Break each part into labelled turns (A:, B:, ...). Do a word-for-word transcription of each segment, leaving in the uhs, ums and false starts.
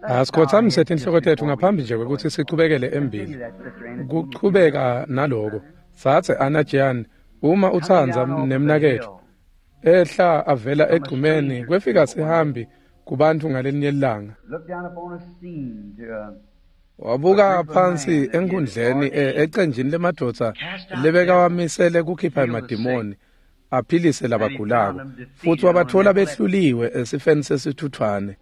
A: Asikhothamise tinhloko tetfu ngaphambi nje kwekutsi sichubekele embili. Kuchubeka naloko, Tsatse Anna Jean, uma utsandza nemnaketfu, ehla avela egcumeni kwefika sihambi kubantfu ngalelinye ilanga. Wabuka phansi enkundleni ecenjini lemadvodza lebekawamisele kukhipha emadimoni aphilise labagulako, futsi wabatfola behluliwe esifeni sesithuthwane.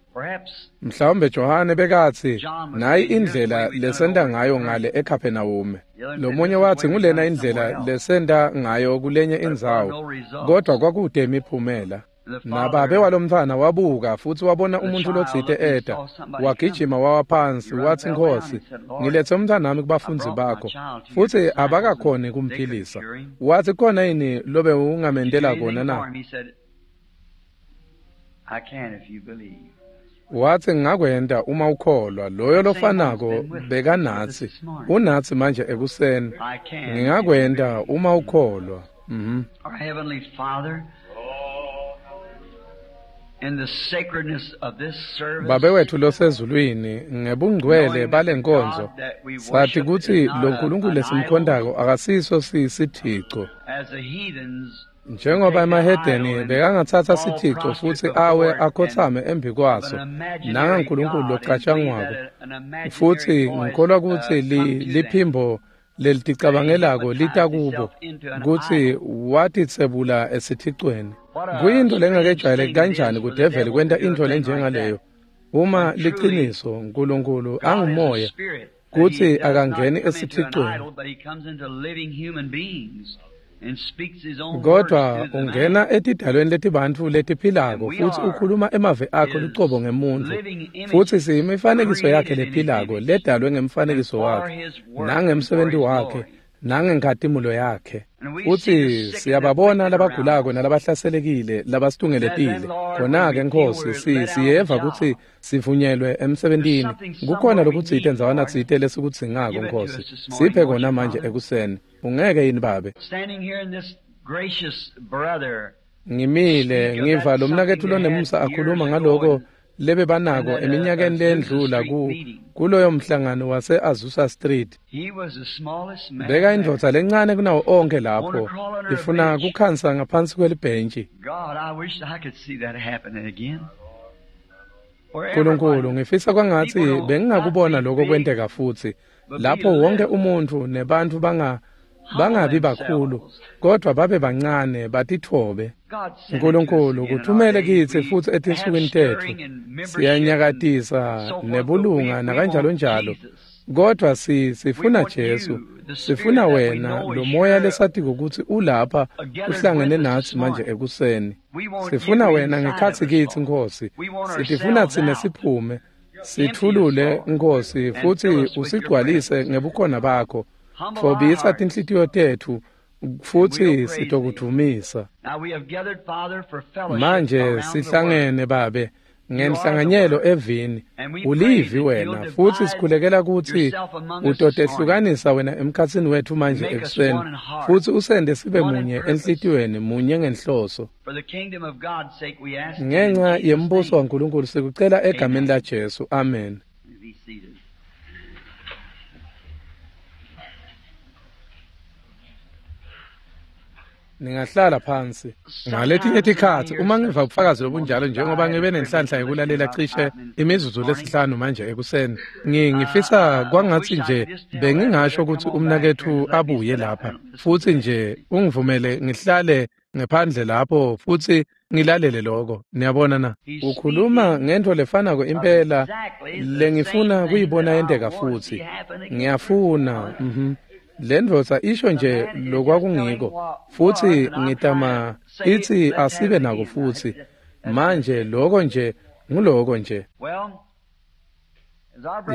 A: Mhlawumbe Johane bekatsi nayi indlela lesenta ngayo ngale eKapernaum. Lomunye watsi ngulena indlela lesenta ngayo kulenye indzawo, kodwa kwakude imiphumela. Nababe walomntfwana wabuka futsi wabona umuntfu lotsite eta, wagijima wawa phansi watsi, Nkhosi, ngiletse umntfwanami kubafundzi bakho, futsi abakakhoni kumphilisa. Watsi, khona yini lobe ungamentela kona na? Watsi, ngingakwenta uma ukholwa. Loyo lofanako bekanatsi, unatsi manje ekuseni. Ngingakwenta uma ukholwa. Mhm. Babe wetfu losezulwini, ngebungcwele balenkonzo, sathi kutsi lo Nkulunkulu lesimkhondako akasiso sisithico. Njengoba emahedeni bekangatsatsa sithico futsi awe akhotsame embi kwaso, nangaNkulunkulu locatshangwako, futsi ngikholwa kutsi liphimbo leliticabangelako lita kubo kutsi watitsebula esithicweni. Kuyintfo lengakejwayeleki kanjani kudeveli kwenta intfo lenjengaleyo, uma liciniso Nkulunkulu angumoya kutsi akangeni esithicweni, kodwa ungena etidalweni letibantfu letiphilako futsi ukhuluma emavi akhe lucobo ngemuntfu, futsi siyimifanekiso yakhe lephilako ledalwe ngemfanekiso wakhe nangemsebenti wakhe nangenkhatimulo yakhe. Futsi siyababona labagulako nalabahlaselekile labasitungeletile. Khona-ke Nkhosi, si siyeva kutsi sivunyelwe emsebentini. Kukhona lokutsite ndzawana tsite lesikudzingako, Nkhosi. Siphe kona manje ekuseni. Ungeke yini Babe? Ngimile ngiva lo mnaketfu lonemusa akhuluma ngaloko lebebanako eminyakeni lendlula ku kuloyo mhlangano wase Azusa Street. Beka indvodza lencane kunawo onke lapho, ifuna kukhansa ngaphansi kwelibhentshi. Nkulunkulu, ngifisa kwangatsi bengingakubona lokho kwenteka futsi, lapho wonke umuntfu nebantfu banga bangabi bakhulu, kodwa babe bancane batitfobe. Nkulunkulu, kuthumele kitsi futsi etinsukwini tetfu. Siyanyakatisa nebulunga nakanjalo njalo, kodwa si sifuna Jesu, sifuna wena, lo moya lesatiko kutsi ulapha uhlangene natsi manje ekuseni. Sifuna wena ngekhatsi kitsi, Nkhosi. Sitifuna tsine siphume, sithulule, Nkhosi, futsi usigcwalise ngebukhona bakho. Tfobisa tinhlitiyo tetfu futsi sitokudvumisa. Manje sihlangene Babe ngenhlanganyelo evini. Ulivi wena, futsi sikhulekela kutsi utotehlukanisa wena emkhatsini wetfu manje ekuseni, futsi usende sibe munye enhlitiyweni, munye ngenhloso. Ngenca yembuso waNkulunkulu sikucela egameni laJesu. Amen. Ningahlala phansi. Ngaletinye tikhatsi uma ngiva ubufakazi lobunjalo, njengoba ngibe nenhlanhla yekulalela cishe imizuzu lesihlanu manje ekuseni, ngifisa kwangatsi nje bengingasho kutsi umnaketfu abuye lapha futsi nje ungivumele ngihlale ngephandle lapho futsi ngilalele lokho. Niyabona na? Ukhuluma ngentfo lefanako impela lengifuna kuyibona yenteka futsi. Ngiyafuna. Mhm. Lendvodza isho nje lokwakungiko, futsi ngitama itsi asibe nako futsi. Manje lokho nje nguloko nje.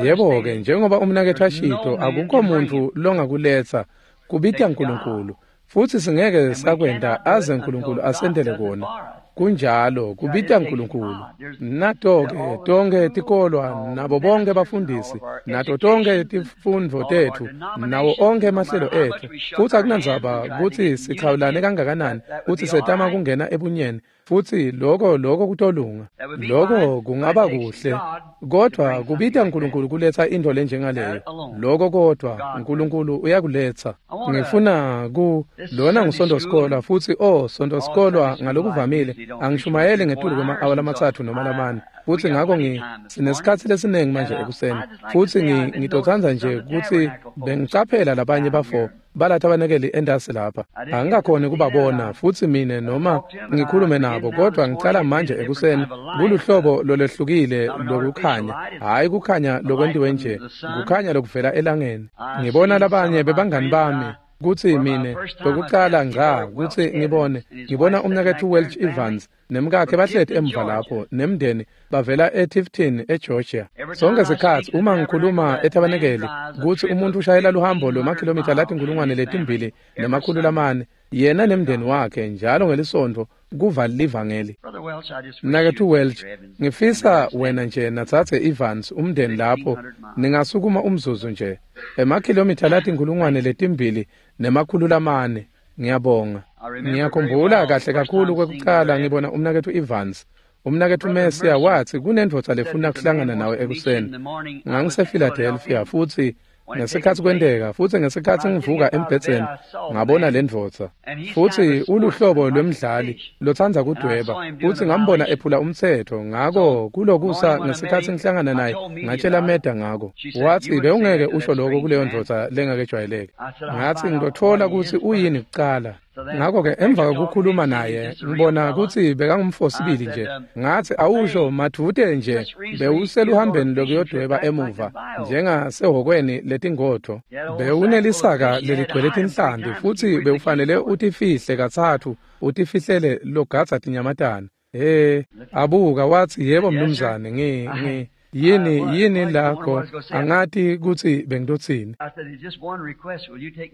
A: Yebo-ke, njengoba umnaketfu ashito, akukho muntfu longakuletsa, kubita Nkulunkulu, futsi singeke sakwenta aze Nkulunkulu asentele kona. Kunjalo, kubita Nkulunkulu. Nato-ke tonkhe tikolwa nabo bonke bafundisi, nato tonkhe tifundvo tetfu, nawo onkhe emahlelo etfu, futsi akunandzaba kutsi sichawulane kangakanani kutsi setama kungena ebunyeni, Futsi lokho lokho kutolunga. Lokho kungaba kuhle, kodwa kubita uNkulunkulu kuletha into lenjengaleyo. Lokho kodwa uNkulunkulu uyakuletha. Ngifuna ku lona nguSonto Sikolwa futsi oh Sonto Sikolwa ngalokuvamile angishumayeli ngetulu kwema-awa lamathathu noma lamane. Futsi ngakho ngi sinesikhatsi lesiningi manje ekuseni. Futsi ngitotsandza nje kutsi bengicaphela labanye bafo balatha abanekeli endasi lapha. Angikakhoni kubabona futsi mine noma ngikhulume nabo, kodwa ngicala manje ekuseni kuluhlobo lolehlukile lokukhanya, hhayi kukhanya lokwentiwe nje, kukhanya lokuvela elangeni. Ngibona labanye bebangani bami kutsi mine lokucala ngca kutsi ngibone ngibona umnaketfu Welch Evans nemkakhe bahleti emva lapho nemndeni bavela eTifton eGeorgia. Sonke sikhatsi uma ngikhuluma etabanekeli kutsi umuntu ushayela luhambo lwemakhilomitha latinkulungwane letimbili nemakhulu lamane yena nemndeni wakhe njalo ngelisonto kuva livangeli. Mnaketfu Welch, ngifisa wena nje natsatse Evans umndeni lapho ningasukuma umzuzu nje emakhilomitha latinkulungwane letimbili nemakhulu lamane. Ngiyabonga. Ngiyakhumbula kahle kakhulu kwekucala ngibona umnaketfu Evans. Umnaketfu Mercia watsi kunendvodza lefuna kuhlangana nawe ekuseni. NgangisePhiladelphia futsi ngesikhatsi kwenteka futsi ngesikhatsi ngivuka embhedzeni ngabona lendvodza. Futsi uluhlobo lwemdlali lotsandza kudweba futsi ngambona ephula umtsetfo. Ngako kulokusa ngesikhatsi ngihlangana naye ngatshela Meda ngako. Watsi bewungeke usho lokho kuleyo ndvodza lengakejwayeleki. Ngatsi ngitotfola kutsi uyini kucala. Ngakho-ke emva kokukhuluma naye ngibona kutsi bekangumfosibili nje. Ngatsi awusho madvute nje bewuseluhambeni lokuyodweba emuva njengasehhokweni letingodvo. Bewunelisaka leligcwele tinhlanti futsi bewufanele utifihle katsatfu utifihlele logadza tinyamatane. He abuka watsi yebo mnumzane ngi ngi yini yini lakho angati kutsi bengitotsini.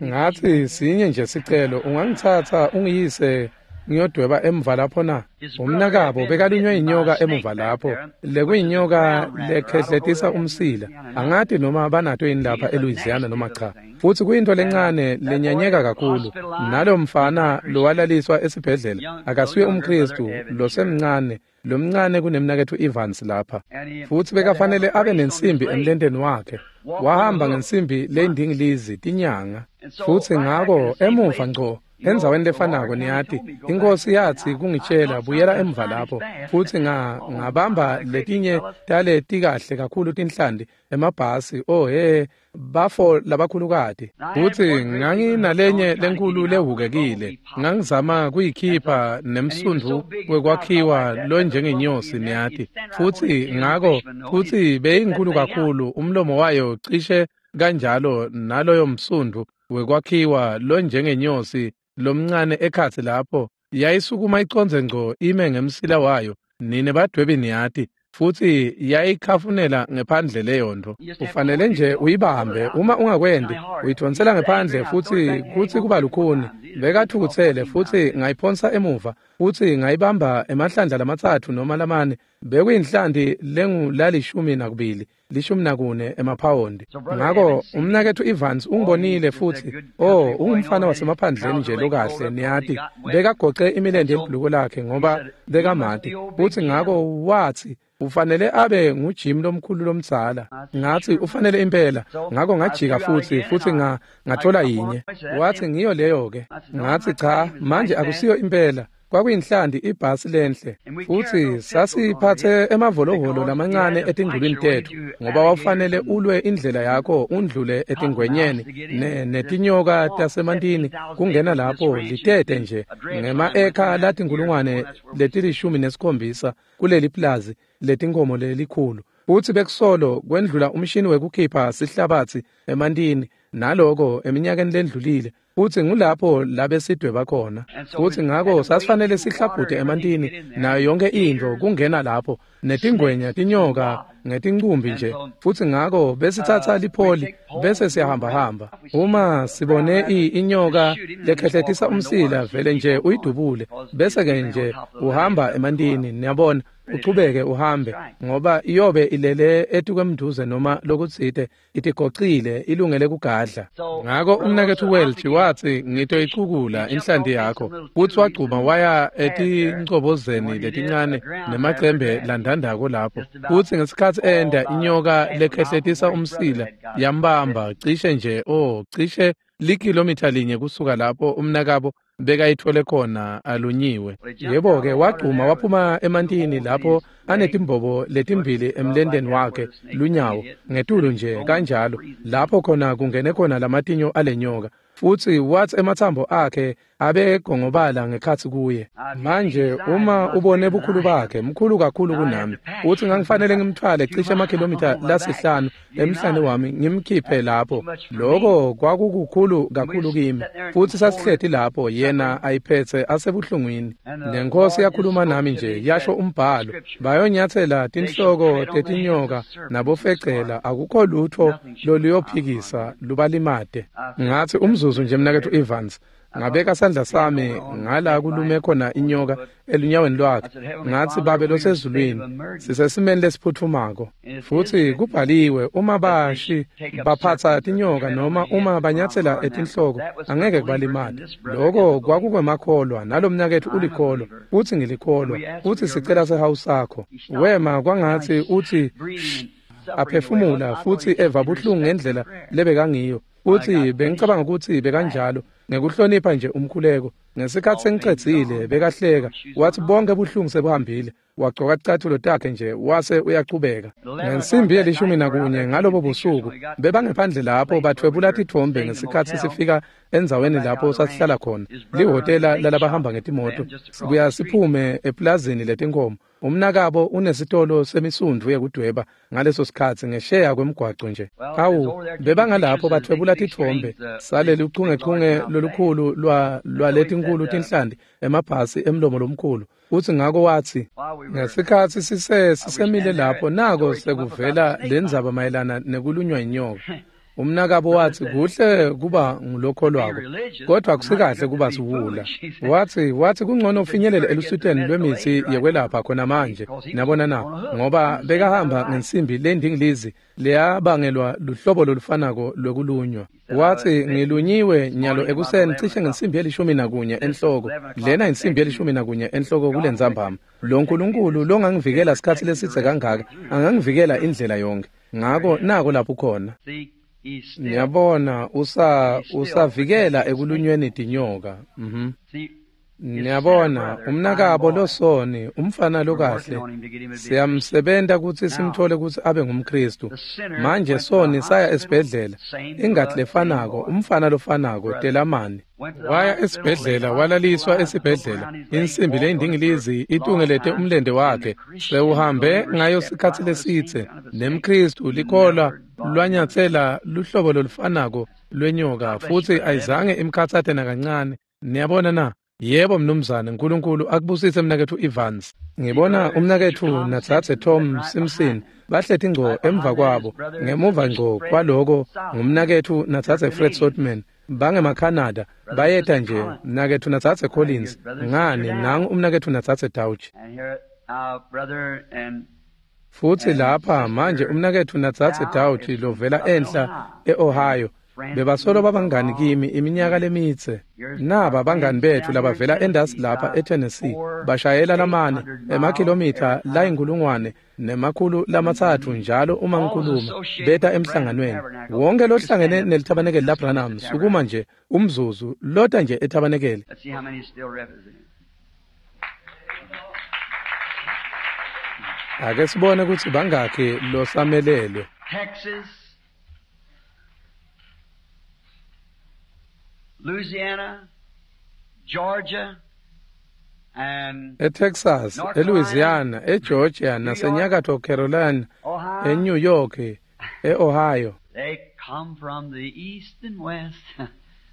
A: Ngatsi sinye nje sicelo, ungangitsatsa ungiyise ngiyodweba emva lapho na? Umnakabo bekalunywe inyoka emuva lapho lekuyinyoka lekhehletisa umsila. Angati noma banato yini lapha eLouisiana noma cha. Futsi kuyinto lencane lenyanyeka kakhulu. Nalo mfana lowalaliswa esibhedlela akasuye umKristu losemncane lomncane kunemnaketfu Evans lapha. Futsi bekafanele abe nensimbi emlenteni wakhe. Wahamba ngensimbi leyindingilizi tinyanga. Futsi ngako emuva ngco endzaweni lefanako niyati inkosi yatsi kungitshela buyela emva lapho. Futsi nga ngabamba letinye tale tikahle kakhulu tinhlanti emabhasi oh he bafo labakhulukati. Futsi nganginalenye lenkulu lehukekile ngangizama kuyikhipha nemsundvu wekwakhiwa lonjengenyosi niyati. Futsi ngako futsi beyinkhulu kakhulu umlomo wayo cishe kanjalo naloyo msundvu wekwakhiwa lonjengenyosi lomncane ekhatsi lapho yayisukuma icondze ngco ime ngemsila wayo. Nine badwebi niyati. Futsi yayikhafunela ngephandle leyo nto. Ufanele nje uyibambe, uma ungakwendi uyidvonsela ngephandle futsi kutsi kuba lukhuni. Bekathukutsele futsi ngayiphonsa emuva futsi ngayibamba emahlandla lamatsatfu noma lamane. Bekuyinhlanti lengulalishumi nakubili lishumi nakune emaphawondi. Ngako umnaketfu Evans ungibonile futsi oh ungumfana wasemaphandleni nje lokahle niyati. Bekagoce imilente yebhuluko lakhe ngoba bekamati. Futsi ngako watsi ufanele abe nguJim lomkhulu lomdzala. Ngatsi ufanele impela. Ngako ngajika futsi futsi nga ngathola yinye. Watsi ngiyo leyo ke. Ngatsi cha manje akusiyo impela. Kwakuyinhlanti ibhasi lenhle. Futsi sasiphathe emavolovolo lamancane etingculwini tetfu ngoba wawufanele ulwe indlela yakho undlule etingwenyeni ne netinyoka tasemantini kungena lapho litete nje ngema-eka latinkulungwane letilishumi nesikhombisa kuleli plazi letinkomo lelikhulu. Futsi bekusolo kwendlula umshini wekukhipha sihlabatsi emantini naloko eminyakeni lendlulile. Futsi ngulapho labesidweba khona. Futsi ngako sasifanele sihlabhute emantini nayo yonke intfo kungena lapho netingwenya tinyoka ngetincumbi nje. Futsi ngako besitsatsa lipholi bese siyahambahamba. Uma sibone inyoka lekhehletisa umsila vele nje uyidubule bese ke nje uhamba emantini niyabona Uchubeke uhambe, ngoba iyobe ilele etukwemduze noma lokutsite, itigocile ilungele kugadla. Ngako umnaketfu Welch watsi, ngitoyicukula inhlanti yakho, futsi wagcuma waya etincobozeni letincane nemacembe landandako lapho. Futsi ngesikhatsi enda, inyoka lekhehletisa umsila yambamba cishe nje oh cishe likilomitha linye kusuka lapho umnakabo bekayithole khona alunyiwe. Yebo-ke, wagcuma waphuma emantini lapho anetimbobo letimbili emlendeni wakhe lunyawo ngetulu nje kanjalo, lapho khona kungene khona lamatinyo alenyoka. Futsi watsi ematsambo akhe abegongobala ngekhatsi kuye. Manje uma ubone bukhulu bakhe, mkhulu kakhulu kunami. Utsi ngangifanele ngimthwale cishe emakhilomitha lasihlanu emhlane wami ngimkhiphe lapho. Loko kwakukukhulu kakhulu kimi. Futsi sasihleti lapho yena ayiphetse asebuhlungwini. Nenkosi yakhuluma nami nje yasho umbhalo, bayonyatsela tinhloko tetinyoka nabofecela, akukho lutho loluyophikisa lubalimate. Ngatsi umzuzu nje mnaketfu Evans, ngabeka sandla sami ngala kulume khona inyoka elunyaweni lwakhe. Ngatsi, Babe losezulwini, sisesimeni lesiphutfumako. Futsi kubhaliwe, uma bashi baphatsa tinyoka noma uma banyatsela etinhloko angeke kubalimate. Loko kwakukwemakholwa, nalomnaketfu ulikholwa, futsi ngilikholwa, futsi sicela sehawu sakho. Wema kwangatsi utsi aphefumula futsi eva buhlungu ngendlela lebekangiyo. Futsi bengicabanga ukuthi bekanjalo ngekuhlonipha nje umkhuleko. Ngesikhatsi sengicedzile bekahleka, wathi bonke buhlungu sebuhambile. Wagcoka ticatfulo takhe nje wase uyachubeka. Ngensimbi yelishumi nakunye ngalobo busuku bebangephandle lapho bathwebula titfombe ngesikhatsi sifika endzaweni lapho sasihlala khona, lihhotela lalabahamba ngetimoto. Sibuya siphume eplazini letinkhomo. Umnakabo unesitolo semisundvu yekudweba ngaleso sikhatsi ngesheya kwemgwaco nje. Awu, bebangalapho bathwebula titfombe saleli uchungechunge lolukhulu lwa lwaletinkulu tinhlanti emabhasi emlomo lomkhulu. Futsi ngako watsi, ngesikhatsi sise sisemile lapho nako sekuvela lendzaba mayelana nekulunywa inyoka. Umnakabo watsi, kuhle kuba ngulokholwako, kodwa akusikahle kuba siwula. Watsi watsi kungcono ufinyelele elusuteni lwemitsi yekwelapha khona manje, nabona na, ngoba bekahamba ngensimbi lendingilizi leyabangelwa luhlobo lolufanako lwekulunywa. Watsi, ngilunyiwe nyalo ekuseni cishe ngensimbi yelishumi nakunye enhloko. Lena insimbi yelishumi nakunye enhloko kulentsambama. Lo Nkulunkulu longangivikela sikhatsi lesidze kangaka angangivikela indlela yonke. Ngako nako lapho khona. Niyabona, usa usavikela ekulunyweni tinyoka. Mhm. Niyabona, umnakabo losoni, umfana lokahle, siyamsebenta kutsi simthole kutsi abe ngumKhristu. Manje soni saya esibhedlela, ingati lefanako, umfana lofanako, telamani. Waya esibhedlela, walaliswa esibhedlela. Insimbi leyindingilizi itungelete umlende wakhe. Sewuhambe ngayo sikhatsi lesidze. NemKhristu likholwa lwanyatsela luhlobo lolufanako lwenyoka, futsi ayizange imkhatsate nakancane. Niyabona na? Yebo mnumzane, Nkulunkulu akubusise mnaketfu Evans. Ngibona umnaketfu natsatse Tom Simpson bahleti ngco emva kwabo, ngemuva ngco kwaloko ngumnaketfu natsatse Fred Sotman. BangemaCanada bayeta nje, mnaketfu natsatse Collins. Ngani nangu umnaketfu natsatse Dauch. Futsi lapha manje umnaketfu natsatse Dauch lovela enhla eOhio. Bebasolo babangani kimi iminyaka lemitse. Naba bangani bethu labavela endasi lapha eTennessee bashayela lamane emakhilomitha layinkulungwane nemakhulu lamatsatfu njalo uma ngikhuluma beta emhlanganweni. Wonke lohlangene nelithabanekeli laBranham sukuma nje umzuzu lota nje ethabanekeli. Ake sibone kutsi bangakhi losamelelwe.
B: Louisiana, Georgia, and
A: eTexas, eLouisiana, eGeorgia, naseNyakatfo Carolina, eNew York, eOhio.
B: They come from the east and west.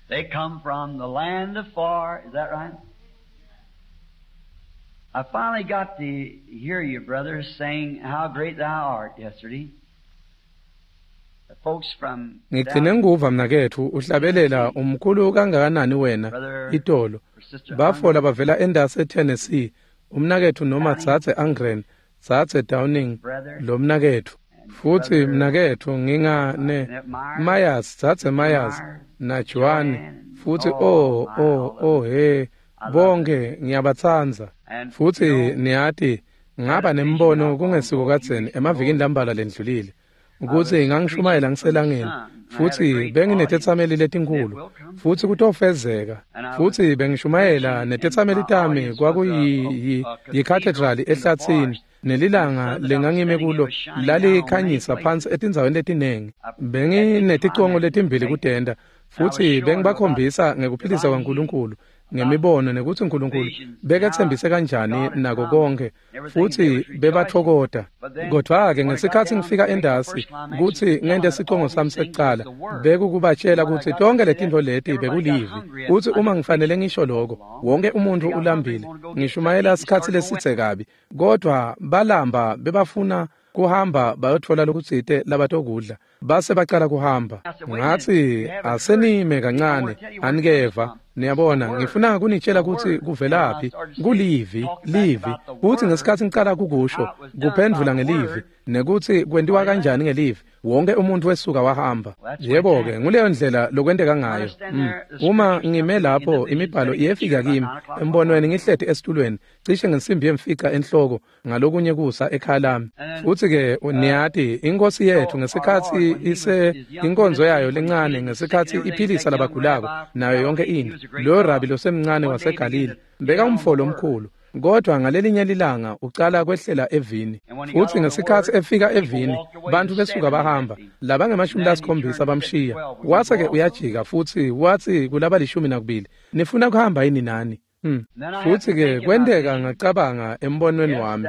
B: They come from the land afar. Is that right? I finally got to hear you, brothers, saying how great thou art yesterday.
A: Ngigcine ngikuva mnaketfu uhlabelela umkhulu kangakanani wena itolo. Bafola bavela endasi eTennessee, umnaketfu noma tsatse Angren Dzadze Downing, lomnaketfu. Futsi mnaketfu nginga ne Myers, Dzadze Myers na Joan, futsi oh oh oh he, bonke ngiyabatsandza. Futsi niyati ngaba nembono kungesiko kadzeni emavikini lambalwa lendlulile kutsi ngangishumayela ngiselangeni, futsi benginetetsameli letinkhulu, futsi kutofezeka. Futsi bengishumayela netetsameli tami kwakuyi-cathedral ehlatsini, nelilanga lengangime kulo lalikhanyisa phansi etindzaweni letiningi. Bengineticongo letimbili kutenta, futsi bengibakhombisa ngekuphilisa kwaNkulunkulu ngemibono nekutsi uNkulunkulu beketsembise kanjani nako konke, futsi bebathokota. Kodwa-ke ngesikhatsi ngifika endasi kutsi ngente sicongo sami sekucala, bekukubatshela kutsi tonke letintfo leti bekulivi, kutsi uma ngifanele ngisho loko, wonke umuntfu ulambile. Ngishumayela sikhatsi lesitse kabi, kodwa balamba bebafuna kuhamba bayotfola lokutsite labatokudla, base bacala kuhamba. Ngatsi asenime kancane, anikeva. Niyabona, ngifuna kunitshela kutsi kuvelaphi, kulivi, livi. Kutsi ngesikhatsi ngicala kukusho, kuphendvula ngelivi, nekutsi kwentiwa kanjani ngelivi, wonke umuntu wesuka wahamba. Yebo-ke, nguleyo ndlela lokwenteka ngayo. Mm. Uma ngime lapho, imibhalo iyefika kimi, embonweni ngihleti esitulweni, cishe ngensimbi yemfica enhloko, ngalokunye kusa ekhaya lami. Futsi-ke niyati, iNkhosi yethu ngesikhatsi ise inkonzo yayo lencane, ngesikhatsi iphilisa labagulako, nayo yonke into, loyo rabi losemncane waseGalile beka umfo lomkhulu, kodwa ngalelinye lilanga ucala kwehlela evini. Futsi ngesikhatsi efika evini, bantfu besuka bahamba, labangemashumi lasikhombisa bamshiya. Wase-ke uyajika futsi watsi kulabalishumi nakubili, nifuna kuhamba yini nani? Hmm. Futsi-ke kwenteka ngacabanga embonweni wami,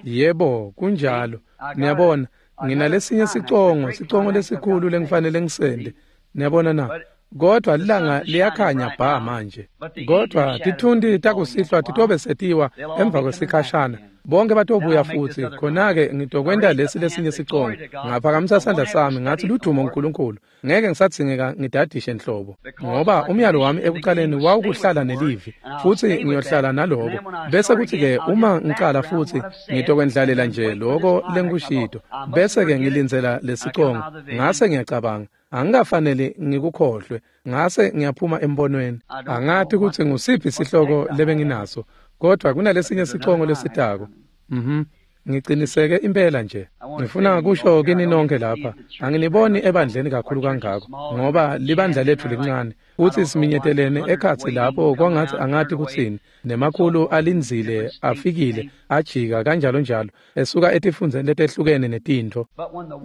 A: yebo, kunjalo. Niyabona, nginalesinye sicongo, sicongo lesikhulu lengifanele ngisende. Niyabona na? Kodwa lilanga liyakhanya bha manje. Kodwa tithunti takusihlwa titobe setiwa emva kwesikhashana. Bonke batobuya futsi, khona-ke ngitokwenta lesi lesinye sicongo. Ngaphakamisa sandla sami ngatsi ludumo uNkulunkulu. Ngeke ngisadzingeka ngidadishe nhlobo, ngoba umyalo wami ekucaleni wawukuhlala nelivi, futsi ngiyohlala naloko. Bese kuthi-ke uma ngicala futsi ngitokwendlalela nje loko lengikushito, bese-ke ngilindzela lesicongo. Ngase ngiyacabanga, angikafanele ngikukhohlwe. Ngase ngiyaphuma embonweni. Angati kutsi ngusiphi sihloko lebenginaso, kodwa kunalesinye sicongo lesitako. Mhm. Ngiciniseke impela nje. Ngifuna kusho kini nonke lapha, anginiboni ebandleni kakhulu kangako, ngoba libandla letfu lincane, futsi siminyetelene ekhatsi lapho kwangatsi angati kutsini, nemakhulu alindzile afikile ajika kanjalo njalo, esuka etifundzeni letehlukene netintfo.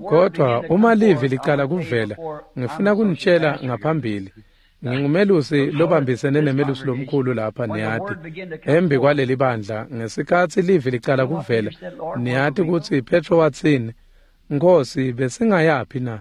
A: Kodwa uma livi licala kuvela, ngifuna kunitshela ngaphambili, ngingumelusi lobambisene nemelusi lomkhulu lapha, niyati, embi kwaleli bandla. Ngesikhatsi livi licala kuvela, niyati kutsi Petro watsini, Nkhosi, besingayaphi na?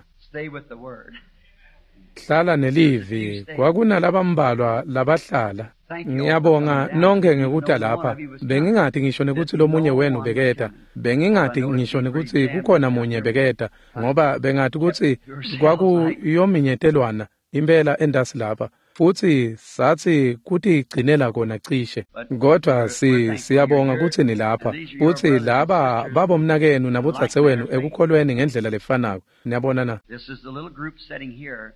A: Hlala nelivi. Kwakunalabambalwa labahlala. Ngiyabonga nonke ngekuta lapha. Bengingati ngisho nekutsi lomunye wenu beketa. Bengingati ngisho nekutsi kukhona munye beketa, ngoba bengati kutsi kwakuyominyetelwana impela endasi lapha. Futsi satsi kutigcinela kona cishe. Kodwa si siyabonga kutsi nilapha, futsi laba babomnakenu nabodzadzewenu ekukholweni ngendlela lefanako. Niyabona na?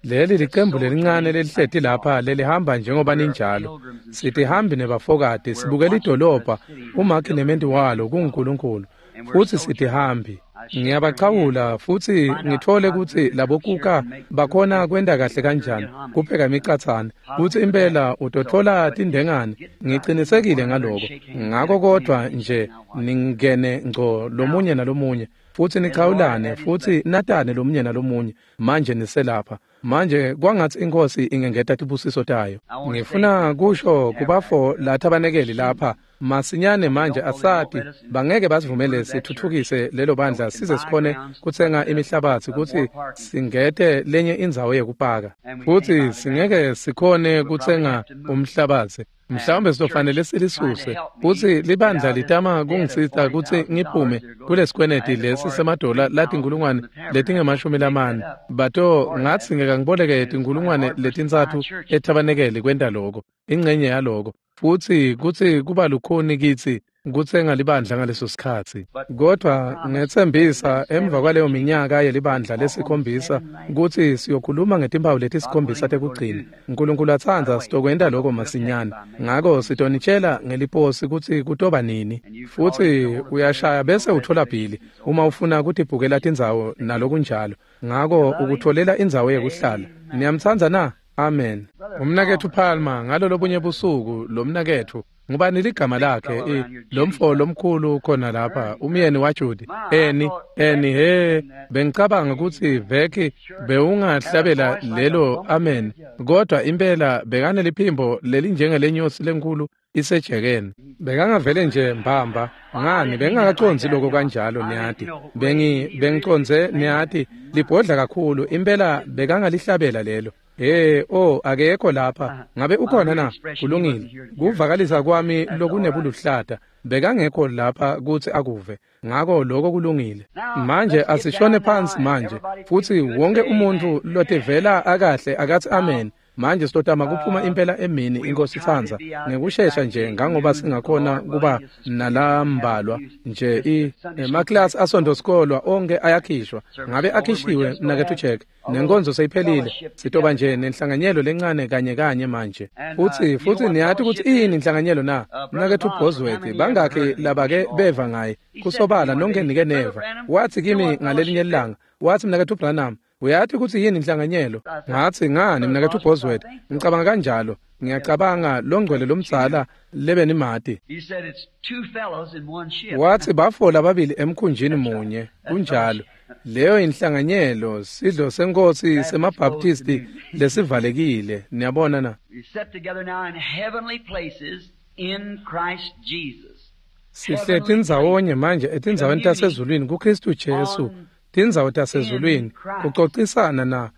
A: Leli licembu lelincane lelihleti lapha lelihamba njengoba ninjalo. Sitihambi nebafokati, sibukela idolobha, umakhi nementi walo kunguNkulunkulu, futsi sitihambi. Ngiyabachawula futsi ngitfole kutsi labokuka bakhona kwenta kahle kanjani kupheka imicatsane, kutsi impela utotfola tindengane. Ngicinisekile ngaloko. Ngako kodwa nje ningene ngco lomunye nalomunye, futsi nichawulane futsi natane lomunye nalomunye. Manje niselapha. Manje kwangatsi iNkhosi ingengeta tibusiso tayo. Ngifuna kusho kubafo lathabanekeli lapha masinyane manje, asati bangeke basivumele sithuthukise lelo bandla size sikhone kutsenga imihlabatsi kutsi singete lenye indzawo yekupaka, futsi singeke sikhone kutsenga umhlabatsi. Mhlawumbe sizofanele silisuse. Futsi libandla litama kungisita kutsi ngiphume kulesikweneti lesi semadola latinkhulungwane letingemashumi lamane. Bato ngatsi ngeke ngiboleke tinkhulungwane letintsatfu ethabanekeli kwenta loko, ingcenye yaloko. Futsi kutsi kuba lukhuni kitsi kutsenga libandla ngaleso sikhatsi. Kodwa ngetsembisa emva kwaleyo minyaka yelibandla lesikhombisa kutsi siyokhuluma ngetimpawu letisikhombisa tekugcina. Nkulunkulu atsandza sitokwenta lokho masinyane. Ngako sitonitshela ngeliposi kutsi kutoba nini. Futsi uyashaya bese uthola bhili uma ufuna kutibhukela tindzawo nalokunjalo. Ngako ukutholela indzawo yekuhlala. Niyamtsandza na? Amen. Umnaketfu Palmer ngalo lobunye busuku lomnaketfu ngubani ligama lakhe lomfo lomkhulu khona lapha umyeni waJudy eni eni he bengicabanga kutsi veki bewungahlabela lelo amen kodwa impela bekaneliphimbo lelinjengelenyosi lenkulu isejekeni bekangavele nje mbamba ngani bengingakacondzi lokho kanjalo niyati bengi bengicondze niyati libhodla kakhulu impela bekangalihlabela lelo. Hey oh akekho lapha ngabe ukhona na? Kulungile kuvakalisa kwami lokunebuluhlata bekangekho lapha kutsi akuve ngako lokho kulungile. Manje asishone phansi manje futsi wonke umuntu lotivela akahle akathi amen. Manje sitotama kuphuma impela emini inkosi itsandza ngekushesha nje ngangoba singakhona kuba nalambalwa nje i emaklasi asondosikolwa onke ayakhishwa ngabe akhishiwe mnaketfu Jack nenkonzo seyiphelile sitoba nje nenhlanganyelo lencane kanye kanye manje. Futsi futsi niyati kutsi iyini inhlanganyelo na? Mnaketfu Bosworth bangakhi labake beva ngaye kusobala nonke nike neva. Wathi kimi ngalelinye ilanga wathi mnaketfu Branham uyati kutsi yini inhlanganyelo? Ngathi ngani mnaketfu Bosworth ngicabanga kanjalo ngiyacabanga longcwele lomdzala lebenimati. Wathi bafola ababili emkhunjini munye kunjalo. Leyo inhlanganyelo sidlo senkosi semabaptisti lesivalekile niyabona na? Sihleti ndzawonye manje etindzaweni tasezulwini kuKristu Jesu. Tindzawo tasezulwini kucocisana na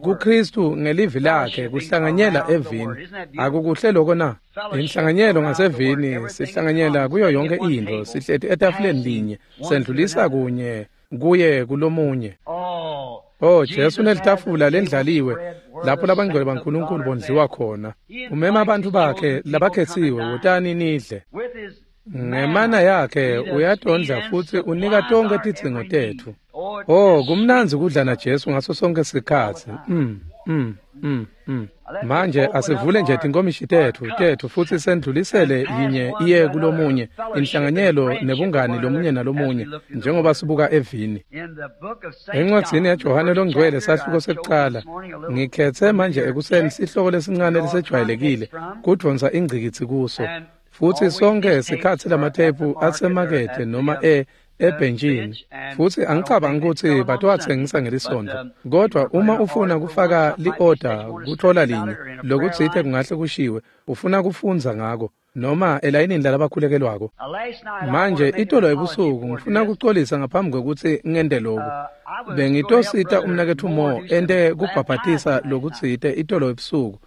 A: kuKristu ngelivi lakhe kuhlanganyela evini. Akukuhle lokho na? Inhlanganyelo ngasevini sihlanganyela kuyo yonke into sihleti etafuleni linye sendlulisa kunye kuye kulomunye. Oh Jesu unelitafula lendlaliwe lapho labangcwele baNkulunkulu bondliwa khona. Umema abantu bakhe labakhetsiwe wotani nidle. Ngemana yakhe uyatondla futsi unika tonke tidzingo tetfu. Oh kumnandzi kudla na Jesu ngaso sonke sikhatsi. Mm mm mm mm. Manje asivule nje tinkomishi tetfu tetfu futsi sendlulisele yinye iye kulomunye inhlanganyelo nebungani lomunye nalomunye njengoba sibuka evini. Encwadzini yaJohane longcwele sahluko sekucala ngikhetse manje ekuseni sihloko lesincane lesejwayelekile kudvonsa ingcikitsi kuso. Futsi sonke sikhatsi lamathephu asemakethe noma e ebhentshini futsi angicabangi kutsi batowatsengisa ngelisonto kodwa uma ufuna kufaka li-order kuthola linye lokutsite kungahle kushiwe ufuna kufundza ngako noma elayinini lalabakhulekelwako. Manje itolo ebusuku ngifuna kucolisa ngaphambi kwekutsi ngente loku. Bengitosita umnaketfu Mo ente kubhabhatisa lokutsite itolo ebusuku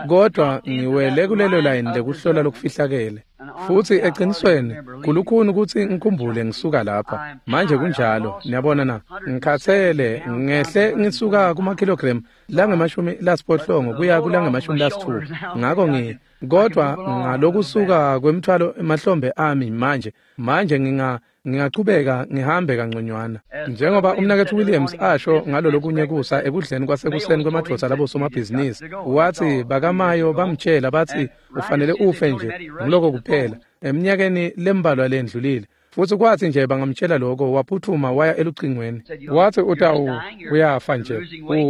A: kodwa ngiwele kulelo layini lekuhlola lokufihlakele. Futsi eqinisweni kulukhuni kutsi ngikhumbule ngisuka lapha manje kunjalo niyabona na ngikhatsele ngehle ngisuka kumakhilogram langemashumi lasiphohlongo kuya kulangemashumi lasitfupha ngako ngi kodwa ngalokusuka kwemthwalo emahlombe ami manje manje nginga ngingachubeka ngihambe kanconywana njengoba umnaketfu Williams asho ngalo lokunye kusa ekudleni kwasekuseni kwemadvodza labosomabhizinisi wathi bakamayo bamtshela bathi ufanele ufe nje ngiloko kuphela eminyakeni lembalwa lendlulile. Futsi kwathi nje bangamtshela lokho waphuthuma waya elucingweni wathi utawu uyafa nje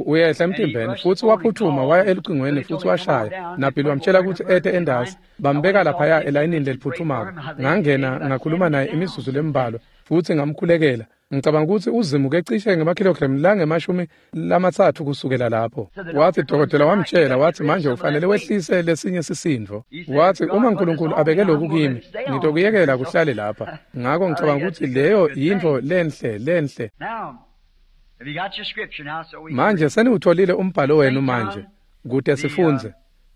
A: uyehla emtimbeni futsi waphuthuma waya elucingweni futsi washaya naBill wamtshela ukuthi ete endasi bambeka laphaya elayinini leliphuthumako. Ngangena ngakhuluma naye imizuzu lembalwa futsi ngamkhulekela. Ngicabanga ukuthi uzimuke cishe ngemakhilogremu langemashumi lamatsatfu kusukela lapho. Wathi dokotela wamtshela wathi manje ufanele wehlise lesinye sisindvo. Wathi uma uNkulunkulu abeke lokhu kimi ngitokuyekela kuhlale lapha. Ngako ngicabanga ukuthi leyo yintfo lenhle lenhle. Manje seniwutholile umbhalo wenu manje kute sifundze.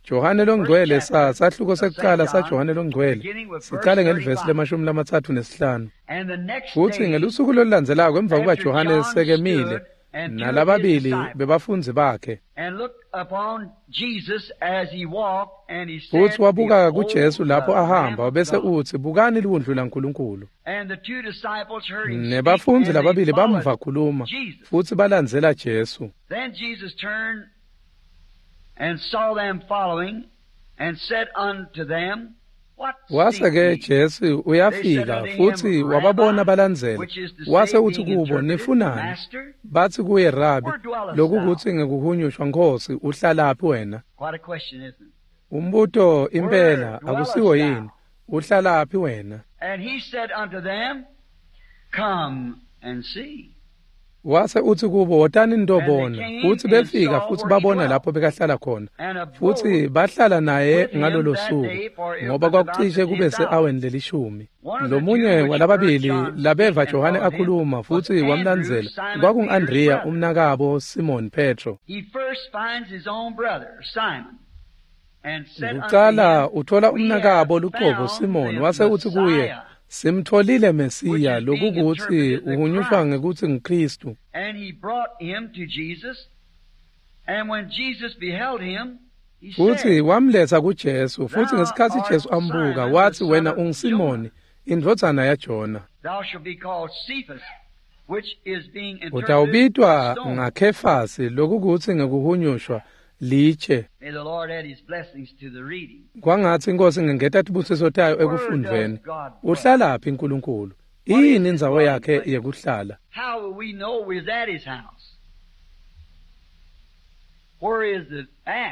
A: Johane longcwele sa sahluko sekucala saJohane longcwele sicale ngelivesi lemashumi lamatsatfu nesihlanu. Futsi ngelusuku lolulandzelako emva kuba Johane sekemile Nalababili bebafundzi bakhe. Futsi wabuka kuJesu lapho ahamba bese utsi, "Bukani liwundlu laNkulunkulu." Nebafundzi lababili bamva khuluma futsi balandzela Jesu. Wase-ke Jesu uyafika futsi wababona balandzela. Wase utsi kubo, "Nifunani?" Batsi kuye, "Rabi," lokukutsi ngekuhunyushwa, "Nkhosi, uhlalaphi wena?" Umbuto impela akusiwo yini? Uhlalaphi wena? Wase utsi kubo, "Wotani nitobona." Futsi befika futsi babona lapho bekahlala khona, futsi bahlala naye ngalolo suku, ngoba kwakucishe kube se-aweni lelishumi. Lomunye walababili labeva Johane akhuluma futsi wamlandzela kwakungu-Andreya umnakabo Simon Petro. Kucala uthola umnakabo lucobo Simon, wase utsi kuye, "Simtholile Mesiya," lokukutsi uhunyushwa ngekutsi nguKristu. Futsi wamletsa kuJesu, futsi ngesikhatsi Jesu ambuka watsi, "Wena unguSimoni, indvodzana yaJona. Utawubitwa ngaKhefasi," lokukutsi ngekuhunyushwa litshe. Kwangatsi iNkhosi ingengeta tibusiso tayo ekufundveni. Uhlalaphi Nkulunkulu? Iyini indzawo yakhe yekuhlala?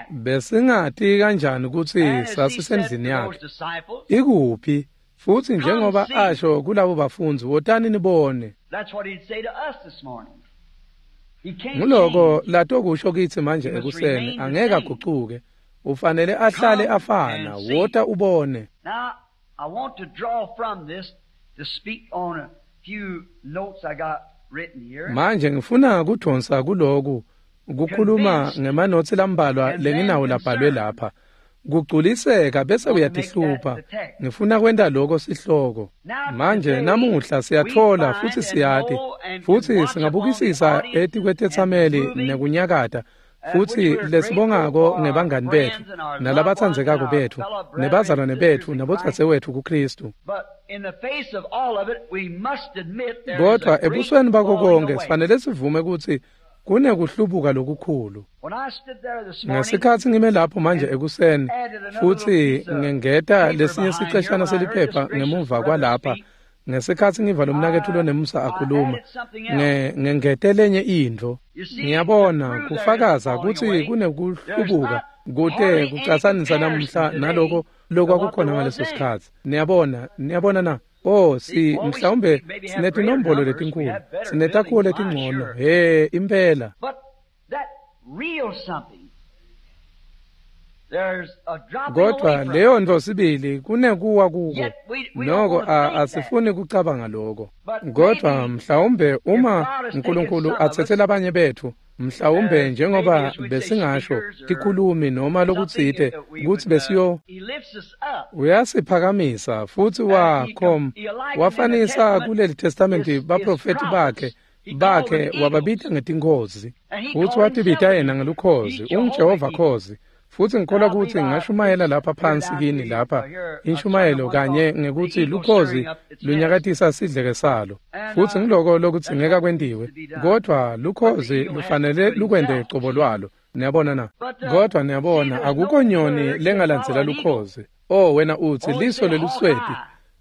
A: Besingati kanjani kutsi sasisendlini yakhe? Ikuphi? Futsi njengoba asho kulabo bafundzi, "Wotani nibone." Nguloko latokusho kitsi manje ekuseni, angeke agucuke. Ufanele ahlale afana. Wota ubone. Manje ngifuna kudonsa kuloku kukhuluma ngemanotsi lambalwa lenginawo labhalwe lapha. Kugculiseka bese uyatihlupha. Ngifuna kwenta lokho sihloko. Manje namuhla siyatfola futsi siyati, futsi singabukisisa etikwetetsameli nekunyakata, futsi lesibongako ngebangani betfu nalabatsandzekako betfu nebazalwane betfu nabodzadzewetfu kuKristu. Kodwa ebusweni bako konke sifanele sivume kutsi kunekuhlubuka lokukhulu. Ngesikhatsi ngime lapho manje ekuseni futsi ngengeta lesinye siceshana seliphepha ngemuva kwalapha, ngesikhatsi ngiva lomnaketfu lonemusa akhuluma, ngengete lenye intfo. Ngiyabona kufakaza kutsi kunekuhlubuka kute kucatsanisa namuhla naloko lokwakukhona ngaleso sikhatsi. Niyabona, niyabona na? Oh, si mhlawumbe sinetinombolo letinkhulu, sinetakhiwo letingcono, he impela. Kodwa leyo ntfo sibili kunekuwa kuko, noko asifuni kucabanga loko. Kodwa mhlawumbe uma Nkulunkulu atsetse labanye betfu, mhlawumbe njengoba besingasho tikhulumi noma lokutsite kutsi besiyo, uyasiphakamisa futsi wakhom wafanisa kuleli testamenti baprofeti bakhe bakhe wababita ngetinkhozi, futsi watibita yena ngelukhozi, unguJehova khozi. Futsi ngikholwa kutsi ngashumayela lapha phansi kini lapha inshumayelo kanye ngekutsi lukhozi lunyakatisa sidleke salo, futsi ngiloko lokudzingeka kwentiwe, kodwa lukhozi lufanele lukwente cobo lwalo. Niyabona na? Kodwa niyabona akukho nyoni lengalandzela lukhozi. Oh, wena utsi liso lelusweti,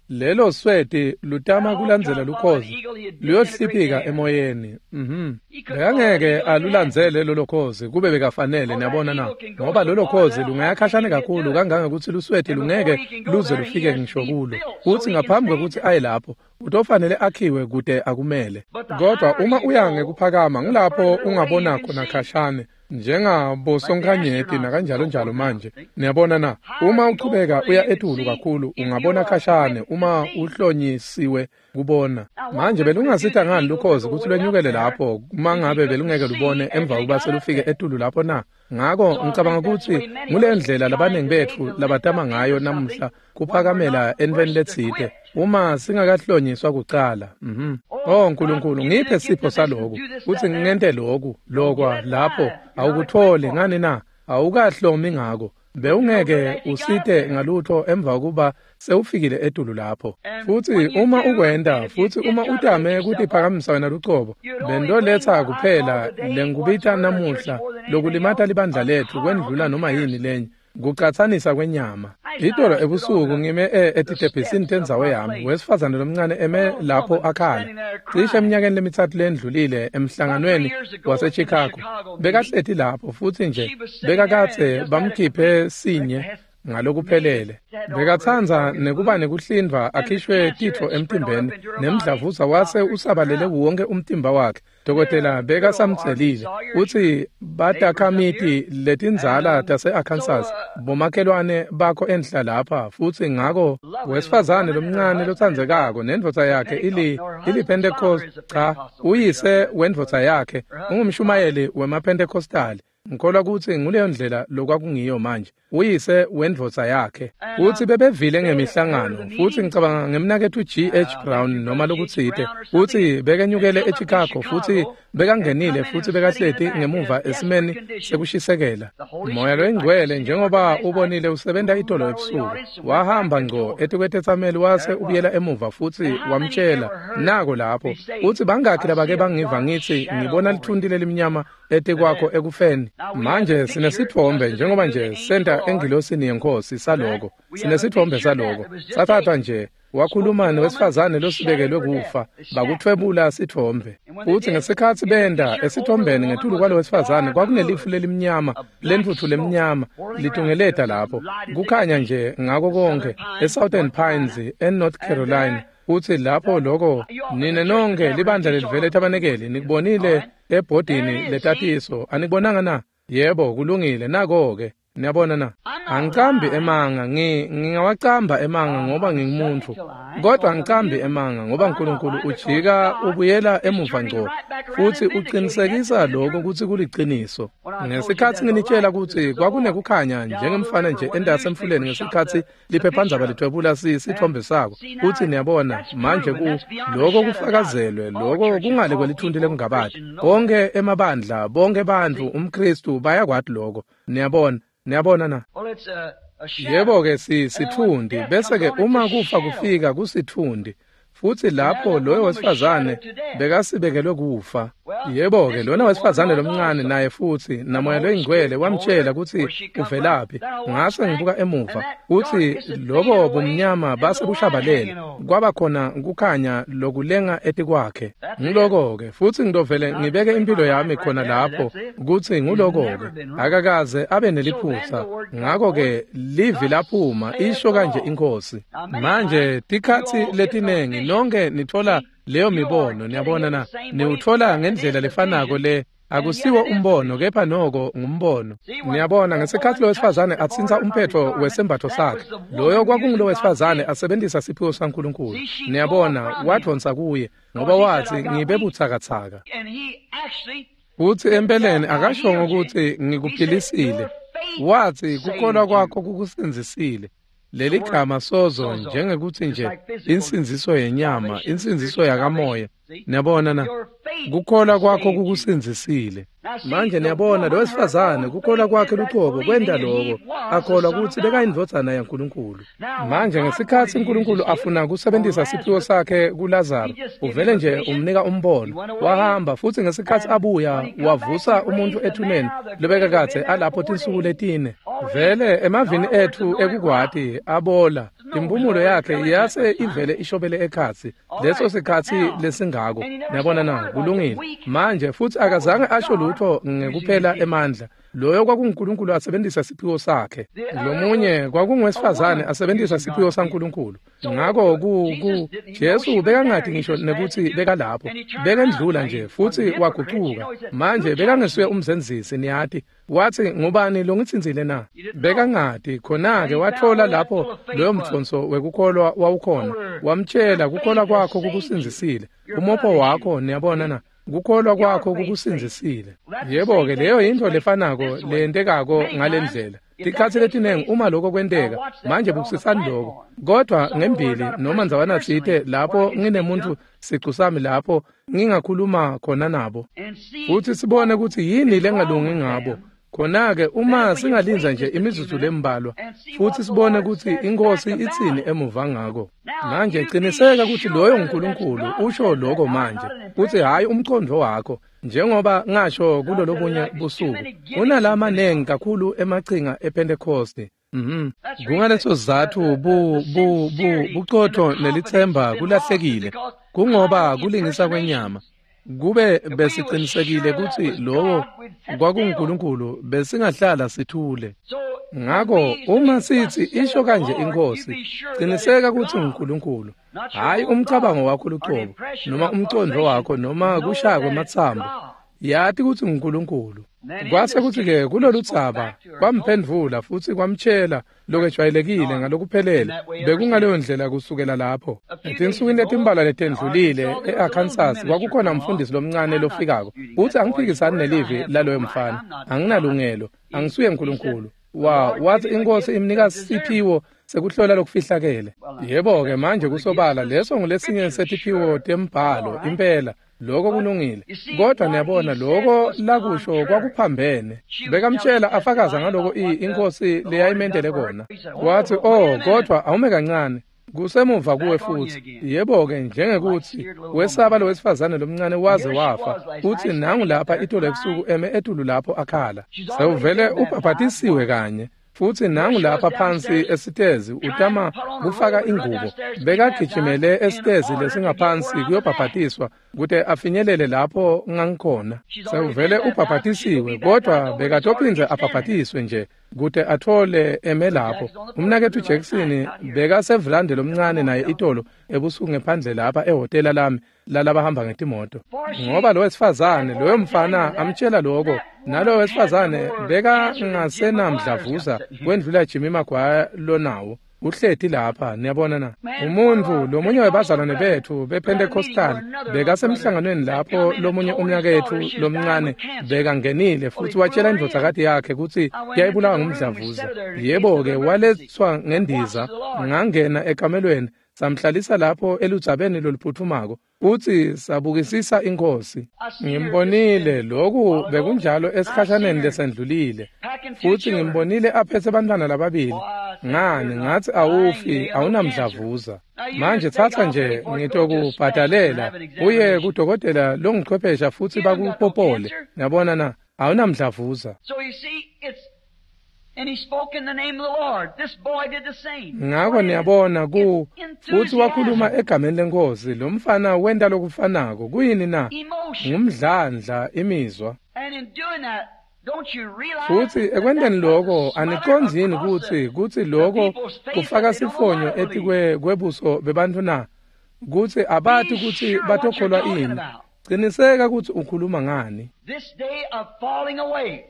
A: lelo sweti lutama kulandzela lukhozi luyohliphika emoyeni. Mhm. Bekangeke alulandzele lolo khozi kube bekafanele, niyabona na? Ngoba lolo khozi lungayakhashane kakhulu kangangekutsi lusweti lungeke luze lufike ngisho kulo. Futsi ngaphambi kwekutsi aye lapho, utofanele akhiwe kude akumele. Kodwa uma uya ngekuphakama ngulapho ungabona khona khashane, njengabosonkhanyeti nakanjalo njalo manje. Niyabona na? Uma uchubeka uya etulu kakhulu ungabona khashane uma uhlonyisiwe kubona. Manje belungasita ngani lukhozi kutsi lwenyukele lapho uma ngabe belungeke lubone emva kokuba selufike etulu lapho na? Ngako ngicabanga kutsi ngule ndlela labaningi betfu labatama ngayo namuhla kuphakamela entfweni letsite Uma singakahlonyiswa kucala. Mhm. Oh Nkulunkulu, ngiphe sipho saloku, kutsi ngente loku, lokwa lapho awukutholi ngani na? Awukahlomi ngako. Bewungeke usite ngalutho emva kuba sewufikile etulu lapho. Futsi uma ukwenta, futsi uma utame kutiphakamisa wena lucobo, bendoletsa kuphela lengubita namuhla lokulimata libandla lethu kwendlula noma yini lenye. Kucatsanisa kwenyama. Itolo ebusuku ngime etitebhisini tendzawo yami, wesifazane lomncane eme lapho akhala. Cishe eminyakeni lemitsatfu lendlulile emhlanganweni waseChicago, bekahleti lapho futsi nje bekakadze bamkhiphe sinye ngalokuphelele. Bekatsandza nekuba nekuhlindvwa akhishwe titfo emtimbeni nemdlavuza wase usabalele wonke umtimba wakhe. Dokotela bekasamtselile utsi batakhamiti letindzala tase-Arkansas bomakhelwane bakho enhla lapha, futsi ngako wesifazane lomncane lotsandzekako nendvodza yakhe ili ili-Pentecost, cha, uyise wendvodza yakhe ungumshumayeli wemaPentecostali. Ngikholwa kutsi nguleyo ndlela lokwakungiyo manje, uyise wendvodza yakhe. Utsi bebevile ngemihlangano, futsi ngicabanga ngemnaketfu G H Brown noma lokutsite, utsi bekenyukele eChicago futsi bekangenile futsi bekahleti ngemuva esimeni sekushisekela. Moya loyingcwele njengoba ubonile usebenta itolo ebusuku, wahamba ngco etikwetetsameli wase ubuyela emuva futsi wamtshela nako lapho. Utsi bangakhi labake bangiva ngitsi ngibona lithunti lelimnyama etikwakho ekufeni. Manje sinesitfombe njengoba nje senta engilosini yeNkhosi saloko. Sinesitfombe saloko. Sathathwa nje wakhuluma nowesifazane losibekelwe kufa, bakuthwebula sitfombe. Futsi ngesikhatsi benda esitfombeni ngetulu kwalo wesifazane kwakunelifu lelimnyama, lentfutfu lemnyama litungeleta lapho. Kukhanya nje ngako konke eSouthern Pines eNorth Carolina. Futsi lapho loko nine nonke libandla lelivele etabanekeli nikubonile ebhodini letatiso, anikubonanga na? Yebo, kulungile, nako-ke. Niyabona na? Angicambi emanga, ngi ngingawacamba emanga ngoba ngingumuntfu, kodwa angicambi emanga ngoba Nkulunkulu ujika ubuyela emuva ngco futsi uqinisekisa lokho kutsi kuliciniso. Ngesikhatsi nginitshela kutsi kwakunekukhanya njengemfana nje endasemfuleni ngesikhatsi liphephandzaba lithwebula sitfombe sako, kutsi niyabona manje ku lokho kufakazelwe, lokho kungale kwelithunti lekungabati. Bonke emabandla, bonke bantfu, umKhristu bayakwati lokho. Niyabona? Niyabona na? Yebo-ke si sitfundi, bese-ke uma kufa kufika kusitfundi, futsi lapho loyo wesifazane bekasibekelwe kufa. Yebo-ke lona wesifazane lomncane naye futsi naMoya loyingcwele wamtshela kutsi uvelaphi. Ngase ngibuka emuva kutsi lobo bumnyama base bushabalele, kwaba khona kukhanya lokulenga etikwakhe. Ngiloko-ke futsi ngidovele ngibeke impilo yami khona lapho kutsi nguloko-ke akakaze abe neliphutsa. Ngako-ke livi laphuma isho kanje iNkhosi. Manje tikhatsi letinengi nonke nithola leyo mibono, niyabona na? Niwuthola ngendlela lefanako le. Akusiwo umbono kepha noko ngumbono. Niyabona ngesikhatsi lo wesifazane atsintsa umphetfo wesembatfo sakhe, loyo kwakungulo wesifazane asebentisa siphiwo saNkulunkulu. Niyabona wadvonsa kuye ngoba watsi ngibe butsakatsaka. Futsi empeleni akashongo kutsi ngikuphilisile, watsi kukholwa kwakho kukusindzisile. Leli gama sozo njengekuthi nje insindziso yenyama, insindziso yakamoya. Niyabona na? Kukholwa kwakho kukusindzisile. Manje niyabona lo wesifazane kukholwa kwakhe lucobo kwenta lokho, akholwa kutsi bekayindvodzana yaNkulunkulu. Manje ngesikhatsi uNkulunkulu afuna kusebentisa siphiwo sakhe kuLazaro, uvele nje umnika umbono, wahamba futsi ngesikhatsi abuya wavusa umuntfu ethuneni lobekakadze alapho tinsuku letine. Vele emavini etfu ekukwati abola, impumulo yakhe yase ivele ishobele ekhatsi leso sikhatsi lesingako. Niyabona na? Kulungile. Manje futsi akazange asho lutho ngekuphela emandla. Loyo kwakunguNkulunkulu asebentisa siphiwo sakhe. Lomunye kwakungowesifazane asebentisa siphiwo saNkulunkulu. Ngako ku ku Jesu bekangati ngisho nekutsi bekalapho, bekendlula nje futsi wagucuka. Manje bekangesiye umzenzisi, niyati. Watsi ngubani longitsintsile na? Bekangati. Khona-ke wathola lapho loyo mtfonso wekukholwa wawukhona, wamtshela kukholwa kwakho kukusindzisile. Umopho wakho, niyabona na? Kukholwa kwakho kukusindzisile. Yebo-ke leyo yintfo lefanako leyentekako ngalendlela. Tikhatsi letinengi uma lokho kwenteka, manje bukisisani lokho. Kodwa ngembili noma ndzawana tsite lapho nginemuntu sicu sami lapho ngingakhuluma khona nabo. Futhi sibone ukuthi yini lengalungi ngabo. Khona-ke uma singalindza nje imizuzu lembalwa futhi sibone ukuthi inkosi itsini emuva ngako. Manje qiniseka ukuthi loyo nguNkulunkulu usho lokho manje, kuthi hhayi umqondo wakho, njengoba ngasho kulolobunye busuku. Kunalamanengi kakhulu emachinga ePentecost. Mhm. Kungaleso sizatfu bu bu bu buqotho nelithemba kulahlekile, kungoba kulingisa kwenyama. Kube besiqinisekile ukuthi lowo kwakunguNkulunkulu besingahlala sithule. Ngakho uma sithi isho kanje inkosi, qiniseka ukuthi nguNkulunkulu, hhayi umcabango wakho luqobo noma umcondo wakho noma kushaya kwematsambo. Yati ukuthi nguNkulunkulu. Kwase kuthi-ke kulolu dzaba kwamphendvula futhi kwamtshela lokwejwayelekile ngalokuphelele. Bekungaleyo ndlela kusukela lapho. Etinsukwini letimbalwa letendlulile e-Arkansas kwakukhona umfundisi lomncane lofikako. Uthi angiphikisani nelivi laloyo mfana. Anginalungelo, angisuye uNkulunkulu. Wa wathi inkosi imnika siphiwo sekuhlola lokufihlakele. Yebo-ke manje kusobala leso ngulesinye setiphiwo tembhalo impela. Lokho kulungile, kodwa niyabona lokho lakusho kwakuphambene. Bekamtshela afakaza ngaloko inkosi leyayimentele kona. Wathi, oh, kodwa awume kancane, kusemuva kuwe futhi. Yebo-ke njengekuthi wesaba lo wesifazane lomncane waze wafa, uthi nangu lapha itolo ebusuku eme etulu lapho akhala. Sewuvele ubhabhatisiwe kanye. Futhi nangu lapha phansi esitezi utama kufaka ingubo. Bekagijimele esitezi lesingaphansi kuyobhabhatiswa kute afinyelele lapho ngangikhona. Sewuvele ubhabhatisiwe, kodwa bekatophindze abhabhatiswe nje kute athole eme lapho. Umnaketfu Jackson bekasevulande lomncane naye itolo ebusuku ngephandle lapha ehhotela lami lalabahamba ngetimoto. Ngoba lo wesifazane loyo mfana amtshela lokho, nalo wesifazane bekangasenamdlavuza kwendlula Jimmy Maguire lonawo. Uhleti lapha, niyabona na. Umuntu lomunye webazalwane bethu bePentecostal bekasemhlanganweni lapho lomunye umnyakethu lomncane bekangenile futhi watshela indvodzakati yakhe kutsi yayibulawa ngumdlavuza. Yebo-ke waletswa ngendiza, ngangena ekamelweni, samhlalisa lapho eludzabeni loluphuthumako. Uthi sabukisisa inkosi. Ngimbonile lokhu bekunjalo esikhashaneni lesendlulile. Futhi ngimbonile aphethe abantwana lababili. Ngani ngathi awufi, awunamdlavuza. Manje thatha nje ngitokubhadalela uye kudokotela longuchwephesha futhi bakupopole. Yabona na, awunamdlavuza.
B: And he spoke in the name of the Lord. This boy did the same.
A: Ngakho niyabona ku futhi wakhuluma egameni lenkosi. Lo mfana wenta lokufanako. Kuyini na? Ngumdlandla imizwa.
B: And in doing that, don't you realize
A: futhi ekwenteni lokho aniqondi yini kutsi kutsi lokho kufaka sifonyo etikwe kwebuso bebantfu na? Kutsi abati kutsi batokholwa ini. Qiniseka kutsi ukhuluma ngani.
B: This day of falling away.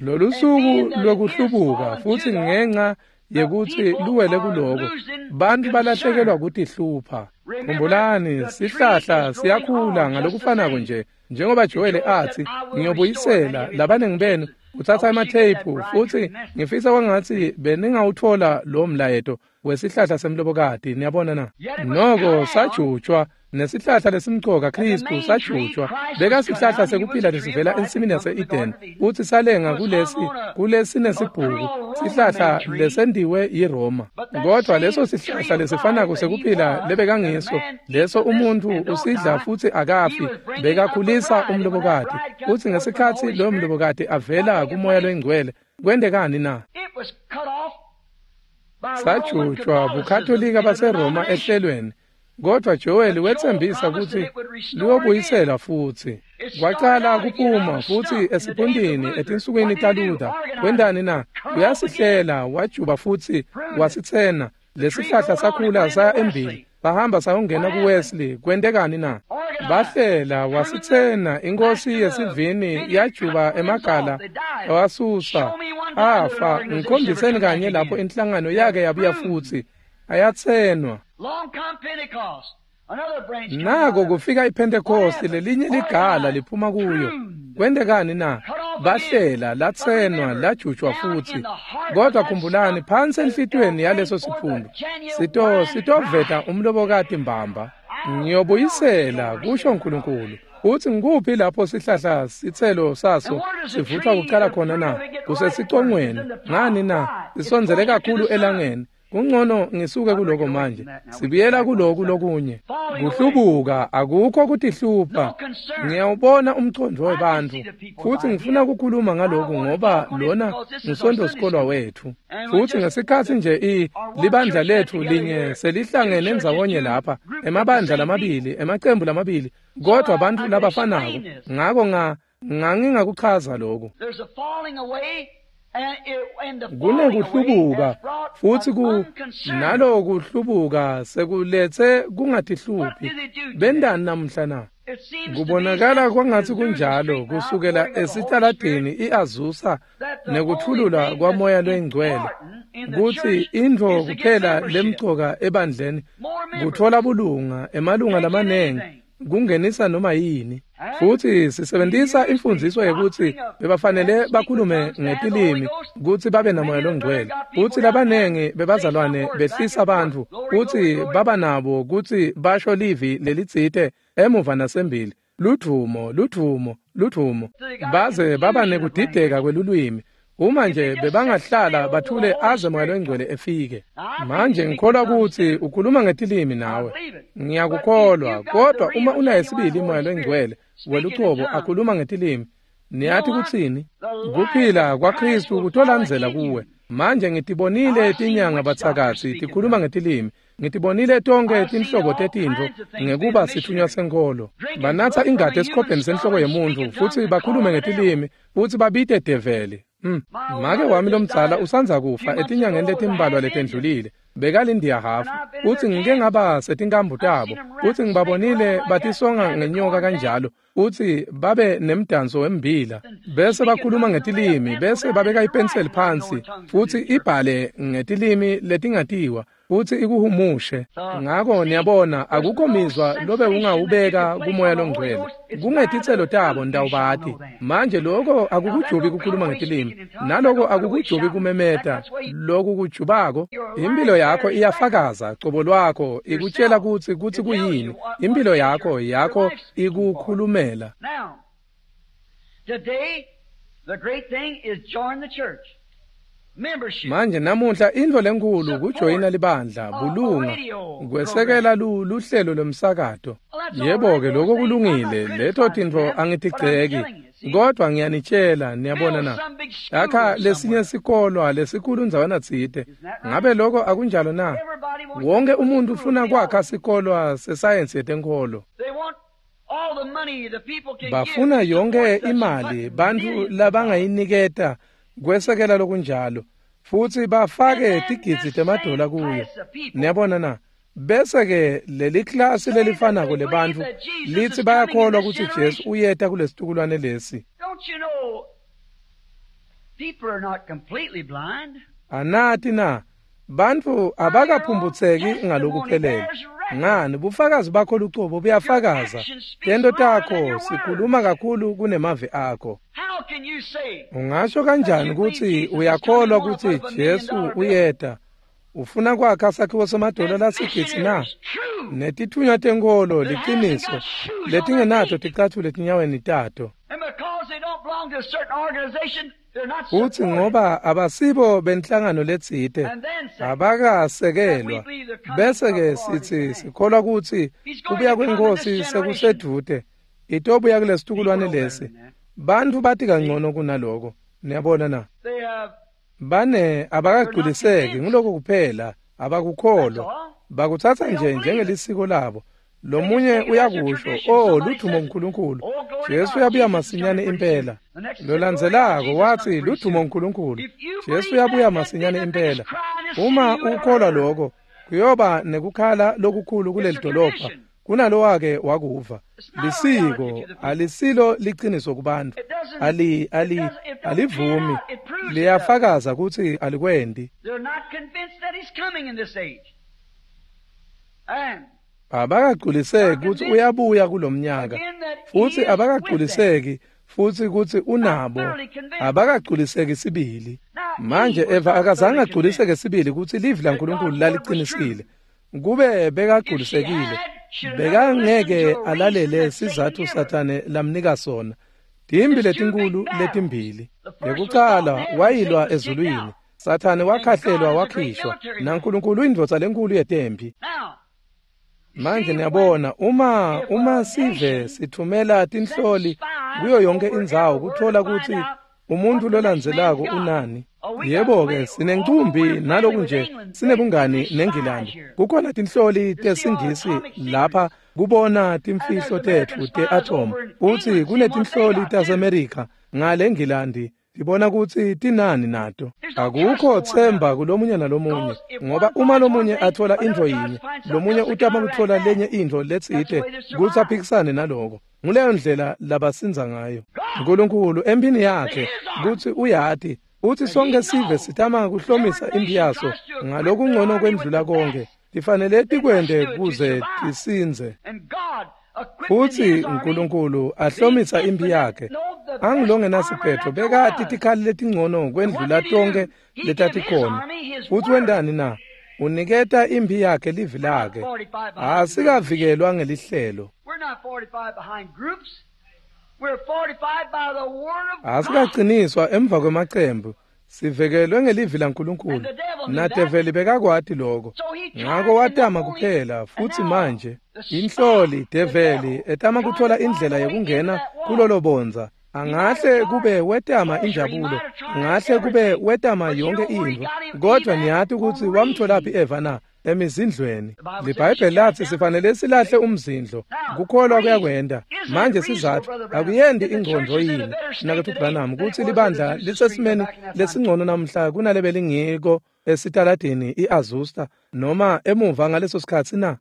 A: Lolu suku lokuhlubuka futhi ngenxa yekuthi luwele kuloko, bantu balahlekelwa kutihlupha. Khumbulani, sihlahla siyakhula ngalokufanako nje njengoba Joel athi, ngiyobuyisela labanengi benu utsatsa ematheyiphu futhi ngifisa kwangatsi beningawuthola lo mlayeto wesihlahla semlobokati. Niyabona na? Noko sajutshwa nesihlahla lesimcoka Kristu sajutshwa. Bekasihlahla sekuphila lesivela ensimini yase-Eden futhi salenga kulesi kulesinesibhuku sihlahla lesendiwe yiRoma. Kodwa leso sihlahla lesifanako sekuphila lebekangiso leso umuntu usidla futhi akafi, bekakhulisa umlobokati. Futhi ngesikhatsi loyo mlobokati avela kumoya loyingcwele, kwentekani na? Sajutshwa buKatolika baseRoma ehlelweni. Kodwa Joel wetsembisa kutsi luyobuyisela futhi. Kwacala kuphuma futhi esipuntini etinsukwini taLuther. Wentani na? Uyasihlela, wajuba futhi wasitsena. Lesihlahla sakhula saya embili. Bahamba sayongena kuWesley. Kwentekani na? Bahlela, wasitsena. Inkosi yesivini yajuba emagala wasusa. Afa, ngikhombiseni kanye lapho inhlangano yake yabuya futhi. Ayatsenwa. Nako kufika iPentecost, lelinye ligala liphuma kuyo. Kwentekani na? Bahlela, latsenwa, lajutjwa futsi. Kodwa khumbulani, phansi enhlitiyweni yaleso siphundu sito sitoveta umlobokati mbamba. Ngiyobuyisela, kusho uNkulunkulu. Uthi ngikuphi lapho sihlahla sitselo saso sivuthwa kucala khona na? Kusesicongweni. Ngani na? Sisondzele kakhulu elangeni. Kungcono ngisuke kuloko manje. Sibuyela kuloku lokunye. Kuhlubuka akukho kutihlupha. Ngiyawubona umcondvo webantfu futsi ngifuna ukukhuluma ngaloku ngoba lona ngusonto sikolwa wethu. Futsi ngesikhatsi nje i libandla lethu linye selihlangene ndzawonye lapha, emabandla lamabili, emacembu lamabili, kodwa bantfu labafanako. Ngako nga ngangingakuchaza lokhu. Kunekuhlubuka futsi ku nalokuhlubuka sekuletse kungatihluphi. Bendani namuhla na? Kubonakala kwangatsi kunjalo kusukela esitaladini iAzusa nekuthulula kwamoya lwengcwele kutsi intfo kuphela lemcoka ebandleni kutfola bulunga emalunga lamanengi kungenisa noma yini. Futsi sisebentisa imfundziso yekutsi bebafanele bakhulume ngetilimi kutsi babe namoya longcwele. Futsi labanengi bebazalwane behlisa bantfu kutsi baba nabo kutsi basho livi lelitsite emuva nasembili, ludvumo, ludvumo, ludvumo, baze baba nekudideka kwelulwimi. Uma nje bebangahlala bathule aze moya longcwele efike. Manje ngikholwa kutsi ukhuluma ngetilimi nawe. Ngiyakukholwa, kodwa uma unaye sibili moya longcwele welucobo akhuluma ngetilimi, niyathi kutsini? Kuphila kwaKristu kutolandzela kuwe. Manje ngitibonile tinyanga batsakatsi tikhuluma ngetilimi. Ngitibonile tonke tinhlobo tetintfo ngekuba sithunywa senkholo. Banatsa ingati esikhobheni senhloko yemuntfu futsi bakhulume ngetilimi futsi babite develi. Mm. Make wami lomdzala usandza kufa etinyangeni letimbalwa letendlulile. Bekalindiya hafu. Utsi ngike ngaba setinkambu tabo. Utsi ngibabonile batisonga ngenyoka kanjalo. Utsi babe nemdanso wembila. Bese bakhuluma ngetilimi, bese babeka ipenseli phansi futsi ibhale ngetilimi letingatiwa. Futsi ikuhumushe. Ngako niyabona akukho mizwa lobe ungawubeka kumoya longcwele. Kungetitselo tabo ndawubati. Manje lokho akukujubi kukhuluma ngetilimi, naloko akukujubi kumemeta. Loku kujubako impilo yakho iyafakaza cobo lwakho ikutshela kutsi kutsi kuyini. Impilo yakho yakho ikukhulumela.
B: Today the great thing is join the church.
A: Manje namuhla intfo lenkulu kujoyina libandla, bulunga, kwesekela luhlelo lomsakato. Yebo-ke lokho kulungile, leto tintfo angitigceki, kodwa ngiyanitshela, niyabona na? Akha lesinye sikolwa lesikhulu ndzawana tsite. Ngabe lokho akunjalo na? Wonke umuntu ufuna kwakha sikolwa sesayensi yetenkholo. Bafuna yonke imali bantfu labangayiniketa kwesekela lokunjalo futsi bafake tigidzi temadola kuyo. Niyabona na? Bese ke leli klasi lelifanako lebantfu litsi bayakholwa kutsi Jesu uyeta kulesitukulwane lesi. Anati na? Bantfu abakaphumbutseki ngalokuphelele. Ngani bufakazi bakho lucobo buyafakaza. Tento takho sikhuluma kakhulu kunemavi akho. Ungasho kanjani kutsi uyakholwa kutsi Jesu uyeta? Ufuna kwakha sakhiwo semadola lasigidzi na? Netithunywa tenkholo liciniso letingenato ticatfulo etinyaweni tato. Futsi ngoba abasibo benhlangano letsite abakasekelwa, bese ke sitsi sikholwa kutsi kubuya kwenkosi sekusedvute, itobuya kulesitukulwane lesi. Bantfu bati kangcono kunaloko. Niyabona na? Bane abakagculiseki nguloko kuphela, abakukholwa. Bakutsatsa nje njengelisiko labo. Lomunye uyakusho, oh ludvumo uNkulunkulu, Jesu uyabuya masinyane impela. Lolandzelako wathi ludvumo uNkulunkulu, Jesu uyabuya masinyane impela. Uma ukholwa lokho, kuyoba nekukhala lokukhulu kuleli dolobha kunalowake wakuva. Lisiko alisilo liciniso kubantu, ali ali alivumi, liyafakaza kutsi alikwendi. Abakagculiseki kutsi uyabuya kulomnyaka, futsi abakagculiseki futsi kutsi unabo abakagculiseki sibili. Manje Eva akazange agculiseke sibili kutsi livi laNkulunkulu laliqinisile. Kube bekagculisekile, bekangeke alalele sizatfu Sathane lamnika sona. Timbi letinkulu letimbili. Yekucala wayilwa ezulwini. Sathane wakhahlelwa wakhishwa, naNkulunkulu indvodza lenkulu yetempi. Manje niyabona, uma uma sive sithumela tinhloli kuyo yonke indzawo kuthola kutsi umuntu lolandzelako unani. Yebo-ke, sinencumbi naloku nje sinebungani neNgilandi. Kukhona tinhloli tesingisi lapha kubona timfihlo tetfu te-atom. Futsi kunetinhloli taseMerika ngale Ngilandi tibona kutsi tinani nato. Akukho themba kulomunye nalomunye, ngoba uma lomunye athola intfo yinye, lomunye utama kutfola lenye intfo letsite kutsi aphikisane naloko. Nguleyo ndlela labasindza ngayo. Nkulunkulu empini yakhe kutsi uyati utsi sonke sive sitama kuhlomisa impi yaso ngalokungcono kwendlula konke. Tifanele tikwente kuze tisindze. Futsi Nkulunkulu ahlomisa impi yakhe. Angilongenasiphetho bekati tikhali letingcono kwendlula tonke letatikhona. Futsi wentani na? Uniketa impi yakhe livi lakhe. Asikavikelwa ngelihlelo. Asikaqiniswa emva kwemacembu. Sivekelwe ngelivi laNkulunkulu. Nadeveli bekakwati lokho. Ngako watama kuphela futsi manje inhloli develi etama kuthola indlela yekungena kulolo bondza. Angahle kube wetama injabulo, angahle kube wetama yonke intfo, kodwa niyati kutsi wamtholaphi Eva na? Emizindlweni. LiBhayibheli lathi sifanele silahle umzindlo. Kukholwa kuyakwenda. Manje sizatfu akuyendi ingqondo yini Mnaketfu Branham kutsi libandla lisesimeni lesingcono namhla kunalebelingiko esitaladini iAzusa noma emuva ngaleso sikhatsi na?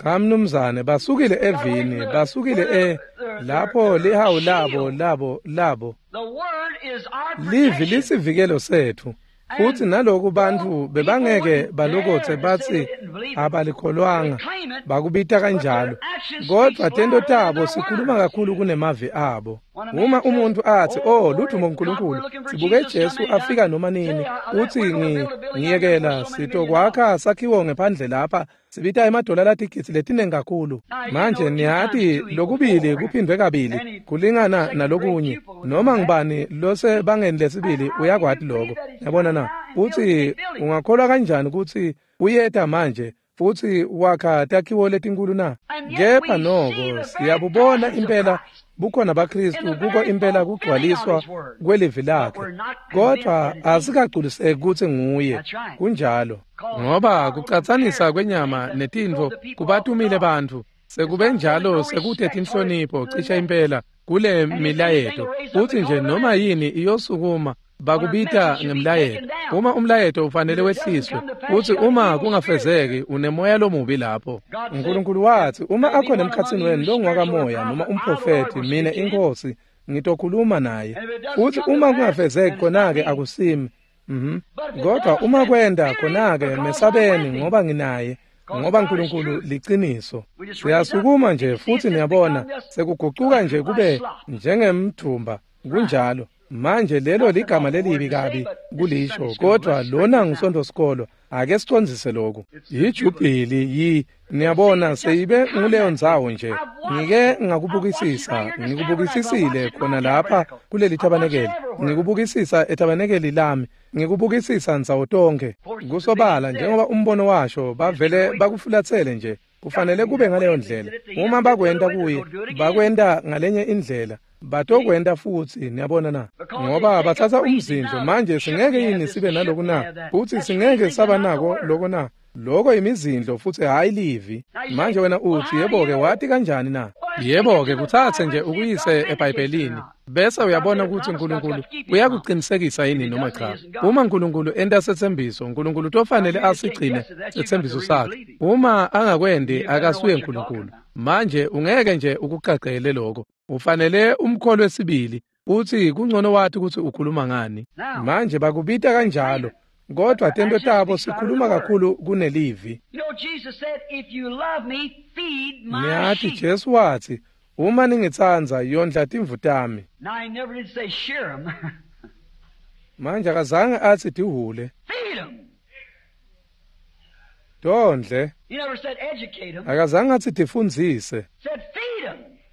A: Cha mnumzane, basukile evini, basukile e lapho lihawu labo labo labo. Livi lisivikelo setfu. Futsi naloku bantfu bebangeke balokotse batsi abalikholwanga, bakubita kanjalo, kodvwa tento tabo sikhuluma kakhulu kunemavi abo. Uma umuntu athi, oh ludumo kuNkulunkulu, sibuke Jesu afika noma nini, uthi ngiyekela sitokwakha sakhiwo ngephandle lapha, sibita emadola latigidzi letinengi kakhulu. Manje niyati lokubili kuphindwe kabili kulingana nalokunye. Noma ngubani losebangeni lesibili uyakwati lokho. Yabona na? Uthi ungakholwa kanjani kutsi uyeta manje futsi wakha takhiwo letinkulu na? Kepha noko siyabubona impela bukhona baKristu kuko impela kugcwaliswa kwelivi lakhe, kodvwa asikagculiseki kutsi nguye. Kunjalo, ngoba kucatsanisa kwenyama netintfo kubatumile bantfu. Sekube njalo sekute tinhlonipho cishe impela kule milayeto. Futsi nje noma yini iyosukuma bakubita ngemlayeto. Uma umlayeto ufanele wehliswe, futsi uma kungafezeki unemoya lomubi lapho. Nkulunkulu wathi uma akhona emkhatsini wenu longwakamoya noma umprofeti, mina inkosi ngitokhuluma naye. Futsi uma kungafezeki khona-ke akusimi. Mhm. Kodwa uma kwenda khona-ke mesabeni ngoba nginaye. Ngoba Nkulunkulu liciniso. Siyasukuma nje futsi niyabona sekugucuka nje kube njengemthumba. Kunjalo. Manje lelo ligama lelibi kabi kulisho, kodwa lona ngusonto sikolo. Ake sicondzise lokhu. Yijubhili yi niyabona seyibe nguleyo ndzawo nje. Ngike ngakubukisisa, ngikubukisisile khona lapha kuleli tabanekeli. Ngikubukisisa etabanekeli lami, ngikubukisisa ndzawo tonke. Kusobala njengoba umbono washo bavele bakufulatsele nje. Kufanele kube ngaleyo ndlela. Uma bakwenta kuye, bakwenta ngalenye indlela. Batokwenta futsi, niyabona na? Ngoba bathatha umzindlo. Manje singeke yini sibe naloku na? Futsi singeke saba nako loko na? Loko imizindlo futsi hhayi livi. Manje wena uthi yebo-ke wati kanjani na? Yebo-ke kuthathe nje ukuyise eBhayibhelini bese uyabona ukuthi uNkulunkulu uyakuqinisekisa yini noma cha. Uma uNkulunkulu enta setsembiso, uNkulunkulu utofanele asigcine setsembiso sakhe. Uma angakwendi akasuye uNkulunkulu. Manje ungeke nje ukuqaqele lokho. Ufanele umkholwe sibili uthi kungcono wathi ukuthi ukhuluma ngani. Manje bakubita kanjalo Kodwa tento tabo sikhuluma kakhulu kunelivi. Niyati Jesu watsi, uma ningitsandza yondla timvu tami. Manje akazange atsi tihhule. Tondle. Akazange atsi tifundzise.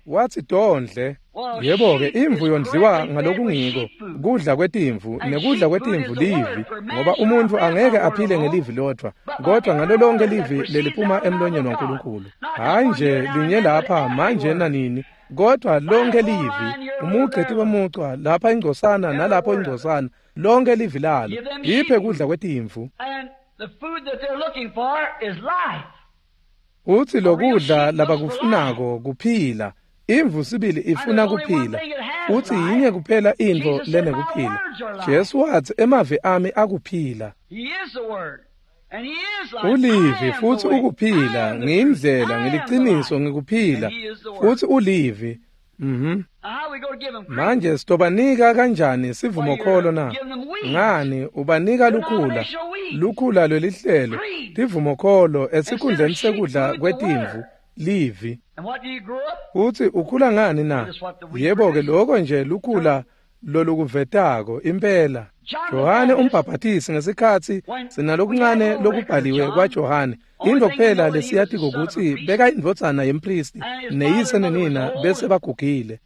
A: Watsi tondle. Yebo-ke imvu yondliwa ngalokungiko, kudla kwetimvu, nekudla kwetimvu livi, ngoba umuntfu angeke aphile ngelivi lodvwa, kodwa ngalo lonke livi leliphuma emlonyeni waNkulunkulu. Hhayi nje linye lapha manje nanini, kodwa lonke livi, umugceti wemucwa, lapha ingcosana nalapho ingcosana, lonke livi lalo, iphe kudla kwetimvu. Utsi lokudla labakufunako kuphila. Imvu sibili ifuna kuphila, utsi yinye kuphela intfo lenekuphila. Jesu watsi emavi ami akuphila. Ulivi futsi ukuphila, ngiyindlela, ngiliciniso, ngikuphila, futsi ulivi. Mhm. Manje sitobanika kanjani sivumokholo na? Ngani ubanika lukhula, lukhula lwelihlelo, tivumokholo esikhundleni sekudla kwetimvu, livi. Utsi ukhula ngani na? Yebo-ke loko nje lukhula lolukuvetako impela. Johane umbhaphatisi ngesikhatsi sinalokuncane lokubhaliwe kwaJohane, intfo kuphela lesiyatiko kutsi beka indvodzana yempristi neyise nenina bese bagugile.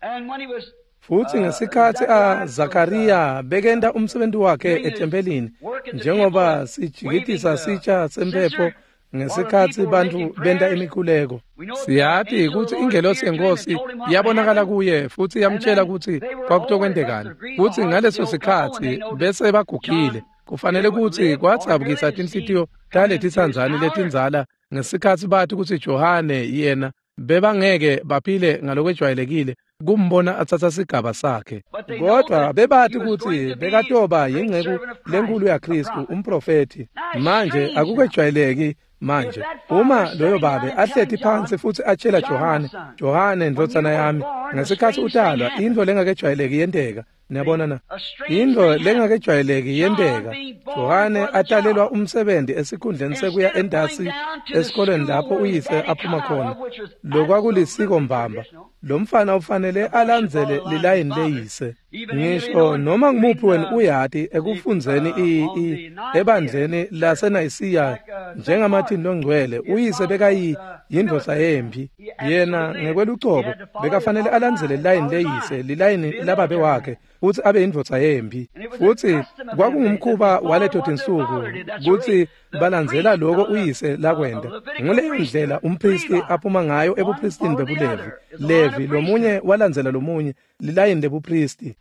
A: Futsi ngesikhatsi a Zakariya bekenta umsebenti wakhe ethempelini, njengoba sijikitisa sitsha semphepho ngesikhatsi bantfu benta imikhuleko, siyati kutsi ingelosi yenkosi yabonakala kuye futsi yamtshela kutsi kwakutokwentekani. Futsi ngaleso sikhatsi bese bagugile. Kufanele kutsi kwadzabukisa tinhlitiyo taletitsandzani letindzala ngesikhatsi bati kutsi Johane yena bebangeke baphile ngalokwejwayelekile kumbona atsatsa sigaba sakhe. Kodwa bebati kutsi bekatoba yinceku lenkulu yaKhristu, umprofethi. Manje akukejwayeleki manje uma loyo babe ahleti phansi futsi atshela Johane, Johane ndvodzana yami, ngesikhatsi utalwa intfo lengakejwayeleki yenteka. Niyabona na? Intfo lengakejwayeleki yenteka. Johane atalelwa umsebenzi esikhundleni sekuya entasi esikolweni lapho uyise aphuma khona. Lokwakulisiko mbamba. Lo mfana ufanele alandzele lilayini leyise. Ngisho noma ngumuphi wenu uyati ekufundzeni i i ebandleni laseNayisiya njengaMartin longcwele, uyise bekayi yindvodza yemphi. Yena ngekwelucobo bekafanele alandzele lilayini leyise, lilayini lababe wakhe, futsi abe yindvodza yemphi. Futsi kwakungumkhuba waleto tinsuku kutsi balandzela loko uyise lakwenta. Nguleyo ndlela umpristi aphuma ngayo ebupristini bebuLevi. Levi lomunye walandzela lomunye lilayini lebupristi.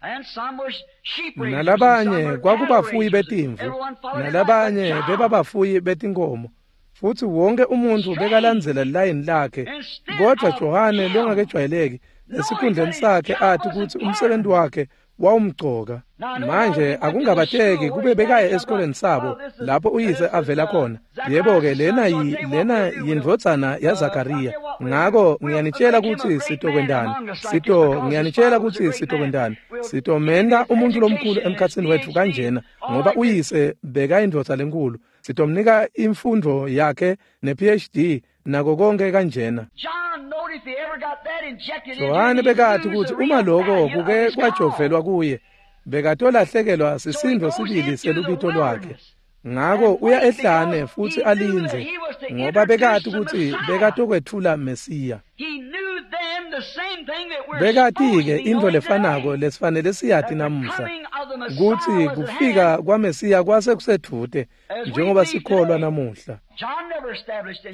A: Nalabanye kwakubafuyi betimvu, nalabanye bebabafuyi betinkomo. Futsi wonke umuntfu bekalandzela lilayini lakhe. Kodwa Johane longakejwayeleki esikhundleni sakhe athi kutsi umsebenzi wakhe wawumgcoka. Manje akungabateki kube bekaye esikoleni sabo lapho uyise avela khona. Yebo-ke lena yi lena yindvodzana yaZakariya. Ngako ngiyanitshela kutsi sitokwentani. Sito ngiyanitshela kutsi sitokwentani. Sitomenta umuntfu lomkhulu emkhatsini wetfu kanjena, ngoba uyise bekayindvodza lenkulu. Sitomnika imfundvo yakhe ne-P H D nako konke kanjena. Johane bekati kutsi uma loko kuke kwajovelwa kuye, bekatolahlekelwa sisindvo sibili selubito lwakhe. Ngako uya ehlane futsi alindze, ngoba bekati kutsi bekatokwetfula Mesiya. Bekati-ke intfo lefanako lesifanele siyati namuhla, kutsi kufika kwaMesiya kwase kusedvute njengoba sikholwa namuhla.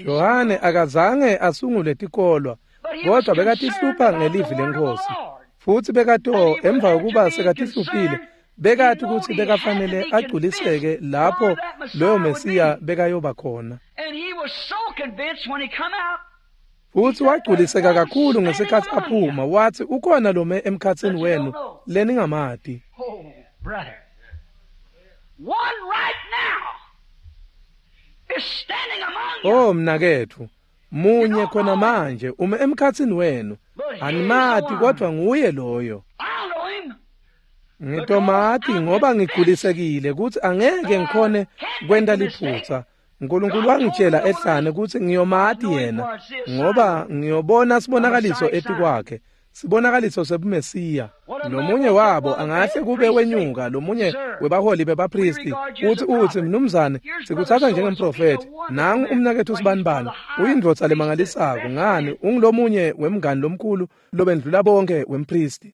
A: Johane akazange asungule tikolwa, kodwa bekatihlupha ngelivi leNkhosi. Futsi bekato emva kokuba sekatihluphile, bekati kutsi bekafanele agculiseke lapho loyo Mesiya bekayoba khona. Futsi wagculiseka kakhulu ngesikhatsi aphuma, watsi ukhona lome emkhatsini wenu leningamati. Oh mnaketfu, munye khona manje ume emkhatsini wenu, animati kodwa nguye loyo. Ngitomati ngoba ngigculisekile kutsi angeke ngikhone kwenta liphutsa. Nkulunkulu wangitshela ehlane kutsi ngiyomati yena ngoba ngiyobona sibonakaliso etikwakhe, sibonakaliso sebuMesiya. Lomunye wabo angahle kube wenyuka, lomunye webaholi bebapristi, uthi uthi mnumzane, sikutsatsa njengemprofethi. Nangu umnaketfu sibanibani, uyindvodza lemangalisako. Ngani, ungulomunye wemngani lomkhulu lobendlula bonke wempristi.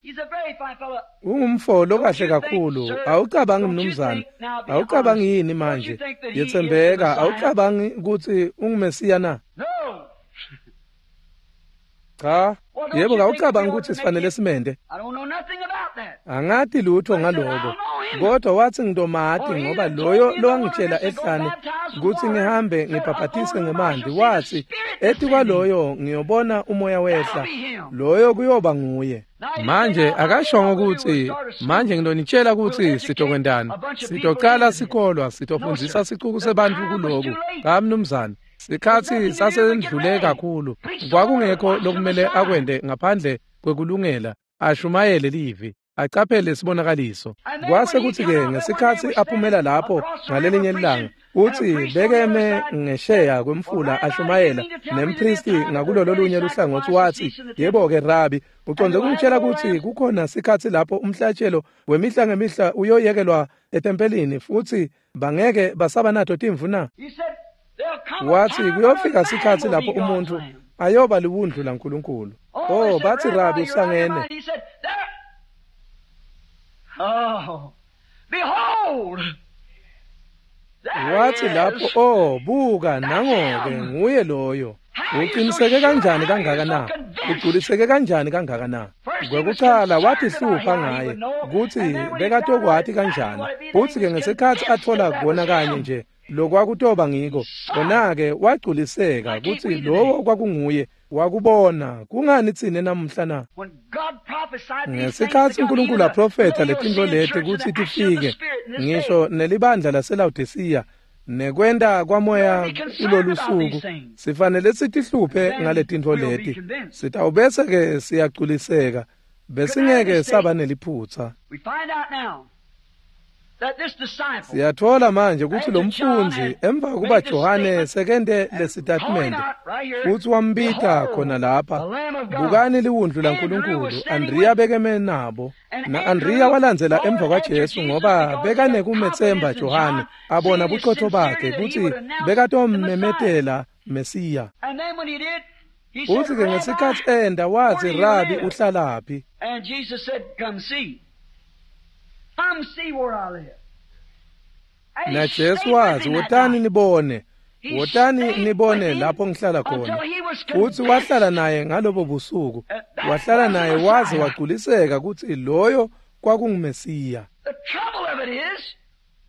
A: Ungumfo lokahle kakhulu. Awucabangi mnumzane, awucabangi yini manje? Yetsembeka, awucabangi kutsi unguMesiya na? Cha, yebo, awucabangi kutsi sifanele simende? Angati lutho ngaloko, kodwa wathi ngitomati ngoba loyo lowangitshela ehlane kutsi ngihambe ngibhabhatise ngemanti wathi etikwaloyo ngiyobona umoya wehla, loyo kuyoba nguye. Manje akashongo kutsi manje ngidonitshela kutsi sitokwentani, sitocala sikolwa, sitofundzisa sicuku sebantfu kuloku. Cha mnumzane, sikhatsi sasendlule kakhulu. Kwakungekho lokumele akwente ngaphandle kwekulungela ashumayele livi, acaphele sibonakaliso. Kwase kutsi-ke ngesikhatsi aphumela lapho ngalelinye ilanga, utsi bekeme ngesheya kwemfula ashumayela nempristi ngakulolo lunye luhlangotsi, wathi yebo-ke Rabi, ucondze kungitshela kutsi kukhona sikhatsi lapho umhlatshelo wemihla ngemihla uyoyekelwa etempelini futsi bangeke basaba nato timvu na? Wathi kuyofika sikhatsi lapho umuntfu ayoba liwundlu laNkulunkulu. Oh, bathi Rabi usangene.
B: Oh, behold!
A: Wathi lapho, oh, buka, nango-ke nguye loyo. Uqiniseke kanjani kangaka na? Ugculiseke kanjani kangaka na? Kwekucala watihlupha ngaye kutsi bekatokwati kanjani. Futsi-ke ngesikhatsi atfola kona kanye nje lokwakutoba ngiko, kona-ke wagculiseka kutsi lowo kwakunguye. Wakubona. Kungani tsine namuhla na? Ngesikhatsi uNkulunkulu aprofetha letintfo leti kutsi tifike, ngisho nelibandla laseLawodisiya nekwenta kwamoya kulolu suku, sifanele sitihluphe ngaletintfo leti. Sitawubese-ke siyagculiseka, besingeke saba neliphutsa. Siyatfola manje kutsi lo mfundzi emva kuba Johane sekente lesitatimende futsi wambita khona lapha, bukani liwundlu laNkulunkulu. Andriya bekeme nabo, na Andriya walandzela emva kwaJesu ngoba bekanekumetsemba Johane, abona buqotho bakhe kutsi bekatommemetela Mesiya. Futsi-ke ngesikhatsi enda wathi, Rabi, uhlalaphi? Na Jesu wathi, wotani nibone, wotani nibone lapho ngihlala khona. Futsi wahlala naye ngalobo busuku, wahlala naye waze wagculiseka kutsi loyo kwakunguMesiya.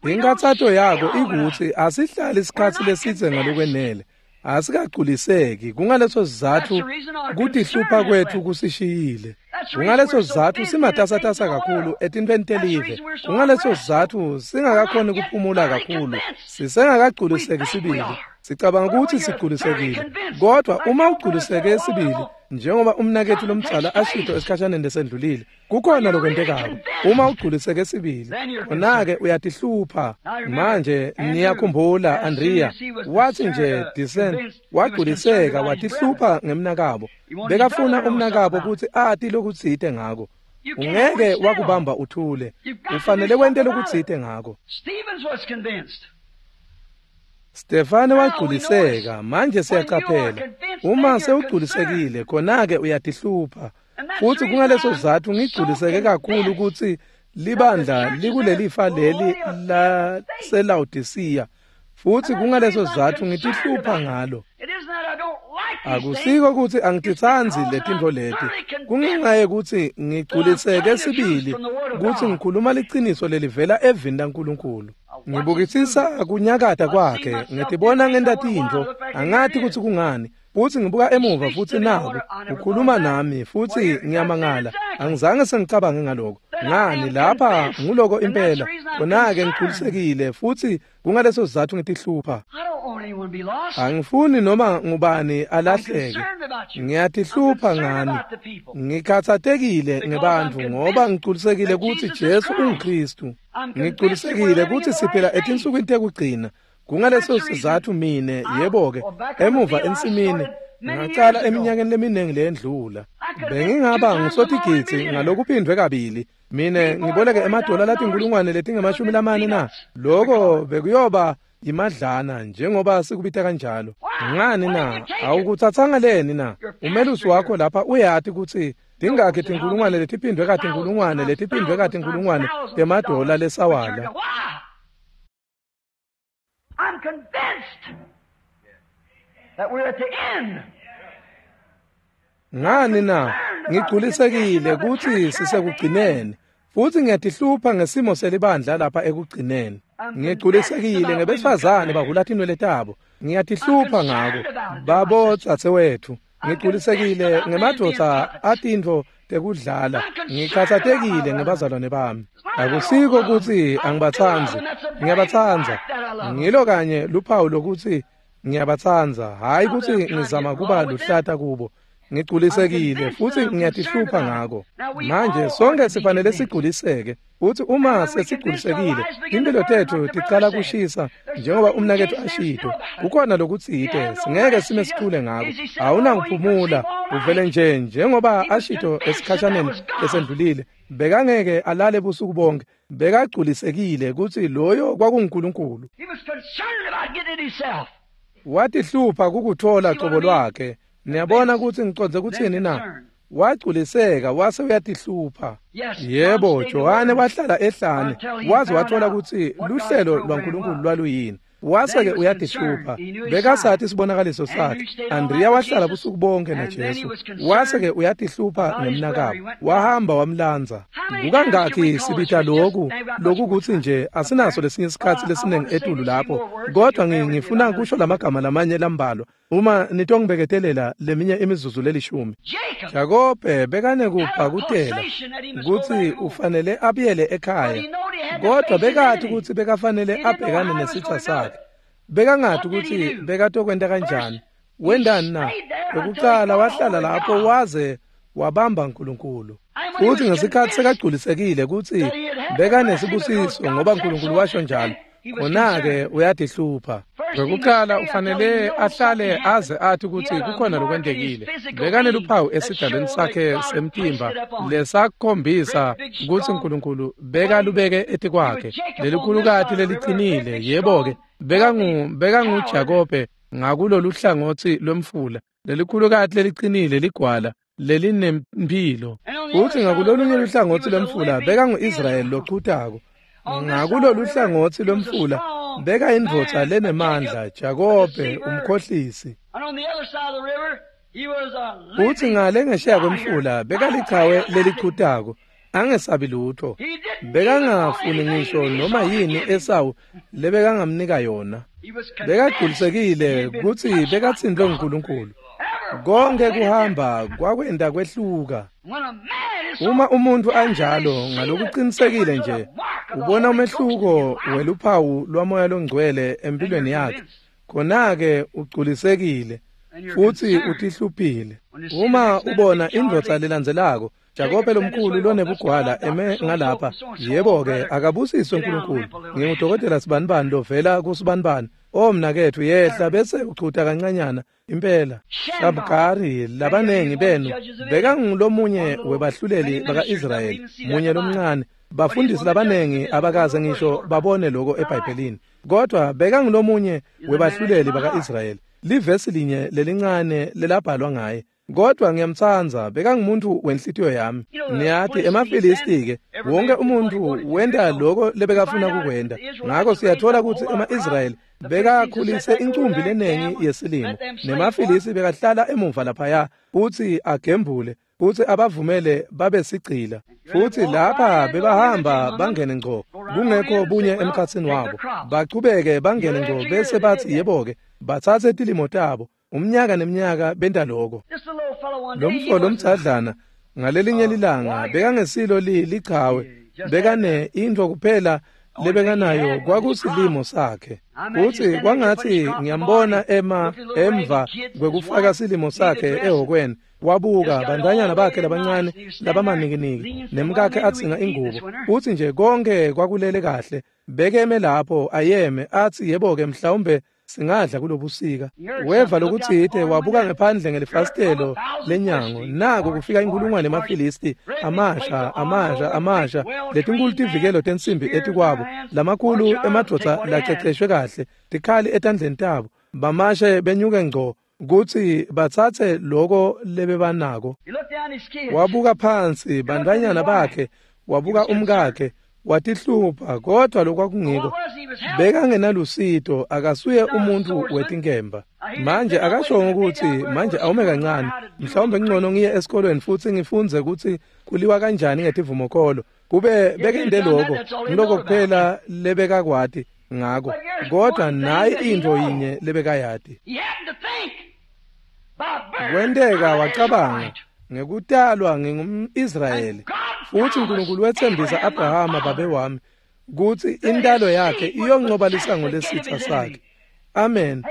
A: Inkathato yako ikutsi asihlali isikhatsi lesidze ngalokwenele, asikagculiseki. Kungaleso sizatfu kutihlupha kwetfu kusishiyile. Kungaleso sizatfu simatasatasa kakhulu etintfweni telive. Kungaleso sizatfu singakakhoni kuphumula kakhulu. Sisengakagculiseki sibili. Sicabanga kutsi sigculisekile, kodwa uma ugculiseke sibili, njengoba umnaketfu lomdzala ashito esikhashaneni lesendlulile, kukhona lokwentekako. Uma ugculiseke sibili, khona-ke uyatihlupha. Manje niyakhumbula Andriya wathi nje disen wagculiseka watihlupha ngemnakabo. Bekafuna umnakabo kutsi ati lokutsite ngako. Ungeke wakubamba uthule, ufanele wente lokutsite ngako. Stefane wagculiseka. Manje siyacaphela, uma sewugculisekile khona-ke uyatihlupha. Futsi kungaleso sizatfu ngigculiseke kakhulu kutsi libandla likulelifa leli laseLawodisiya, futsi kungaleso sizatfu ngitihlupha ngalo. Akusiko kutsi angititsandzi letintfo leti, kungenxa yekutsi ngigculiseke sibili kutsi ngikhuluma liciniso lelivela evini laNkulunkulu. Ngibukisisa kunyakata kwakhe, ngitibona ngenta tintfo, angati kutsi kungani. Futsi ngibuka emuva futsi naku ukhuluma nami, futsi ngiyamangala, angizange sengicabange ngaloko. Ngani lapha nguloko impela. Khona-ke ngigculisekile futhi kungaleso sizathu ngitihlupha. Angifuni noma ngubani alahleke. Ngiyatihlupha ngani. Ngikhathatekile ngebantfu ngoba ngigculisekile kutsi Jesu unguKhristu. Ngigculisekile kutsi siphila etinsukwini tekugcina. Kungaleso sizathu mine, yebo-ke, emuva ensimini ngacala eminyakeni leminingi leyendlula. Bengingaba ngusotigidzi ngalokuphindvwe kabili. Mine ngiboleke emadola latinkulungwane letingemashumi lamane na. Loko bekuyoba imadlana njengoba sikubita kanjalo. Ngani na? Awukutsatsanga leni na? Umelusi wakho lapha uyati kutsi tingakhi tinkulungwane letiphindvwe katinkulungwane letiphindvwe katinkulungwane temadola lesawala.
B: I'm convinced that we're at the end.
A: Ngani na? Ngigculisekile kutsi sisekugcineni. Futhi ngiyatihlupha ngesimo selibandla lapha ekugcineni. Ngigculisekile ngebesifazane bahhula tinwele tabo. Ngiyatihlupha ngako. Babo dzadzewethu. Ngigculisekile ngemadvodza atintfo tekudlala. Ngikhatsatekile ngebazalwane bami. Akusiko kutsi angibatsandzi. Ngiyabatsandza. Ngilo kanye luphawu lokuthi ngiyabatsandza, hhayi kutsi ngizama kuba luhlata kubo. Ngigculisekile futhi ngiyatihlupha ngako. Manje sonke sifanele sigculiseke. Futhi uma sesigculisekile, impilo tethu ticala kushisa njengoba umnaketfu ashito. Kukhona lokutsite singeke sime sithule ngako. Awunakuphumula, uvele nje njengoba ashito esikhashaneni esendlulile. Bekangeke alale busuku bonke. Bekagculisekile kutsi loyo kwakunguNkulunkulu. Watihlupha kukuthola cobo lwakhe. Niyabona kutsi ngicondze kutsini na? Wagculiseka wase uyatihlupha. Yebo, Johane wahlala ehlane waze wathola kutsi luhlelo lwaNkulunkulu lwaluyini. Wase-ke uyatihlupha. Bekasati isibonakaliso sakhe. Andrea wahlala busuku bonke naJesu. Wase-ke uyatihlupha ngemnakabo. Wahamba wamlandza. Kukangakhi sibita loku lokukutsi nje asinaso lesinye isikhatsi lesiningi etulu lapho. Kodwa ngifuna kusho lamagama lamanye lambalwa. Uma nitongibeketelela leminye imizuzu lelishumi. Jakobe bekanekubhakutela kutsi ufanele abuyele ekhaya. Kodwa bekati kutsi bekafanele abhekane nesitsa sakhe. Bekangati kutsi bekatokwenta kanjani. Wendani na? Lokucala wahlala lapho waze wabamba uNkulunkulu. Futhi ngesikhathi sekagculisekile kutsi bekanesibusiso ngoba uNkulunkulu washo njalo. Khona-ke uyatihlupha. Ngokuqala ufanele ahlale aze athi kutsi kukhona lokwentekile. Bekaneluphawu esidalweni sakhe semtimba lesakhombisa kutsi uNkulunkulu bekalubeke etikwakhe. Lelikhulukati lelicinile, yebo-ke, bekangu bekanguJakobe ngakulolu hlangotsi lwemfula. Lelikhulukati lelicinile ligwala lelinempilo. Futhi ngakulolunye luhlangotsi lwemfula bekangu-Israyeli lochutako. Ngakulolu hlangotsi lwemfula beka indvodza lenemandla, Jakobe umkhohlisi. Futhi ngale ngesheya kwemfula bekalichawe lelichutako, angesabi lutho. Bekangafuni ngisho noma yini Esawu lebekangamnika yona. Bekagculisekile kutsi bekatsintfwe nguNkulunkulu. Konke kuhamba kwakwenta kwehluka. Uma umuntu anjalo ngalokuqinisekile nje ubona umehluko weluphawu lwamoya longcwele empilweni yakhe, khona-ke ugculisekile futhi utihluphile. Uma ubona indvodza lelandzelako, Jakobe lomkhulu lonebugwala eme ngalapha, yebo-ke akabusiswe uNkulunkulu. Ngingudokotela sibanibani lovela kusibanibani. O mnaketfu, yehla bese uchuta kancanyana impela. Shabgari labanengi benu bekangulomunye webahluleli baka-Israyeli, munye lomncane. Bafundisi labanengi abakaze ngisho babone lokho eBhayibhelini, kodwa bekangulomunye webahluleli baka-Israyeli. Livesi linye lelincane lelabhalwa ngaye. Kodwa ngiyamtsandza, bekangumuntu wenhlitiyo yami. Niyati emaFilisti-ke, wonke umuntu wenta loko lebekafuna kukwenta. Ngako siyathola kutsi ema-Israyeli bekakhulise incumbi lenengi yesilimo, nemaFilisti bekahlala emuva laphaya futsi agembule futsi abavumele babe sigcila. Futsi lapha bebahamba bangene ngco, kungekho bunye emkhatsini wabo. Bachubeke bangene ngco bese batsi yebo-ke, batsatse tilimo tabo. Umnyaka neminyaka benta lokho. Lomfo lomdzadlana Ngalelinye lilanga bekangesilo lichawe, bekane intfo kuphela lebekanayo kwakusilimo sakhe. Futsi kwangatsi ngiyambona ema emva kwekufaka silimo sakhe ehhokweni, wabuka bantfwanyana bakhe labancane labamanikiniki nemkakhe atsinga ingubo. Futsi nje konke kwakulele kahle. Bekeme lapho ayeme atsi yebo-ke mhlawumbe singadla kulobusika. Weva lokutsite, wabuka ngephandle ngelifasitelo lenyango, nako kufika inkulungwane yemaFilisti, amasha amasha amasha, letinkulu tivikelo tensimbi etikwabo, lamakhulu emadvodza laceceshwe kahle, tikhali etandleni tabo, bamashe benyuke ngco kutsi batsatse loko lebebanako. Wabuka phansi bantfwanyana bakhe, wabuka umkakhe, watihlupha, kodwa lokwakungiko bekangenalusito, akasuye umuntu wetinkemba. Manje akashongo ukuthi manje awume kancane, mhlawumbe ngcono ngiye esikolweni futsi ngifundze kutsi kuliwa kanjani ngetivumokholo. Kube bekende lokho, ngiloko kuphela lebekakwati ngako, kodwa nayi intfo yinye lebekayati. Kwenteka wacabanga, ngekutalwa ngingum-Israyeli, futsi uNkulunkulu wetsembisa Abrahama babe wami kutsi intalo yakhe iyoncoba lisango lesitsa sakhe. Amen.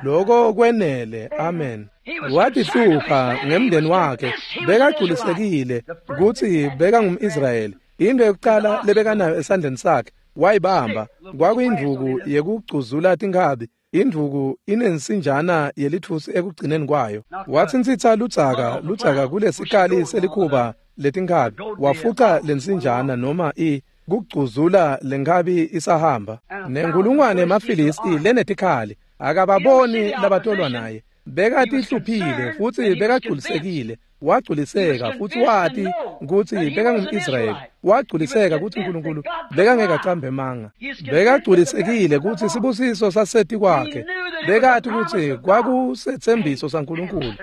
A: Loko kwenele. Amen. Watihlupha ngemndeni wakhe, bekagculisekile kutsi bekangum-Israyeli. Into yokucala lebekanayo esandleni sakhe wayibamba kwakuyindvuku yekugcuzula tinkhabi. Indvuku inensinjana yelitfusi ekugcineni kwayo. Watsintsitsa ludzaka ludzaka kulesikali selikhuba letinkhabi, wafuca lensinjana noma i kugcuzula lenkhabi isahamba. Nenkulungwane yemaFilisti lenetikhali akababoni labatolwa naye. Bekatihluphile futsi bekagculisekile. Wagculiseka futsi wati kutsi bekangum-Israyeli. Wagculiseka kutsi uNkulunkulu bekangeke acambe emanga. Bekagculisekile kutsi sibusiso saseti kwakhe. Bekati kutsi kwakusetsembiso saNkulunkulu.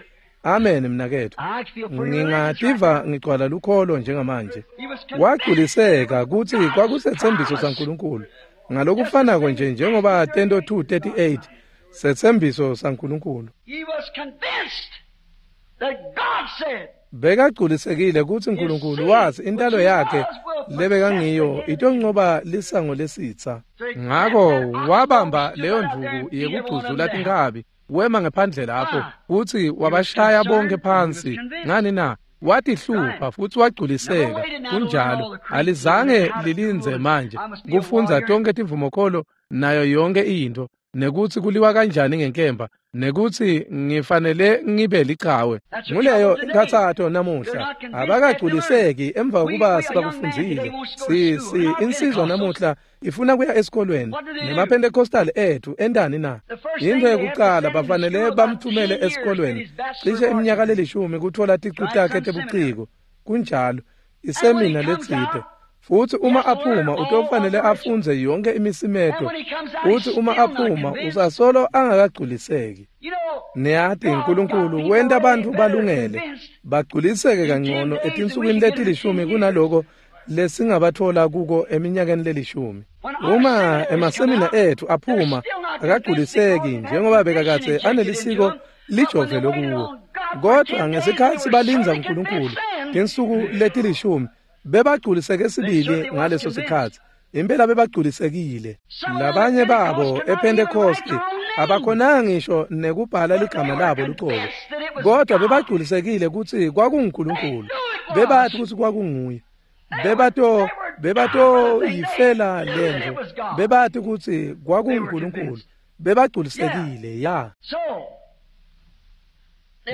A: Amen mnaketfu. Ngingativa ngigcwala lukholo njengamanje. Wagculiseka kutsi kwakusetsembiso saNkulunkulu. Ngalokufanako nje njengoba Tento two thirty-eight setsembiso saNkulunkulu. Bekagculisekile kutsi uNkulunkulu wazi intalo yakhe lebekangiyo itoncoba lisango lesitsa. Ngako wabamba leyo ndvuku yekugcuzula tinkhabi, wema ngephandle lapho futsi wabashaya bonke phansi. Ngani na? Watihlupha futsi wagculiseka. Kunjalo, alizange lilindze manje kufundza tonke tivumokholo nayo yonke intfo, nekutsi kuliwa kanjani ngenkemba, nekutsi ngifanele ngibe lichawe. Nguleyo inkhatsato namuhla, abakagculiseki emva kokuba sebakufundzile. Si si insizwa namuhla ifuna kuya esikolweni, nemaPentecostal ethu entani na? Into yokucala bafanele bamthumele esikolweni cishe iminyaka lelishumi kutfola ticu takhe tebuciko. Kunjalo, isemina letsite. Futsi uma aphuma utofanele afundze yonke imisimeto. Futsi uma aphuma usasolo angakagculiseki. Niyati uNkulunkulu wenta bantfu balungele bagculiseke kangcono etinsukwini letilishumi kunaloko lesingabatfola kuko eminyakeni lelishumi. Uma emasemina ethu aphuma akagculiseki njengoba bekakadze anelisiko lijovele kuwo, kodwa ngesikhatsi balindza uNkulunkulu tinsuku letilishumi bebagculiseke sibili ngaleso sikhatsi. Impela bebagculisekile. Labanye babo ePentecost abakhonanga ngisho nekubhala ligama labo lucobo, kodwa bebagculisekile kutsi kwakunguNkulunkulu. Bebati kutsi kwakunguye. Bebato bebato yifela lento. Bebati kutsi kwakunguNkulunkulu. Bebagculisekile ya.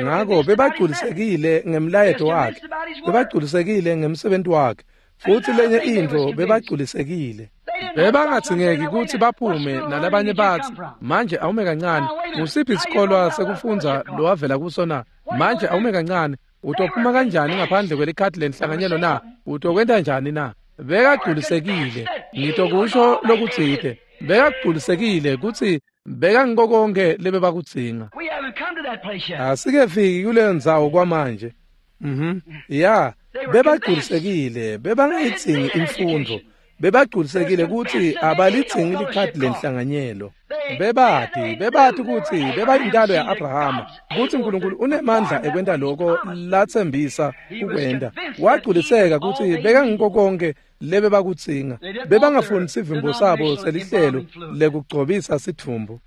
A: Ngako bebagculisekile ngemlayeto wakhe, bebagculisekile ngemsebenzi wakhe, futsi lenye intfo bebagculisekile. Bebangadzingeki kutsi baphume nalabanye batsi, manje awume kancane, ngusiphi isikolwa sekufundza lowavela kuso na? Manje awume kancane, utophuma kanjani ngaphandle kwelikhadi lenhlanganyelo na? Utokwenta njani na? Bekagculisekile. Ngitokusho lokutsite. Bekagculisekile kutsi bekangiko konke lebebakudzinga. Asikefiki kuleyo ndzawo kwamanje. Mhm. Ya, bebagculisekile, bebangayidzingi imfundvo. Bebagculisekile kutsi abalidzingi likhadi lenhlanganyelo. Bebati, bebati kutsi bebayintalo ya-Abrahama, kutsi Nkulunkulu unemandla ekwenta loko latsembisa kukwenta. Wagculiseka kutsi bekangiko konke lebebakudzinga. Bebangafuni sivimbo sabo selihlelo lekugcobisa sidvumbu.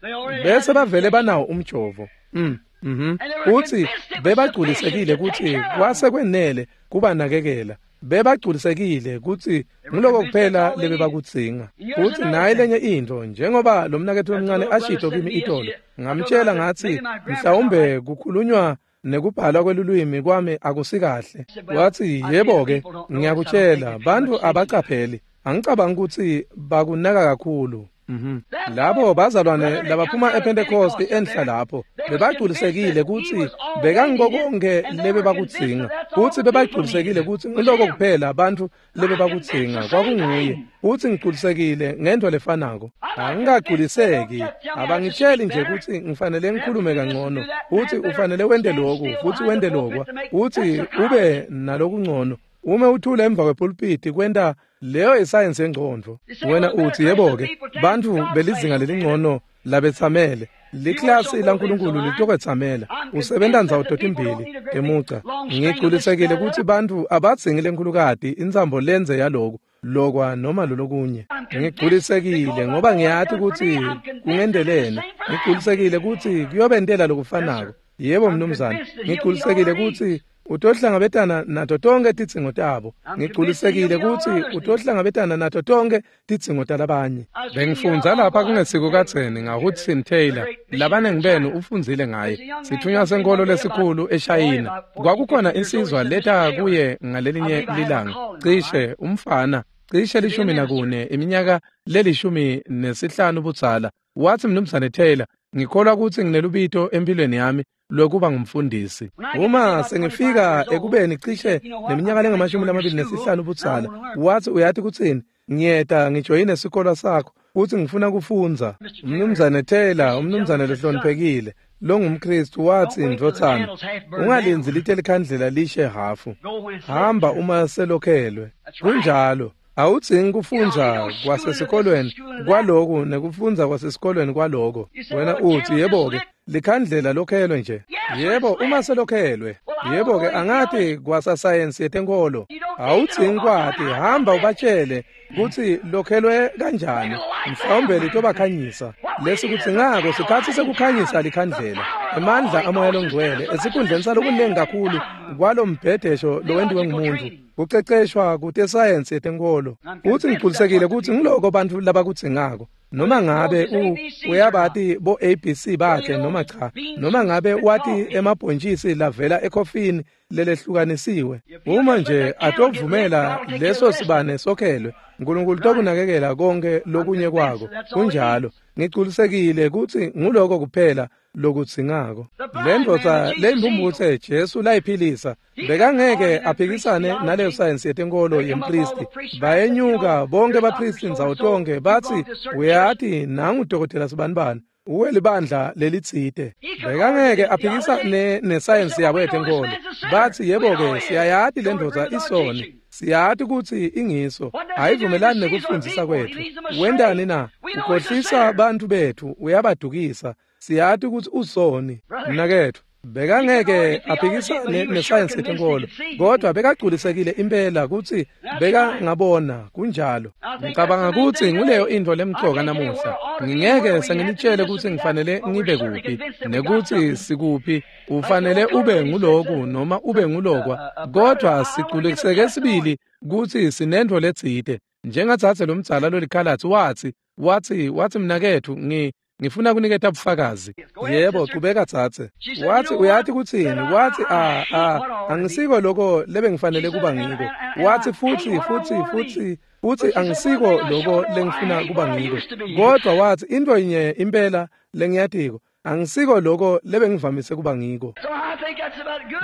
A: Bese bavele banawo umjovo. Mm. Mhm. Utsi bebagculisekile kutsi kwase kwenele kubanakekela. Bebagculisekile kutsi nguloko kuphela lebebakudzinga. Futsi nayi lenye intfo, njengoba lo mnaketfu lomncane ashito kimi itolo, ngamtshela ngatsi mhlawumbe kukhulunywa nekubhalwa kwelulwimi kwami akusikahle. Watsi yebo-ke, ngiyakutshela, bantfu abacapheli. Angicabangi kutsi bakunaka kakhulu. Mhm. Labo bazalwane labaphuma ePentecost enhla lapho bebagculisekile kutsi bekangiko konke lebebakudzinga, kutsi bebagculisekile kutsi ngiloko kuphela bantfu lebebakudzinga kwakunguye. Futsi ngigculisekile ngento lefanako. Angikagculiseki, abangitsheli nje kutsi ngifanele ngikhulume kangcono, futsi ufanele wente loku, futsi wente lokwa, futsi ube nalokungcono. Ume uthule emva kwepulpiti kwenta leyo isayensi yengcondvo. Wena utsi yebo-ke, bantfu belizinga lelingcono labetsamele. Liklasi laNkulunkulu litokwetsamela. Usebenta ndzawo totimbili emuca. Ngigculisekile kutsi bantfu abadzingi lenkhulukati intsambo lenze yaloku, lokwa noma lolokunye. Ngigculisekile ngoba ngiyati kutsi kungendelene. Ngigculisekile kutsi kuyobentela lokufanako. Yebo mnumzane, ngigculisekile kutsi utohlangabetana nato tonke tidzingo tabo. Ngigculisekile kutsi utohlangabetana nato tonke tidzingo talabanye. Bengifundza lapha kungesiko kadzeni ngaHudson Taylor. Labanengi benu ufundzile ngaye. Sithunywa senkolo lesikhulu eShayina. Kwakukhona insizwa leta kuye ngalelinye lilanga. Cishe umfana, cishe lishumi nakune, iminyaka lelishumi nesihlanu budzala. Watsi mnumzane Taylor, ngikholwa kutsi nginelubito empilweni yami lokuba ngumfundisi. Uma sengifika ekubeni cishe neminyaka lengamashumi lamabili nesihlanu budzala, watsi uyati kutsini, ngiyeta ngijoyine sikolo sakho futsi ngifuna kufundza. Umnumzane Taylor, umnumzane lohloniphekile longumKristu, watsi ndvodzana, ungalindzi lite likhandlela lishe hhafu. Hamba uma selokhelwe. Kunjalo. Awudzingi kufundza kwasesikolweni kwaloku nekufundza kwasesikolweni kwaloko. Wena utsi yebo-ke, likhandlela lokhelwe nje. Yebo, uma selokhelwe. Yebo-ke, angati kwasasayensi yetenkolo. Awudzingi kwati, hamba ubatshele kutsi lokhelwe kanjani. Mhlawumbe litobakhanyisa. Lesikudzingako sikhatsi sekukhanyisa likhandlela. Emandla amoya longcwele esikhundleni salokunengi kakhulu kwalombhedesho lowentiwe ngumuntu. Kuceceshwa kutesayensi yetenkolo. Futsi ngigculisekile kutsi ngiloko bantfu labakudzingako. Noma ngabe u uyabati bo A B C bakhe noma cha, noma ngabe wati emabhontjisi lavela ekhofini lelehlukanisiwe, uma nje atovumela leso sibane sokhelwe, Nkulunkulu tokunakekela konke lokunye kwako. Kunjalo. Ngigculisekile kutsi nguloko kuphela lokudzingako. Lendvodza leyimphumphutse Jesu layiphilisa bekangeke aphikisane naleyo sayensi yetenkolo yempristi. Bayenyuka bonke bapristi ndzawo tonke batsi uyati nangu dokotela sibanibani, uwe libandla lelitsite. Bekangeke aphikisane nesayensi yabo yetenkolo. Batsi yebo-ke, siyayati lendvodza isoni, siyati kutsi ingiso, ayivumelani nekufundzisa kwetfu. Wentani na? Ukhohlisa bantfu betfu, uyabadukisa. Siyati kutsi usoni. Mnaketfu, bekangeke aphikisane nesayensi yetenkolo, kodwa bekagculisekile impela kutsi bekangabona. Kunjalo. Ngicabanga kutsi nguleyo intfo lemcoka namuhla. Ngingeke senginitshele kutsi ngifanele ngibe kuphi nekutsi sikuphi. Ufanele ube nguloku noma ube ngulokwa, kodwa sigculiseke sibili kutsi sinentfo letsite. Njengatsatse lomdzala lolikhalatsi watsi watsi watsi mnaketfu, ngi ngifuna kuniketa bufakazi. Yebo, qhubeka tsatse. Watsi uyati kutsini? Watsi a a angisiko lokho lebengifanele kuba ngiko. Watsi futsi futsi futsi futsi angisiko lokho lengifuna kuba ngiko. Kodwa watsi intfo yinye impela lengiyatiko, angisiko lokho lebengivamise kuba ngiko.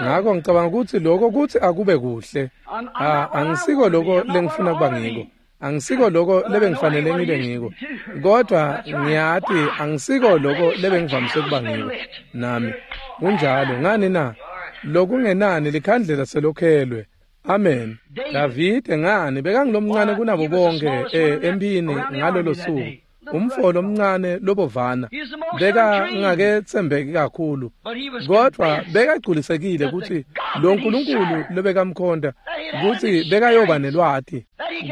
A: Ngakho ngicabanga kutsi lokho kutsi akube kuhle. A angisiko lokho lengifuna kuba ngiko. Angisiko lokho lebengifanele ngibe ngiko, kodwa ngiyati angisiko lokho lebengivamise kuba ngiko nami. Kunjalo. Ngani na? Lokungenani likhandlela selokhelwe. Amen. Davide ngani bekangilomncane kunabo bonke eh, empini ngalolo suku. Umfo lomncane lobovana bekangaketsembeki kakhulu, kodwa bekagculisekile kutsi lo Nkulunkulu lobekamkhonta kutsi bekayoba nelwati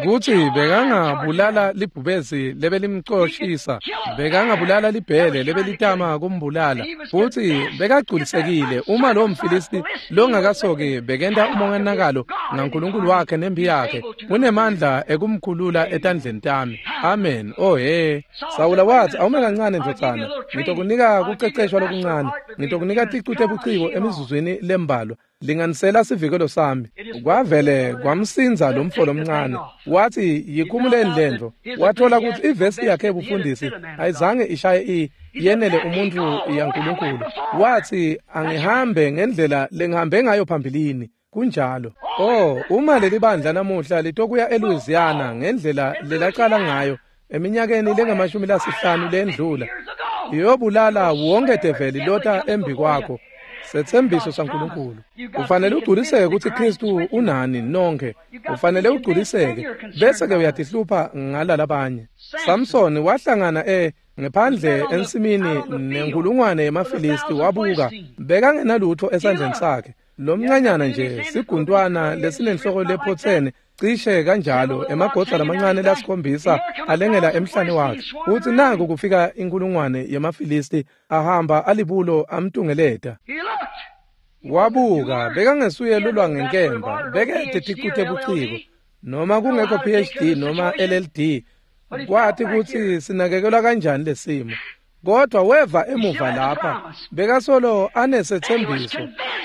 A: kutsi bekangabulala libhubesi lebelimcoshisa, bekangabulala libhele lebelitama kumbulala, futsi bekagculisekile uma lo mFilisti longakasoki bekenta umonakalo ngaNkulunkulu wakhe nempi yakhe, unemandla ekumkhulula etandleni tami. Amen. Oh he. Sawula wathi, awume kancane ndvodzana, ngitokunika kuceceshwa lokuncane, ngitokunika ticu tebuciko emizuzwini lembalwa, linganisela sivikelo sami. Kwavele kwamsinza lo mfo lomncane, wathi yikhumuleni lento. Wathola kutsi ivesi yakhe ebufundisi ayizange ishaye i yenele umuntu yaNkulunkulu. Wathi angihambe ngendlela lengihambe ngayo phambilini. Kunjalo. Oh, uma leli bandla namuhla litokuya eLouisiana ngendlela lelaqala ngayo eminyakeni lengamashumi lasihlanu lendlula, iyobulala wonke develi lota embi kwakho. Setsembiso saNkulunkulu. Ufanele ugculiseke kutsi Kristu unani nonke. Ufanele ugculiseke bese ke uyatihlupha ngalalabanye. Samson wahlangana e ngephandle ensimini nenkulungwane yemaFilisti, wabuka bekangenalutho esandleni sakhe. Lomncanyana nje siguntwana lesinenhloko lephothene cishe kanjalo, emagoda lamancane lasikhombisa alengela emhlane wakhe. Uthi naku kufika inkulungwane yemaFilisti ahamba alibulo amtungeleta. Wabuka bekangesuye lulwa ngenkemba, bekete ticu tebuciko noma kungekho P H D noma L L D, kwathi kutsi sinakekelwa kanjani lesimo. Kodwa weva emuva lapha bekasolo anesethembiso,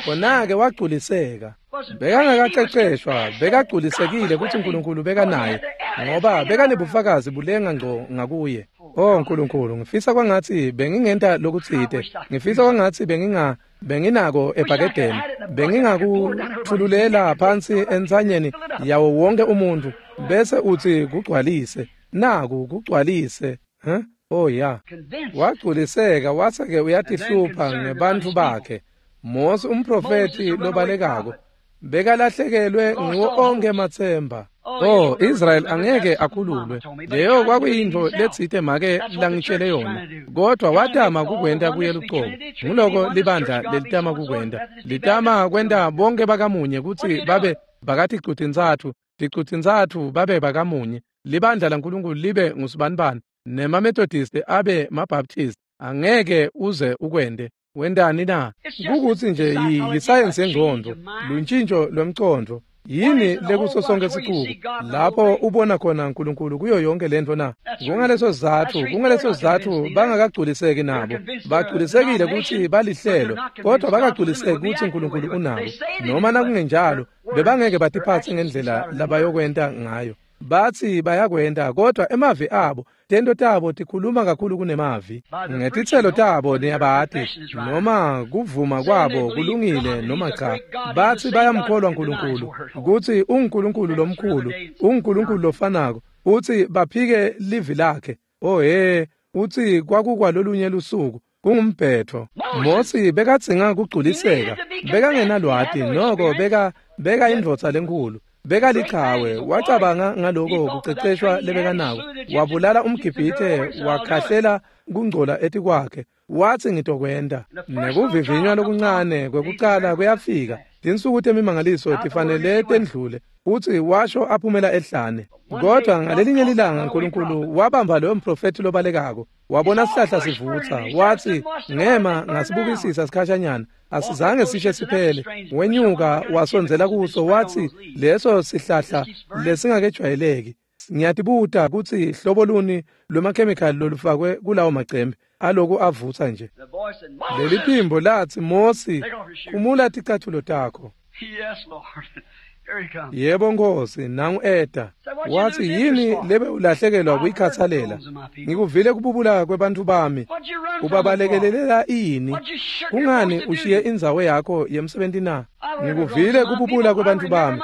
A: khona-ke wagculiseka. Bekangakaceceshwa, bekagculisekile kutsi Nkulunkulu bekanaye, ngoba bekanebufakazi bulenga ngco ngakuye. Oh Nkulunkulu, ngifisa kwangatsi bengingenta lokutsite, ngifisa kwangatsi benginga benginako ebhakedeni, bengingakuthululela phansi entsanyeni yawo wonke umuntu, bese utsi kugcwalise, naku kugcwalise. Huh? Oh ya. Wagculiseka wase-ke uyatihlupha ngebantfu bakhe. Mose umprofethi lobalekako bekalahlekelwe ngiwo onkhe ematsemba. Oh, Israel angeke akhululwe. Leyo kwakuyintfo letsite make langitshele yona, kodwa watama kukwenta kuye lucobo. Nguloko libandla lelitama kukwenta, litama kwenta bonke bakamunye kutsi babe bakaticutintsatfu, ticutintsatfu babe bakamunye. Libandla laNkulunkulu libe ngusibanibani, nemaMethodist abe maBaptist. Angeke uze ukwente. Wendani na? Kukutsi nje yisayensi yengcondvo, luntshintsho lwemcondvo. Yini lekuso sonke sicuku lapho ubona khona uNkulunkulu kuyo yonke lento na? Kungaleso sizatfu, kungaleso sizatfu bangakagculiseki nabo. Bagculisekile kutsi balihlelo, kodwa bakagculiseki kutsi uNkulunkulu unabo. Noma nakungenjalo, bebangeke batiphatse ngendlela labayokwenta ngayo. Batsi bayakwenta, kodwa emavi abo, tento tabo tikhuluma kakhulu kunemavi. Ngetitselo tabo niyabati, noma kuvuma kwabo kulungile noma cha. Batsi bayamkholwa uNkulunkulu, kutsi unguNkulunkulu lomkhulu, unguNkulunkulu lofanako, utsi baphike livi lakhe. Oh he, utsi kwakukwalolunye lusuku, kungumbhetho. Mosi bekadzinga kugculiseka, bekangenalwati, noko beka beka indvodza lenkhulu. Bekalichawe, wacabanga ngaloko kuceceshwa lebekanako, wabulala umGibhithe, wakhahlela kungcola etikwakhe, wathi ngitokwenta. Nekuvivinywa lokuncane kwekucala kuyafika, tinsuku temimangaliso tifanele tendlule, utsi washo aphumela ehlane. Kodwa ngalelinye lilanga uNkulunkulu wabamba loyo mprofethi lobalekako, wabona sihlahla sivutsa, wathi ngema ngasibukisisa sikhashanyana, asizange sishe siphele. Wenyuka wasondzela kuso, wathi leso sihlahla lesingakejwayeleki. Ngiyatibuta kutsi hlobo luni lwemakhemikhali lolufakwe kulawo macembe aloku avutsa nje. Leli phimbo lathi, Mosi, khumula ticatfulo takho. Yebo Nkosi, nangu eta. Wathi yini lebe ulahlekelwa kuyikhathalela? Ngikuvile kububula kwebantfu bami. Ubabalekelela ini? Kungani ushiye indzawo yakho yemsebenti na? Ngikuvile kububula kwebantfu bami.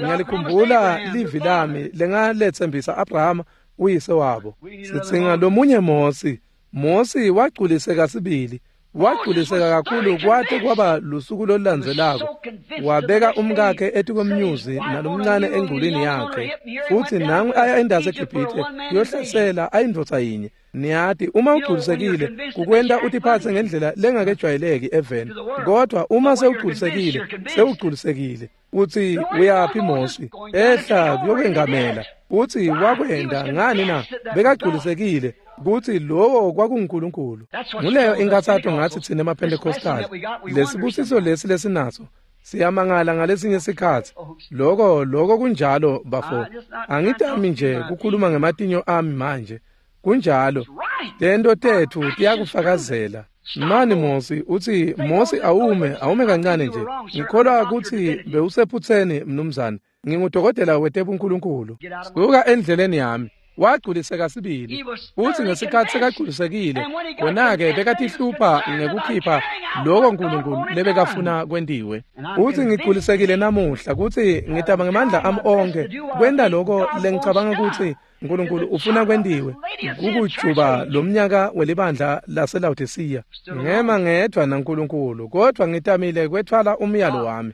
A: Ngiyalikhumbula livi lami lengaletsembisa Abrahama uyise wabo. Sitsinga lomunye Mosi. Mosi wagculiseka sibili. Wagculiseka kakhulu kwate kwaba lusuku lolulandzelako. Wabeka umkakhe etikwemnyuzi nalomncane engculini yakhe. Futsi nangu aya endasi eGibhithe kuyohlasela ayindvodza yinye. Niyati uma ugculisekile kukwenta utiphatse ngendlela lengakejwayeleki eveni. Kodwa uma sewugculisekile, sewugculisekile. Uthi uyaphi Mosi? Ehla kuyokwengamela. Uthi wakwenda ngani na? Bekagculisekile kutsi lowo kwakunguNkulunkulu. Nguleyo inkathato ngathi thina emaPentecostal. Lesibusiso lesi lesinaso siyamangala ngalesinye sikhatsi. Loko loko kunjalo bafo. Angitami nje kukhuluma ngematinyo ami manje. Kunjalo. Tento tethu tiyakufakazela. Mani Mosi uthi Mosi awume awume kancane nje. Ngikholwa kutsi bewusephutseni mnumzane. Ngingudokotela wetebunkulunkulu. Suka endleleni yami. Wagculiseka sibili. Uthi ngesikhatsi sekagculisekile khona-ke bekatihlupha ngekukhipha loko Nkulunkulu lebekafuna kwentiwe. Uthi ngigculisekile namuhla kutsi ngitama ngemandla ami onkhe kwenta loko lengicabanga kutsi Nkulunkulu ufuna kwentiwe kukujuba lomnyaka welibandla laseLawodisiya. Ngema ngedvwa naNkulunkulu kodwa ngitamile kwetfwala umyalo wami.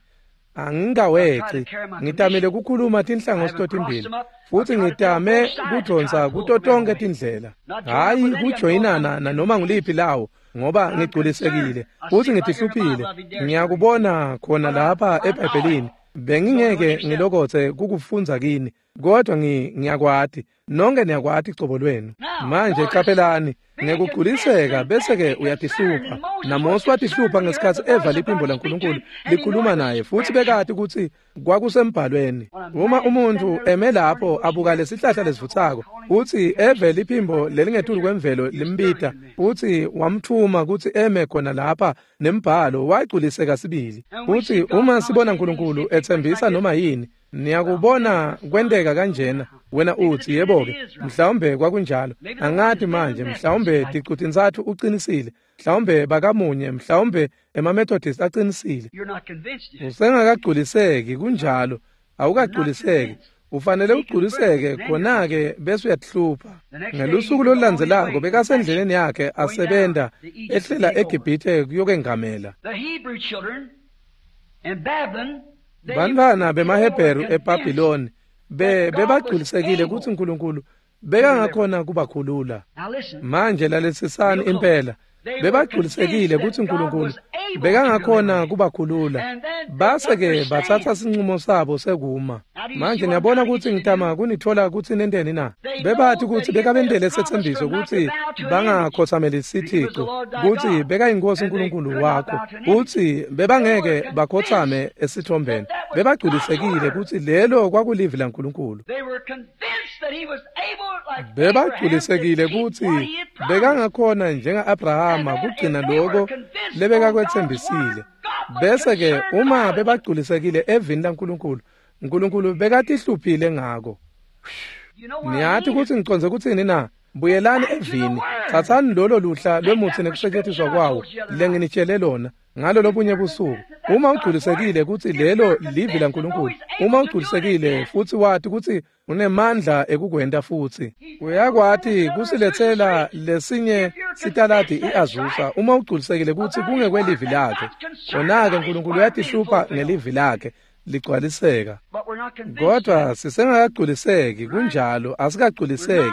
A: Angingaweci, ngitamile kukhuluma tinhlangothi totimbili futsi ngitame kudvonsa kuto tonkhe tindlela. Hhayi kujoyinana nanoma nguliphi lawo ngoba ngigculisekile futsi ngitihluphile. Ngiyakubona khona lapha eBhayibhelini. Bengingeke ngilokotse kukufundza kini kodwa ngiyakwati. Nonke niyakwati cobo lwenu. Manje qaphelani ngekugculiseka bese-ke uyatihlupha. NaMosi watihlupha ngesikhatsi eva liphimbo laNkulunkulu likhuluma naye futsi bekati kutsi kwakusembhalweni. Uma umuntfu eme lapho abuka lesihlahla lesivutsako futsi eve liphimbo lelingetulu kwemvelo limbita futsi wamthuma kutsi eme khona lapha nembhalo, wagculiseka sibili. Futsi uma sibona Nkulunkulu etsembisa noma yini, niyakubona kwenteka kanjena. Wena uthi yebo-ke mhlawumbe kwakunjalo, angati manje, mhlawumbe ticutintsatfu ucinisile, mhlawumbe bakamunye, mhlawumbe emaMethodist acinisile. Usengakagculiseki, kunjalo, awukagculiseki. Ufanele ugculiseke khona-ke bese uyatihlupha. Ngelusuku lolulandzelako bekasendleleni yakhe asebenta ehlela eGibhithe kuyokwengamela. Bantfwana bemaHebheru eBhabhiloni be bebagculisekile kutsi Nkulunkulu bekangakhona kubakhulula. Manje lalelisisani impela. Bebagculisekile kutsi Nkulunkulu bekangakhona kubakhulula. Base-ke batsatsa sincumo sabo sekuma. Manje niyabona kutsi ngitama kunitfola kutsi nenteni na? Bebati kutsi bekabentele setsembiso kutsi bangakhotsameli sithico, kutsi bekayinkosi Nkulunkulu wakho, kutsi bebangeke bakhotsame esithombeni. Bebagculisekile kutsi lelo kwakulivi laNkulunkulu. Bebagculisekile kutsi bekangakhona njenga-Abrahama kugcina loko lebekakwetsembisile. Bese-ke uma bebagculisekile evini laNkulunkulu, Nkulunkulu bekatihluphile ngako. Niyati kutsi ngicondze kutsini na? Buyelani evini, tsatsani lolo luhla lwemutsi nekusetjentiswa kwawo lenginitshele lona ngalo lobunye busuku. Uma ugculisekile kutsi lelo livi laNkulunkulu, uma ugculisekile futsi wati kutsi unemandla ekukwenta futsi uyakwati kusiletsela lesinye sitaladi i-Azusa, uma ugculisekile kutsi kungekwelivi lakhe, khona-ke Nkulunkulu uyatihlupha ngelivi lakhe ligcwaliseka. Kodwa sisengakagculiseki, kunjalo, asikagculiseki.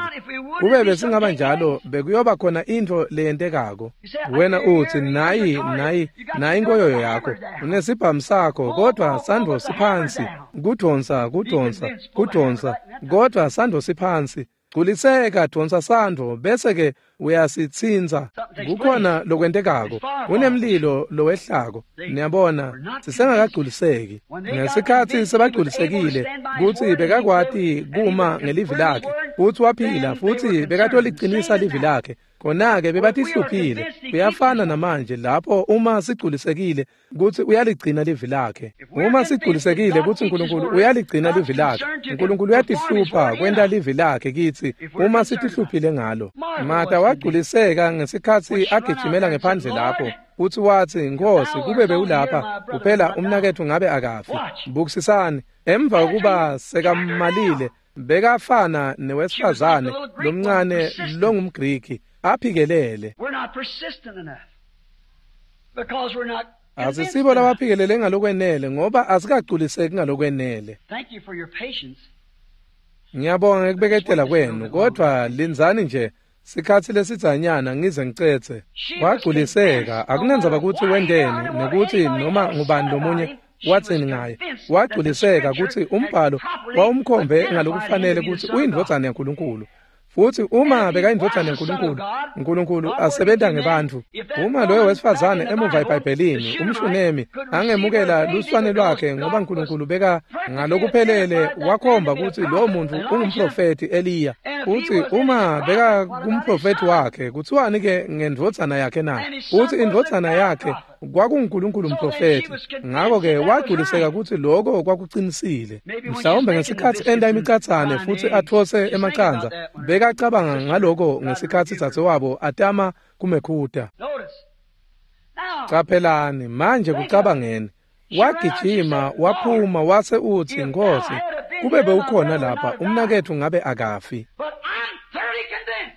A: Kube besingaba njalo bekuyoba khona intfo leyentekako. Wena uthi nayi nayi nayi inkoyoyo yakho, unesibhamu sakho, kodwa sandvo siphansi, kudvonsa kudvonsa kudvonsa, kodwa sandvo siphansi. Gculiseka, dvonsa sandvo bese-ke uyasitsintsa. Kukhona lokwentekako, kunemlilo lowehlako. Niyabona, sisengakagculiseki. Ngesikhatsi sebagculisekile kutsi bekakwati kuma ngelivi lakhe futsi waphila futsi bekatolicinisa livi lakhe, khona-ke bebatihluphile. Kuyafana namanje lapho uma sigculisekile kutsi uyaligcina livi lakhe. Uma sigculisekile kutsi Nkulunkulu uyaligcina livi lakhe, Nkulunkulu uyatihlupha kwenta livi lakhe kitsi uma sitihluphile ngalo. Martha wagculiseka ngesikhatsi agijimela ngephandle lapho futsi watsi, Nkosi, kube bewulapha kuphela umnaketfu ngabe akafi. Bukisisani, emva kokuba sekamalile bekafana newesifazane lomncane longumGriki aphikelele.
B: We're not persistent enough. Because we're not convinced
A: Asisibo
B: enough.
A: labaphikelele ngalokwenele ngoba asikagculiseki ngalokwenele.
B: Thank you for your patience.
A: Ngiyabonga ngekubeketela kwenu, kodwa lindzani nje sikhatsi lesidzanyana ngize ngicetse. Wagculiseka, akunendzaba kutsi wenteni nekutsi noma ngubani lomunye watsini ngaye. Wagculiseka kutsi umbhalo wawumkhombe ngalokufanele kutsi uyindvodzana yaNkulunkulu. Futsi uma bekayindvodzana yaNkulunkulu, uNkulunkulu asebenta ngebantfu. Uma loyo wesifazane emuva eBhayibhelini, umShunemi, angemukela luswane lwakhe ngoba uNkulunkulu beka ngalokuphelele wakhomba kutsi lowo muntfu ungumprofethi Eliya. Futsi uma beka kumprofethi wakhe, kuthiwani ke ngendvodzana yakhe na? Futsi indvodzana yakhe kwakunguNkulunkulu umprofethi. Ngako-ke wagculiseka kutsi loko kwakucinisile. Mhlawumbe ngesikhatsi enta imicatsane futsi atfose emacandza, bekacabanga ngaloko ngesikhatsi dzadzewabo atama kumekhuta.
B: Notice. Now,
A: Caphelani, manje kucabangeni. Wagijima, waphuma, wase utsi, Nkhosi, kube bewukhona lapha, umnaketfu ngabe akafi.
B: but I'm thoroughly convinced.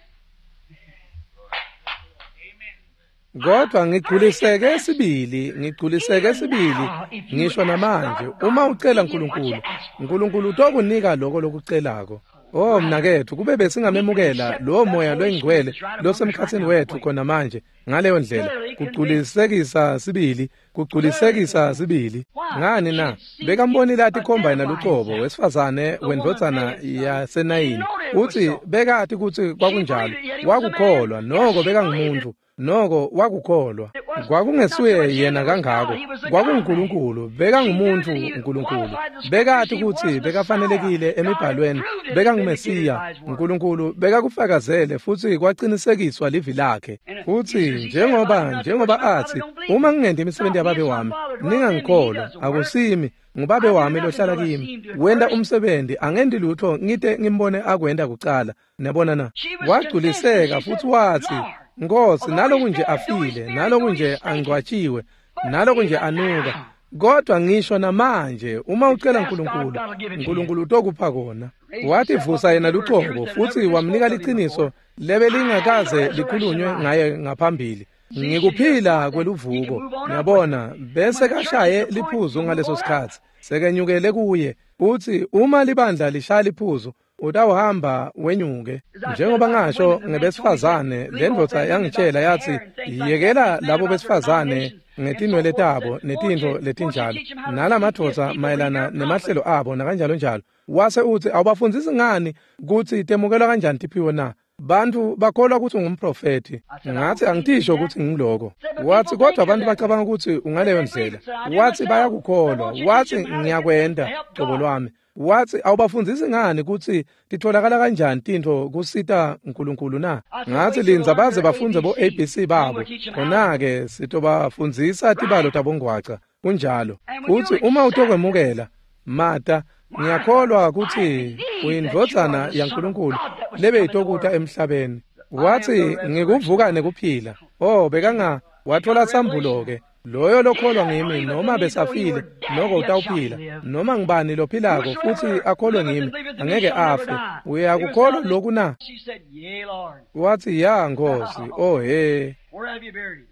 A: Kodwa ngigculiseke sibili, ngigculiseke sibili, ngisho namanje, uma ucela uNkulunkulu, uNkulunkulu utokunika lokho lokucelako. Oh mnaketfu, kube besingamemukela lowo moya loyingcwele losemkhatsini wetfu khona manje ngaleyo ndlela, kugculisekisa sibili, kugculisekisa sibili. Ngani na? Bekambonile atikhomba yena lucobo wesifazane wendvodzana yaseNayini. Utsi bekati kutsi kwakunjalo, wakukholwa, noko bekangumuntu. Noko wakukholwa. Kwakungesuye yena kangako, kwakunguNkulunkulu, bekangumuntu uNkulunkulu. Bekati kutsi bekafanelekile emibhalweni, bekanguMesiya. uNkulunkulu bekakufakazele futsi kwacinisekiswa livi lakhe. Futsi njengoba njengoba athi, uma ngingenti imisebenti yababe wami, ningangikholwa, akusimi, ngubabe wami lohlala kimi. Wenta umsebenzi, angenti lutho ngite ngimbone akwenta kucala. Niyabona na? Wagculiseka futsi watsi, Nkhosi, naloku nje afile, naloku nje angcwatshiwe, naloku nje anuka, kodwa ngisho namanje uma ucela uNkulunkulu, uNkulunkulu utokupha kona. Wativusa yena lucobo futsi wamnika liciniso lebelingakaze likhulunywe ngaye ngaphambili. Ngikuphila kweluvuko. Ngiyabona, bese kashaye liphuzu ngaleso sikhatsi. Sekenyukele kuye. Utsi uma libandla lishaya liphuzu, utawuhamba wenyuke. Njengoba ngasho ngebesifazane, lendvodza yangitshela yathi, yekela labo besifazane ngetinwele tabo netintfo letinjalo, nalamadvodza mayelana nemahlelo abo nakanjalo njalo. Wase utsi, awubafundzisi ngani kutsi temukelwa kanjani tiphiwo na? Bantfu bakholwa kutsi ungumprofethi. Ngathi angitisho kutsi ngiloko. Wathi kodwa abantu bacabanga kutsi ungaleyo ndlela. Wathi bayakukholwa. Wathi ngiyakwenta cobo lwami. Wathi awubafundzisi ngani kutsi titholakala kanjani tintfo kusita uNkulunkulu na? Ngathi lindza baze bafundze bo A B C babo. Khona-ke sitobafundzisa tibalo tabongwaca. Kunjalo. Futsi uma utokwemukela, Mata, ngiyakholwa kutsi uyindvodzana yaNkulunkulu lebeyitokuta emhlabeni. Wathi ngikuvuka nekuphila. Oh, bekanga wathola sambulo-ke. Loyo lokholwa ngimi noma besafile noko utawuphila, noma ngibani lophilako futsi akholwe ngimi angeke afe. Uyakukholwa lokhu na?
B: She said, Yea, Lord.
A: Wathi ya Nkosi. Oh he,
B: Where have you buried him?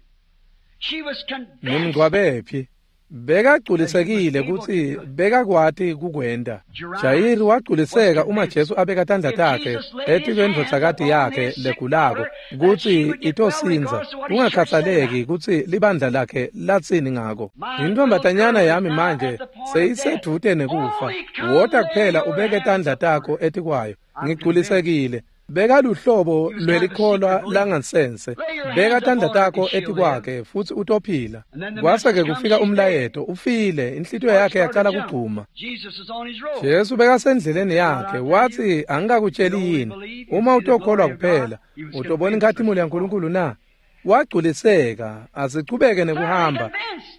B: She was convinced.
A: nimngcwabephi? Bekagculisekile kutsi bekakwati kukwenta. Jayiri wagculiseka uma Jesu abeka tandla takhe etikwendvodzakati yakhe legulako kutsi itosindza, kungakhathaleki kutsi libandla lakhe latsini ngako. Intombatanyana yami manje seyisedvute nekufa. Wota kuphela ubeke tandla takho etikwayo. Ngigculisekile. Bekaluhlobo lwelikholwa langansense. Beka tandla takho etikwakhe futsi utophila. Kwase-ke kufika umlayeto, ufile, inhlitiyo yakhe yacala kugcuma.
B: Jesus is on his road.
A: Jesu bekasendleleni yakhe, wathi angikakutsheli yini, uma utokholwa kuphela, utobona inkhatimulo yaNkulunkulu na? Wagculiseka, asichubeke nekuhamba,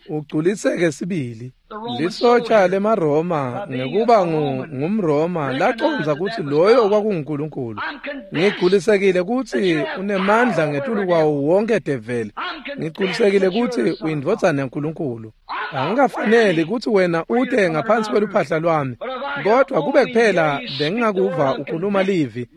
A: ugculiseke sibili. Lisotsha lemaRoma ngekuba ngumRoma lacondza kutsi loyo kwakunguNkulunkulu. Ngigculisekile kutsi unemandla ngetulu kwawo wonke develi. Ngigculisekile kutsi uyindvodzana yaNkulunkulu. Angikafaneli kutsi wena ute ngaphansi kweluphahla lwami, kodwa kube kuphela bengingakuva ukhuluma livi.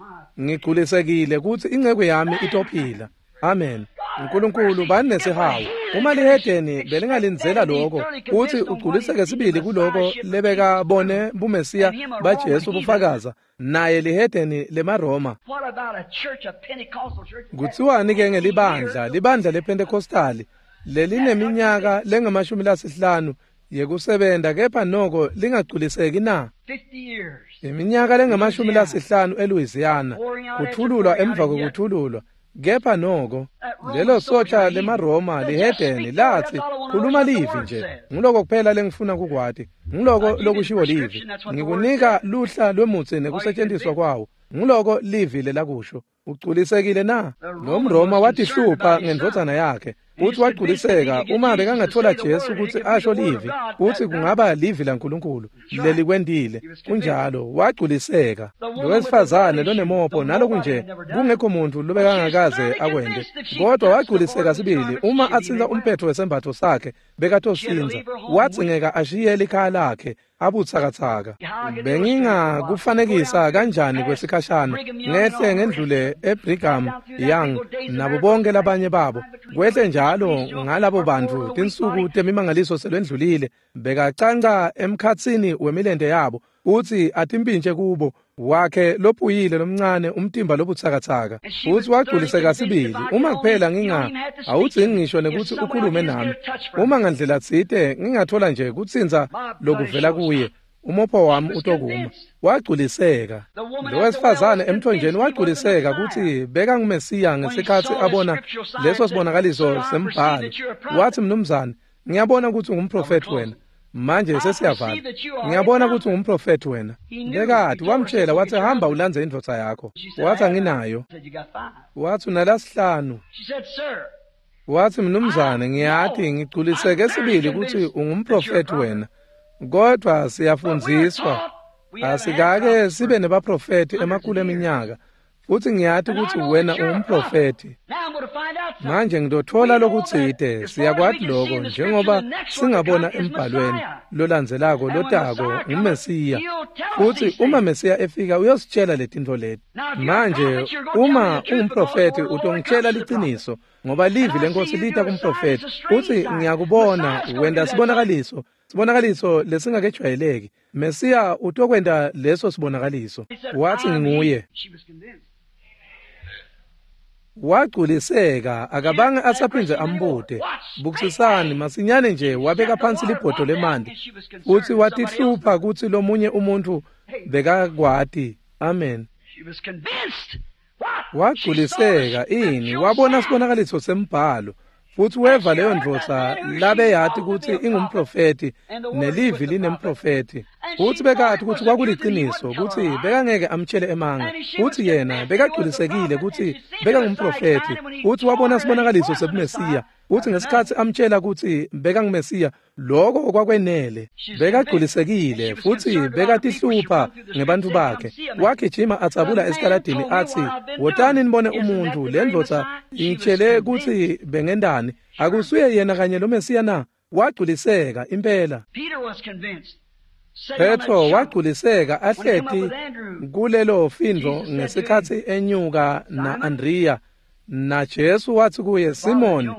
A: Ngigculisekile kutsi inceku yami itophila. Amen. Nkulunkulu bani nesihawu. Uma lihedeni belingalindzela lokho kutsi ugculiseke sibili kuloko lebekabone buMesiya baJesu bufakaza naye lihedeni lemaRoma. Kutsiwani-ke ngelibandla, libandla lePentecostali lelineminyaka lengamashumi lasihlanu yekusebenta kepha noko lingagculiseki na? Iminyaka lengamashumi lasihlanu eLouisiana, kuthululwa emva kwekuthululwa, kepha noko lelo sotja lemaRoma lihedeni latsi khuluma livi nje, nguloko kuphela lengifuna kukwati, nguloko lokushiwo livi, ngikunika luhla lwemutsi nekusetshenziswa kwawo, nguloko livi lelakusho. Ugculisekile na? Lo mRoma watihlupha ngendvodzana yakhe futsi wagculiseka uma bekangatfola Jesu kutsi asho livi kutsi kungaba livi laNkulunkulu lelikwentile. Kunjalo, wagculiseka. Lowesifazane lonemopho naloku nje kungekho muntfu lobekangakaze akwente, kodwa wagculiseka sibili uma atsintsa umphetfo wesembatfo sakhe bekatosindza. Wadzingeka ashiye likhaya lakhe abutsakatsaka. Bengingakufanekisa kanjani kwesikhashana ngehle ngendlule eBrigham Young nabo bonke labanye babo, kwehle njalo ngalabo bantfu tinsuku temimangaliso selwendlulile, bekacanca emkhatsini wemilente yabo utsi atimpintje kubo wakhe lophuyile lomncane umtimba lobutsakatsaka. Futsi wagculiseka sibili. Uma kuphela nginga awudzingi ngisho nekutsi ukhulume nami, uma ngandlela tsite ngingathola nje kutsintsa lokuvela kuye, umopho wami utokuma. Wagculiseka. Lowesifazane emthonjeni wagculiseka kutsi bekanguMesiya ngesikhatsi abona leso sibonakaliso sembhalo. Watsi, mnumzane, ngiyabona kutsi ungumprofethi wena. Manje sesiyavala. Ngiyabona kutsi ungumprofethi wena. Bekati wamtshela watsi hamba ulandze indvodza yakho. Watsi anginayo. Watsi unalasihlanu. Watsi mnumzane, ngiyati ngigculiseke sibili kutsi ungumprofethi wena, kodvwa siyafundziswa asikake sibe nebaprofethi emakhulu eminyaka, futsi ngiyati kutsi wena ungumprofethi. Manje ngitotfola lokutsite, siyakwati loko njengoba singabona embhalweni lolandzelako lotako nguMesiya, futsi uma Mesiya efika uyositshela letintfo leti. Manje uma ungumprofethi utongitshela liciniso, ngoba livi leNkosi lita kumprofethi, futsi ngiyakubona wenta sibonakaliso, sibonakaliso lesingakejwayeleki. Mesiya utokwenta leso sibonakaliso. Watsi nginguye. Wagculiseka, akabange asaphindze ambute. Bukisisani, masinyane nje wabeka phansi libhodo lemanti futsi watihlupha kutsi lomunye umuntfu bekakwati. Amen. Wagculiseka ini? Wabona sibonakaliso sembhalo futsi weva leyo ndvodza labeyati kutsi ingumprofethi nelivi linemprofethi, futsi bekati kutsi kwakuliciniso kutsi bekangeke amtshele emanga, futsi yena bekagculisekile kutsi bekangumprofethi, futsi wabona sibonakaliso sebuMesiya, futsi ngesikhatsi amtshela kutsi bekanguMesiya, loko kwakwenele. Bekagculisekile futsi bekatihlupha ngebantfu bakhe. Wagijima atsabula esitaladini atsi, wotani nibone umuntfu, le ndvodza ingitshele kutsi bengendani, akusuye yena kanye lo Mesiya na? Wagculiseka impela. Petro wagculiseka ahleti kulelo findvo ngesikhatsi enyuka na-Andriya, na Jesu watsi kuye, Simoni,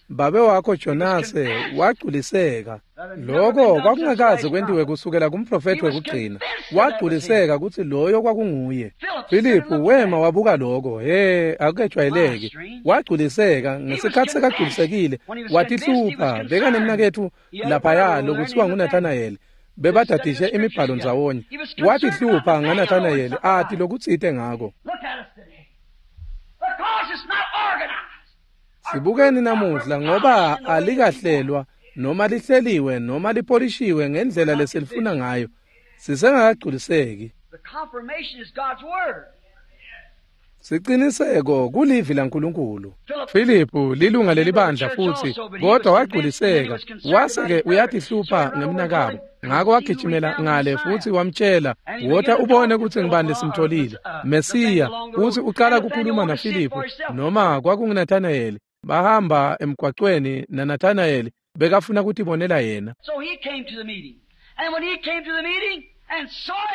A: babe wakho Jonase. Wagculiseka. Loko kwakungakaze kwentiwe kusukela kumprofethi wekugcina. Wagculiseka kutsi loyo kwakunguye. Filiphu wema wabuka loko, he, akukejwayeleki. Wagculiseka. Ngesikhatsi sekagculisekile watihlupha. Bekanemnaketfu laphaya lokutsiwa nguNathanayeli, bebadadishe imibhalo ndzawonye. Watihlupha ngaNathanayeli ati lokutsite ngako. Sibukeni namuhla, ngoba alikahlelwa noma lihleliwe noma lipolishiwe ngendlela lesilifuna ngayo, sisengakagculiseki. Siciniseko kulivi laNkulunkulu. Filiphu lilunga lelibandla futsi, kodwa wagculiseka wase-ke uyatihlupha ngemnakabo. Ngako wagijimela ngale futsi wamtshela, wota ubone kutsi ngibani lesimtholile, Mesiya. Futsi ucala kukhuluma naFiliphu noma kwakunguNathanayeli. Bahamba emgwacweni naNathanayeli bekafuna kutibonela yena.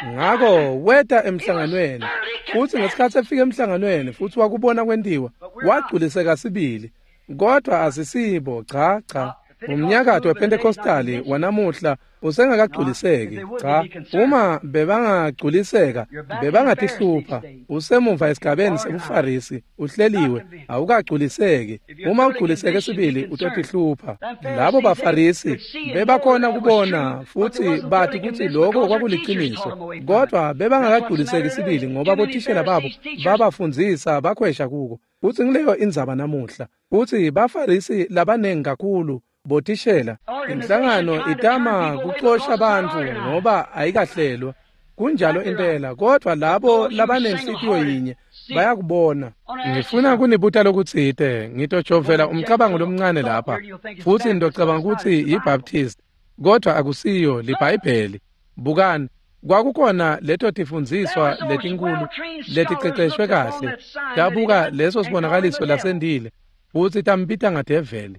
A: Ngako weta emhlanganweni, futsi ngesikhatsi efika emhlanganweni futsi wakubona kwentiwa, wagculiseka sibili. Kodwa asisibo, cha cha. Umnyakato wePentecostali wanamuhla usengakagculiseki. Cha, uma bebangagculiseka bebangatihlupha. Usemuva esigabeni sebuFarisi, uhleliwe, awukagculiseki. Uma ugculiseke sibili utotihlupha. Labo baFarisi bebakhona kubona futhi bathi kutsi lokho kwakuliciniso, kodwa bebangakagculiseki sibili ngoba bothishela babo babafundzisa bakhwesha kuko. Futsi ngileyo indzaba namuhla. Futsi baFarisi labanengi kakhulu bothishela inhlangano itama kucosha bantfu ngoba ayikahlelwa. Kunjalo impela, kodwa labo labanenhlitiyo yinye bayakubona. Ngifuna kunibuta lokutsite, ngitojovela umcabango lomncane lapha, futsi ngitocabanga kutsi yiBaptist, kodwa akusiyo liBhayibheli. Bukani, kwakukhona leto tifundziswa letinkulu leticeceshwe kahle, tabuka leso sibonakaliso lasendile, futsi tambita ngadeveli.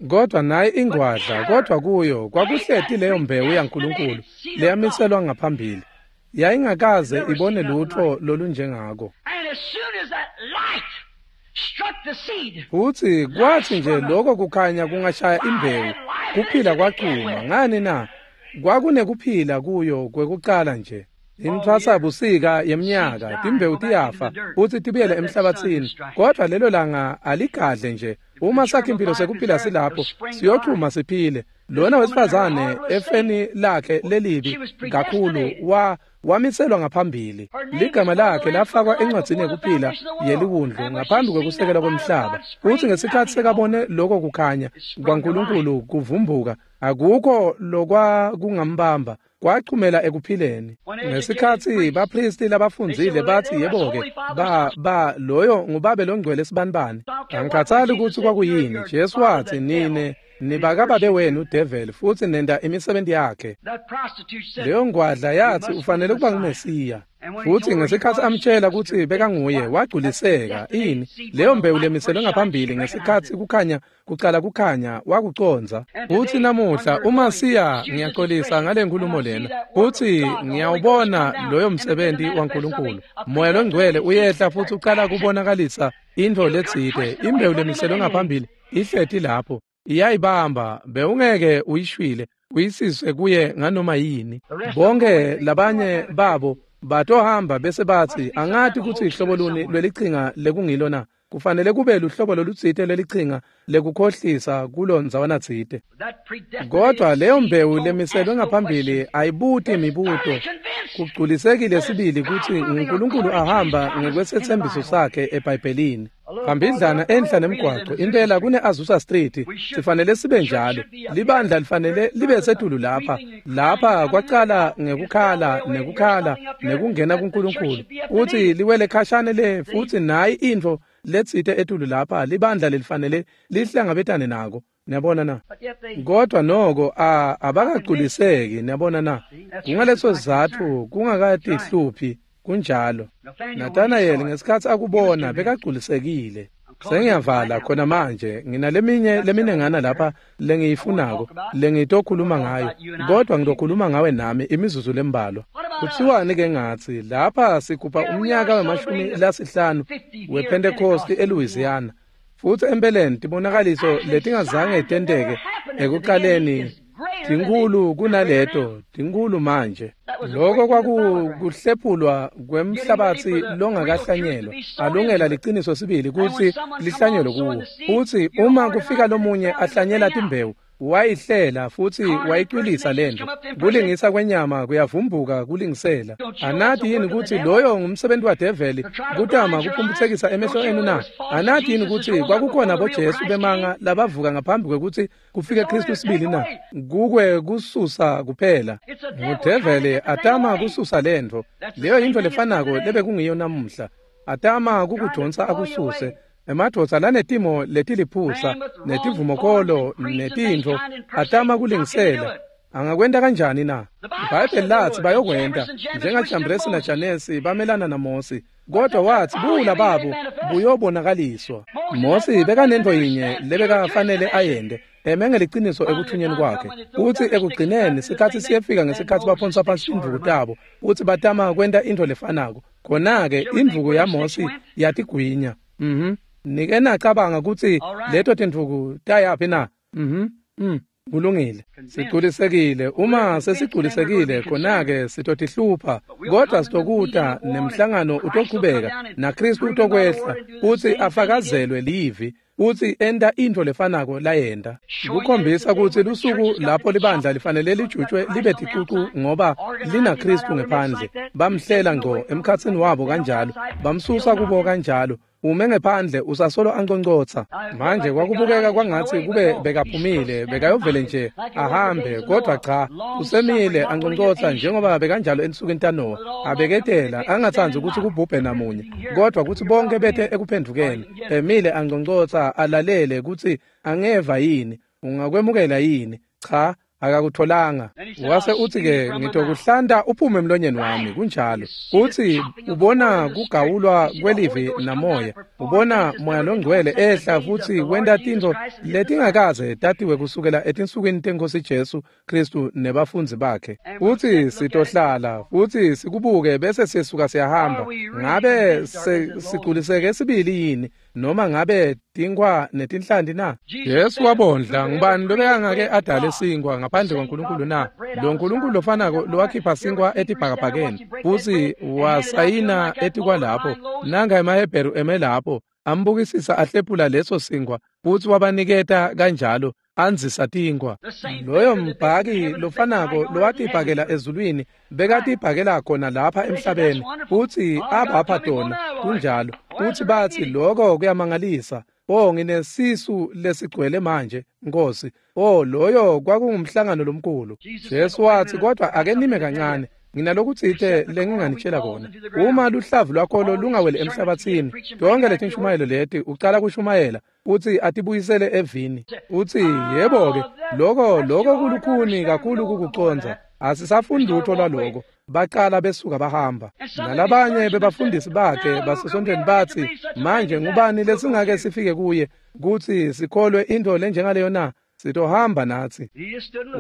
A: Kodwa naye ingwadla, kodwa kuyo kwakuhleti leyo mbewu yaNkulunkulu leyamiselwa ngaphambili. Yayingakaze ibone lutho lolunjengako. Futsi kwathi nje lokho kukhanya kungashaya imbewu, kuphila kwachuma. Ngani na? Kwakunekuphila kuyo kwekucala nje. Intfwasa busika yeminyaka, timbewu tiyafa futsi tibuyele emhlabathini, kodwa lelo langa aligadle nje. Uma sakhe impilo sekuphila silapho, siyochuma siphile. Lona wesifazane efeni lakhe lelibi kakhulu wa wamiselwa ngaphambili. Ligama lakhe lafakwa encwadzini yekuphila yeliwundlu ngaphambi kwekusekelwa komhlaba. Futsi ngesikhatsi sekabone lokho kukhanya kwaNkulunkulu kuvumbuka, akukho lokwakungambamba, kwachumela ekuphileni. Ngesikhatsi baphristi labafundzile bathi, yebo-ke, ba ba loyo ngubabe longcwele sibanibani. Angikhathali kutsi kwakuyini. Jesu watsi, nine nibakababe wenu devil, futsi nenda imisebenzi yakhe. Leyo ngwadla yathi ufanele kuba nguMesiya. Futsi ngesikhatsi amtshela kutsi bekanguye, wagculiseka. Ini? Leyo mbewu lemiselwe ngaphambili ngesikhatsi kukhanya kucala kukhanya wakucondza. Futsi namuhla uma siya, ngiyaxolisa ngale nkulumo lena, futsi ngiyawubona loyo msebenzi waNkulunkulu. Moya longcwele uyehla futsi ucala kubonakalisa intfo letsite. Imbewu lemiselwe ngaphambili ihleti lapho, iyayibamba, bewungeke uyishwile uyisise kuye nganoma yini. Bonke labanye babo batohamba bese batsi, angati kutsi ihlobo luni lwelichinga lekungilo na. Kufanele kube luhlobo lolutsite lwelichinga lekukhohlisa kulo ndzawana tsite. Kodwa leyo mbewu lemiselwe ngaphambili ayibuti imibuto. Kugculisekile sibili kutsi uNkulunkulu ahamba ngekwesethembiso sakhe eBhayibhelini. Phambidlana enhla nemgwaco impela kune Azusa Street, sifanele sibe njalo. Libandla lifanele libe setulu lapha. Lapha kwacala ngekukhala nekukhala nekungena kuNkulunkulu. Uthi liwele khashane le, futhi nayi intfo letsite etulu lapha, libandla lelifanele lihlangabetane nako. Niyabona na? Kodwa noko a abakagculiseki, niyabona na? Kungaleso sizatfu kungakatihluphi kunjalo. Nathanael ngesikhatsi akubona bekagculisekile. Sengiyavala khona manje, nginaleminye leminengana lapha lengiyifunako lengitokhuluma ngayo, kodwa ngitokhuluma ngawe nami imizuzu lembalwa. Kuthiwani ke ngatsi lapha sigubha umnyaka wemashumi lasihlanu wePentecost eLouisiana, futsi empeleni tibonakaliso letingazange tenteke ekuqaleni tinkulu kunaleto, tinkulu manje. Lokho kwakuhlephulwa kwemhlabatsi longakahlanyelwa, alungela liciniso sibili kutsi lihlanyelwe kuwo. Futsi uma kufika lomunye ahlanyela timbewu, wayihlela futsi wayicwilisa lento. Kulingisa kwenyama kuyavumbuka kulingisela. Anati yini kutsi loyo ngumsebenzi wadeveli kutama kuphumphutsekisa emehlo enu na? Anati yini kutsi kwakukhona boJesu bemanga labavuka ngaphambi kwekutsi kufike Kristu sibili na? Kukwe kususa kuphela. Ngudeveli atama kususa lento. Leyo yintfo lefanako lebekungiyo namuhla. Atama kukudonsa akususe. Emadvodza lanetimo letiliphusa netivumokolo netintfo atama kulingisela. Angakwenta kanjani na? IBhayibheli lathi bayokwenta njengaJambresi naJanesi bamelana naMosi, kodwa wathi buwula babo buyobonakaliswa. Mosi bekanentfo yinye lebekafanele ayente, eme ngeliciniso ekuthunyeni kwakhe. Futsi ekugcineni sikhatsi siyefika ngesikhatsi baphonsa phansi indvuku tabo futsi batama kwenta intfo lefanako. Khona-ke indvuku yaMosi yatigwinya. Mhm. Nike nacabanga kutsi leto tindvuku tayaphi na? Mhm. Mm. Kulungile. Sigculisekile. Uma sesigculisekile khona-ke sitotihlupha, kodwa sitokuta nemhlangano utochubeka naKristu utokwehla futsi afakazelwe livi futsi enta intfo lefanako layenta. Kukhombisa kutsi lusuku lapho libandla lifanele lijutshwe libe ticucu ngoba linaKristu ngephandle. Bamhlela ngco emkhatsini wabo kanjalo, bamsusa kubo kanjalo. Ume ngephandle usasolo anconcotsa. Manje kwakubukeka kwangatsi kube bekaphumile bekayovele nje ahambe, kodwa cha, usemile anconcotsa njengoba bekanjalo ensukwini taNowa. Abeketela angatsandzi kutsi kubhubhe namunye, kodwa kutsi bonke bete ekuphendvukeni. Emile anconcotsa alalele kutsi angeva yini, ungakwemukela yini. Cha, akakutholanga. Wase uthi-ke, ngitokuhlanta uphume emlonyeni wami. Kunjalo. Uthi ubona kugawulwa kwelivi namoya, ubona moya longcwele ehla futsi wenta tintfo letingakaze tatiwe kusukela etinsukwini teNkhosi Jesu Kristu nebafundzi bakhe. Uthi sitohlala futsi sikubuke bese sisuka siyahamba. Ngabe sigculiseke sibili yini noma ngabe tinkhwa netinhlanti na? Jesu wabondla. Ngubani lobekangake adale sinkwa ngaphandle kwaNkulunkulu na? Lo Nkulunkulu lofanako lowakhipha sinkwa etibhakabhakeni futsi wasayina etikwalapho. Nanga emaHebheru eme lapho ambukisisa ahlephula leso sinkwa futsi wabaniketa kanjalo andzisa tinkhwa. Loyo mbhaki lofanako lowatibhakela ezulwini bekatibhakela khona lapha emhlabeni futsi abapha tona. Kunjalo. Futsi batsi lokho kuyamangalisa. Oh, nginesisu lesigcwele manje, Nkosi. Oh, loyo kwakungumhlangano lomkhulu. Jesu watsi, kodwa ake nime kancane, nginalokutsite lenginganitshela kona. Uma luhlavu lwakholo lungaweli emhlabatsini, tonke letinshumayelo leti ucala kushumayela utsi atibuyisele evini. Utsi yebo-ke, loko loko kulukhuni kakhulu kukucondza. Asisafundi lutho lwaloko. Baqala besuka bahamba. Nalabanye bebafundisi bakhe basesontweni batsi, manje ngubani lesingake sifike kuye kutsi sikholwe intfo lenjengaleyo na? Sitohamba natsi.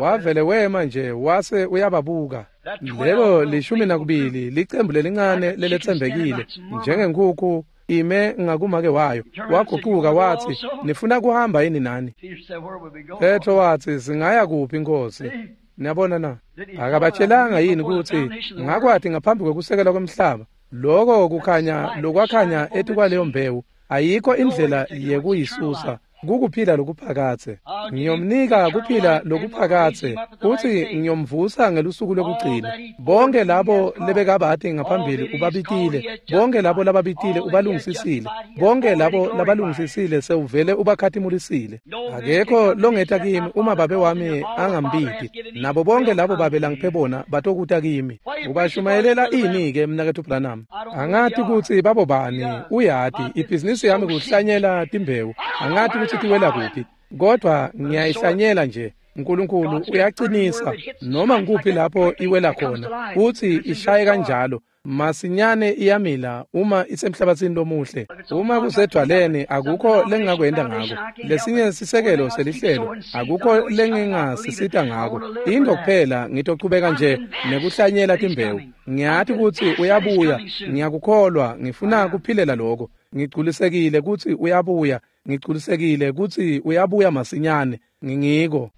A: Wavele wema nje wase uyababuka. Lelo lishumi nakubili licembu lelincane leletsembekile njengenkhukhu ime ngakumake wayo. Waguquka watsi, nifuna kuhamba yini nani? Petro watsi, singaya kuphi Nkosi? Niyabona na? Akabatshelanga yini kutsi ngakwati ngaphambi kwekusekela kwemhlaba? Loko kukhanya lokwakhanya etikwaleyo mbewu ayikho indlela yekuyisusa. Kukuphila lokuphakatse. Ngiyomnika kuphila lokuphakatse futsi ngiyomvusa ngelusuku lokugcina. Bonke labo lebekabati ngaphambili ubabitile, bonke labo lababitile ubalungisisile, bonke labo labalungisisile sewuvele ubakhatimulisile. Akekho longeta kimi uma babe wami angambiti, nabo bonke labo babe langiphe bona batokuta kimi. Ubashumayelela ini-ke mnaketfu Branham? Angati kutsi babo bani, uyati ibhizinisi yami kuhlanyela timbewu. Angati kutsi tiwela kuphi, kodwa ngiyayihlanyela nje. Nkulunkulu uyacinisa noma ngikuphi lapho iwela khona futsi ishaye kanjalo masinyane iyamila uma isemhlabatsini lomuhle. Uma kusedwaleni akukho lengingakwenta ngako. Lesinye sisekelo selihlelo akukho lengingasisita ngako. Into kuphela ngitochubeka nje nekuhlanyela timbewu. Ngiyati kutsi uyabuya, ngiyakukholwa, ngifuna kuphilela lokho. Ngigculisekile kutsi uyabuya, ngigculisekile kutsi uyabuya masinyane. Ngingiko.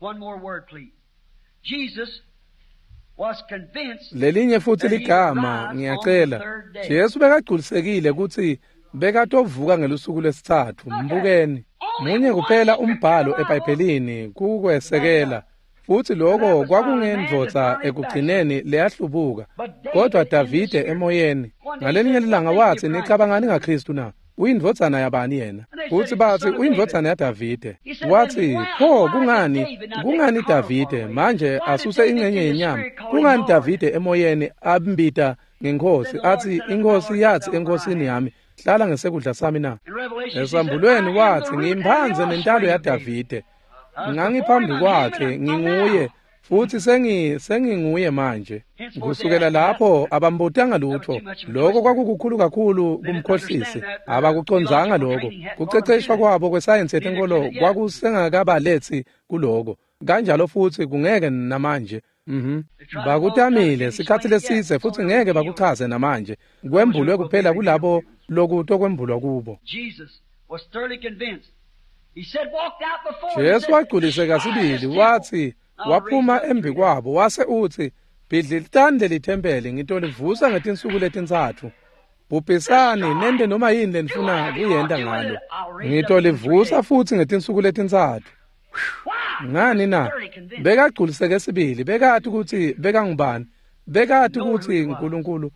A: Lelinye futsi ligama ngiyacela. Jesu bekagculisekile kutsi bekatovuka ngelusuku lwesitsatfu. Mbukeni. Munye kuphela umbhalo eBhayibhelini kukwesekela. Futsi lokho kwakungendvodza ekugcineni leyahlubuka, kodwa Davide emoyeni. Ngalelinye lilanga watsi, nicabangani ngaKristu na? Uyindvodzana yabani yena? Futsi batsi uyindvodzana yaDavide. Watsi, pho kungani kungani Davide manje asuse ingcenye yenyama? Kungani Davide emoyeni ambita ngenkhosi atsi inkhosi yatsi enkosini yami, hlala ngesekudla sami na? Esambulweni watsi, ngimphandze nentalo yaDavide. Ngangiphambi kwakhe nginguye futsi sengi senginguye manje. Kusukela lapho abambutanga lutho. Lokho kwakukukhulu kakhulu kumkhohlisi. Abakucondzanga lokho. Kuceceshwa kwabo kwesayensi yetenkolo kwakusengakabaletsi kuloko. Kanjalo futsi kungeke namanje. Mhm. Bakutamile sikhatsi lesitse futsi ngeke bakuchaze namanje. Kwembulwe kuphela kulabo lokutokwembulwa kubo. Jesu wagculiseka sibili watsi waphuma embi kwabo wase utsi bhidlitani lelithempeli ngitolivusa ngetinsuku letintsatfu. Bhubhisani nente noma yini lenifuna kuyenta ngalo. Ngitolivusa futsi ngetinsuku letintsatfu. Ngani na? Bekagculiseke sibili, bekati kutsi bekangubani, bekati kutsi uNkulunkulu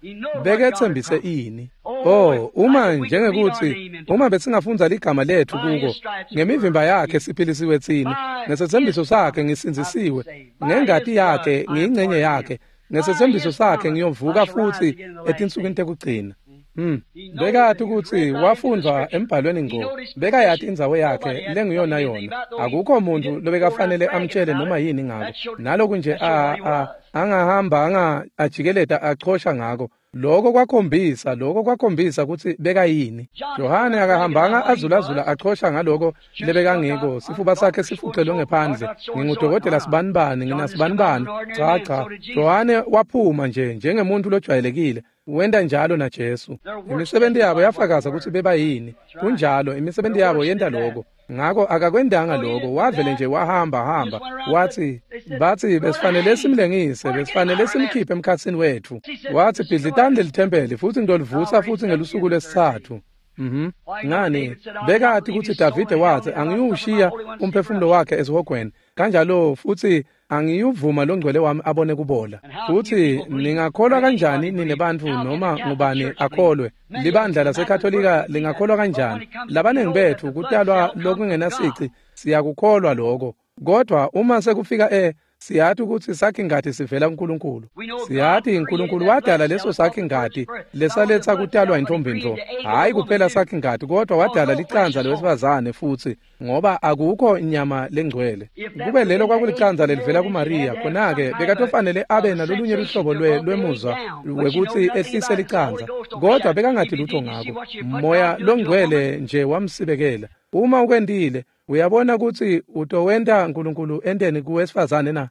A: beketsembise ini. Oh, uma njengekuthi uma besingafundza ligama lethu kuko, ngemivimba yakhe siphilisiwe tsine, ngesetsembiso sakhe ngisindzisiwe, ngengati yakhe ngiyingcenye yakhe, ngesetsembiso sakhe ngiyovuka futsi etinsukwini tekugcina. Hmm. Bekati kutsi wafundvwa embhalweni ngco, bekayati indzawo yakhe lenguyona yona. Akukho muntu lobekafanele amtshele noma yini ngako. Naloku nje a a angahamba anga ajikeleta achosha ngako. Lokho kwakhombisa, lokho kwakhombisa kutsi bekayini. Johane akahambanga azulazula achosha ngaloko lebekangiko, sifuba sakhe sifucelwe ngephandle. Ngingudokotela sibanibani, nginasibanibani. Cha cha, Johane waphuma nje njengemuntu lojwayelekile. Wenta njalo na Jesu. Imisebenti yabo yafakaza kutsi bebayini. Kunjalo, imisebenti yabo yenta lokho. Ngako akakwendanga lokho, wavele nje wahamba hamba. Wathi bathi besifanele simlengise, besifanele simkhiphe emkhatsini wethu. Wathi bhidlitani lelithempeli futsi ngitolivusa futsi ngelusuku lwesitsatfu. Mhm. Ngani? Bekati kutsi Davide wathi angiyushiya umphefumulo wakhe esihogweni. Kanjalo futsi angiyuvuma longcwele wami abone kubola. Futsi ningakholwa kanjani nine bantfu noma ngubani akholwe? Libandla laseKatolika lingakholwa kanjani? Labanengi betfu kutalwa lokungenasici siyakukholwa lokho. Kodwa uma sekufika e siyati kutsi sakhi-ngati sivela kuNkulunkulu. Siyati uNkulunkulu wadala leso sakhi-ngati lesaletsa kutalwa intombi-ntfo. Hhayi kuphela sakhi-ngati kodwa wadala licandza lowesifazane futsi, ngoba akukho inyama lengcwele. Kube lelo kwakulicandza lelivela kuMariya, khona-ke bekatofanele abe nalolunye luhlobo lwemuzwa wekutsi ehlise licandza, kodwa bekangati lutho ngako. Moya longcwele nje wamsibekela. Uma ukwentile, uyabona kutsi utowenta uNkulunkulu enteni kuwesifazane na?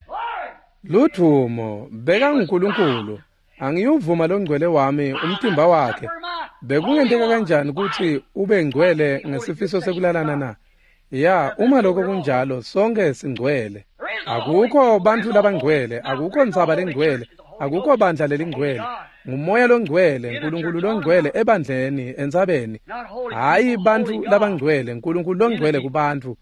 A: Ludvumo, bekanguNkulunkulu. Angiyuvuma longcwele wami umtimba wakhe. Bekungenteka kanjani kutsi ube ngcwele ngesifiso sekulalana na? Ya, uma lokho kunjalo, sonke singcwele. Akukho bantfu labangcwele, akukho ntsaba lengcwele, akukho bandla lelingcwele. Ngumoya longcwele, uNkulunkulu longcwele ebandleni, entsabeni. Hhayi bantfu labangcwele, uNkulunkulu longcwele kubantfu.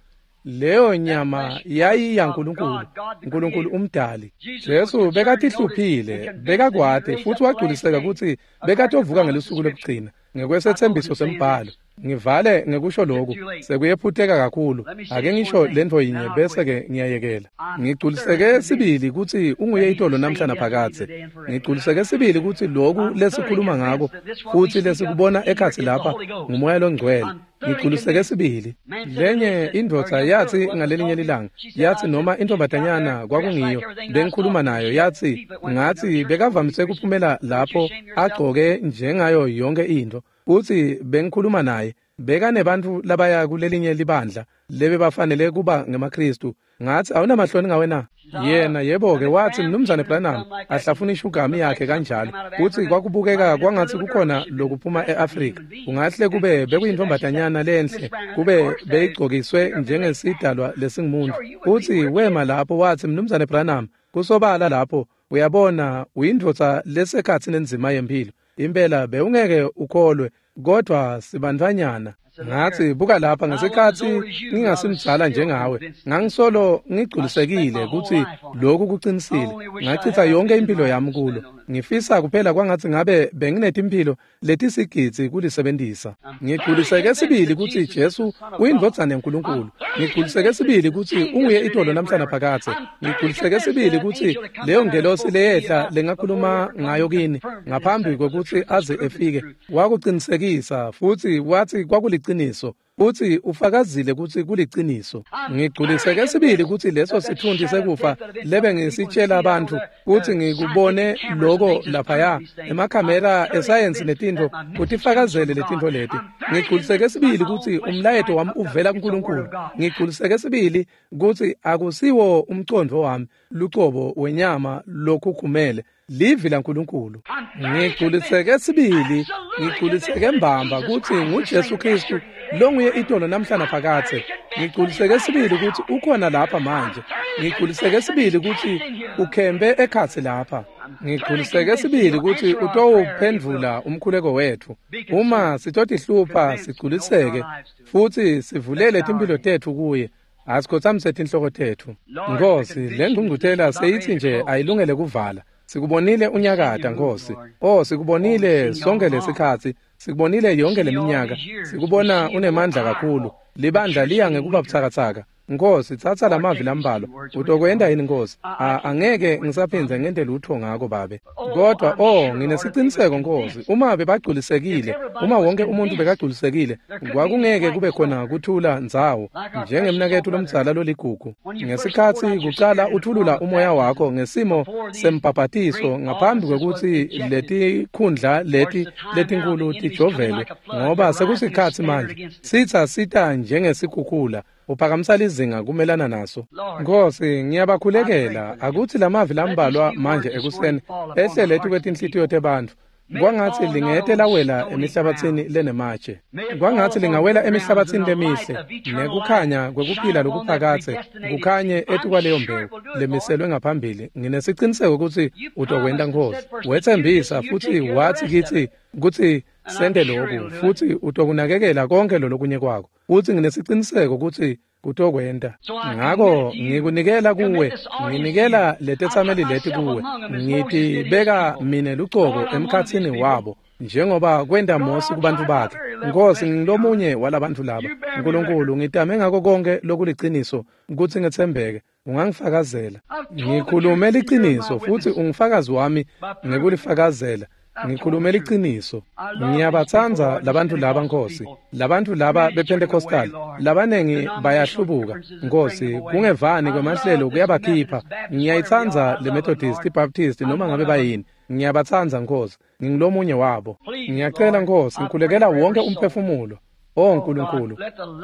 A: Leyo nyama yayiyaNkulunkulu, uNkulunkulu umdali. Jesu bekatihluphile, bekakwati futsi wagculiseka kutsi bekatovuka ngelusuku lokugcina ngekwesetsembiso sembhalo. Ngivale ngekusho lokhu, sekuyephuteka kakhulu. Ake ngisho lentfo yinye bese-ke ngiyayekela. Ngigculiseke sibili kutsi unguye itolo namhla naphakadze. Ngigculiseke sibili kutsi loku lesikhuluma ngako futsi lesikubona ekhatsi lapha ngumoya longcwele. Ngigculiseke sibili. Lenye indvodza yatsi ngalelinye lilanga, yatsi noma intombatanyana kwakungiyo, bengikhuluma nayo, yatsi ngatsi bekavamise kuphumela lapho agcoke njengayo yonke intfo. Utsi bengikhuluma naye, bekanebantfu labaya kulelinye libandla lebebafanele kuba ngemaKhristu. Ngatsi awunamahloni ngawe na? Yena yebo-ke watsi Mnumzane Branham ahlafuna ishugami yakhe kanjalo. Utsi kwakubukeka kwangatsi kukhona lokuphuma e-Afrika. Kungahle kube bekuyintombatanyana lenhle, kube beyigcokiswe njengesidalwa lesingumuntu. Utsi wema lapho watsi Mnumzane Branham, kusobala lapho uyabona uyindvodza lesekhatsi nenzima yempilo. Impela bewungeke ukholwe, kodwa sibantfwanyana. Ngatsi buka lapha ngesikhatsi ngingasimdzala njengawe, ngangisolo ngigculisekile kutsi lokhu kucinisile. Ngachitha yonke impilo yami kulo. Ngifisa kuphela kwangatsi ngabe benginetimphilo letisigidzi kulisebentisa. Ngigculiseke sibili kutsi Jesu uyindvodzana yaNkulunkulu. Ngigculiseke sibili kutsi unguye itolo namhla naphakadze. Ngigculiseke sibili kutsi leyo ngelosi leyehla lengakhuluma ngayo kini ngaphambi kwekutsi aze efike wakucinisekisa futsi watsi kwakuliciniso. Futsi ufakazile kutsi kuliciniso. Ngigculiseke sibili kutsi leso sitfunti sekufa lebe ngisitshela bantfu kutsi ngikubone loko laphaya emakhamera esayensi netintfo kutifakazele letintfo leti. Ngigculiseke sibili kutsi umlayeto wami uvela kuNkulunkulu. Ngigculiseke sibili kutsi akusiwo umcondvo wami lucobo wenyama lokhukhumele, livi laNkulunkulu. Ngigculiseke sibili, ngigculiseke mbamba kutsi nguJesu Kristu longuye itolo namhla naphakadze. Ngigculiseke sibili kutsi ukhona lapha manje. Ngigculiseke sibili kutsi ukhembe ekhatsi lapha. Ngigculiseke sibili kutsi utowuphendvula umkhuleko wetfu. Uma sitotihlupha sigculiseke futsi sivulele timphilo tetfu kuye. Asikhotsamise tinhloko tetfu. Nkosi, le ngqungquthela seyithi nje ayilungele kuvala. Sikubonile unyakata, Nkosi. Oh, sikubonile sonke lesikhatsi. Sikubonile yonke leminyaka. Sikubona unemandla kakhulu. Libandla liya ngekuba butsakatsaka. Nkosi, tsatsa lamavi lambalwa. Utokwenta yini, Nkosi? Angeke ngisaphindze ngente lutho ngako, Babe. Kodwa oh, nginesiciniseko, Nkosi, uma bebagculisekile, uma wonke umuntu bekagculisekile, kwakungeke kube khona kuthula ndzawo njengemnaketfu lomdzala loligugu. Ngesikhatsi kucala uthulula umoya wakho ngesimo sembhabhatiso ngaphambi kwekutsi letikhundla leti letinkulu tijovelwe, ngoba sekusikhatsi manje sitsa sita njengesikhukhula, uphakamisa lizinga kumelana naso. Nkosi, ngiyabakhulekela akutsi lamavi lambalwa manje ekuseni ehlele etikwetinhlitiyo tebantfu. Kwangatsi lingete lawela emihlabatsini lenematshe. Kwangatsi lingawela emihlabatsini lemihle nekukhanya kwekuphila lokuphakadze kukhanye etikwaleyo mbewu lemiselwe ngaphambili. Nginesiciniseko kutsi utokwenta, Nkosi. Wetsembisa futsi watsi kitsi kutsi sente loku, futsi utokunakekela konke lolokunye kwako. Futsi nginesiciniseko kutsi kutokwenta. Ngako ngikunikela kuwe, nginikela letetsameli leti kuwe. Ngitibeka mine lucobo emkhatsini wabo njengoba kwenta Mosi kubantfu bakhe. Nkosi, ngilomunye walabantfu laba. Nkulunkulu, ngitame ngako konke lokuliciniso kutsi ngetsembeke. Ungangifakazela. Ngikhulume liciniso futsi ungufakazi wami ngekulifakazela. Ngikhulume liciniso. Ngiyabatsandza labantfu laba, Nkosi. Labantfu laba bePentecostal labanengi bayahlubuka, Nkosi. Kungevani kwemahlelo kuyabakhipha. Ngiyayitsandza le Methodist, iBaptist, noma ngabe bayini. Ngiyabatsandza, Nkosi. Ngingulomunye wabo. Ngiyacela, Nkosi, ngikhulekela wonke umphefumulo. Oh Nkulunkulu,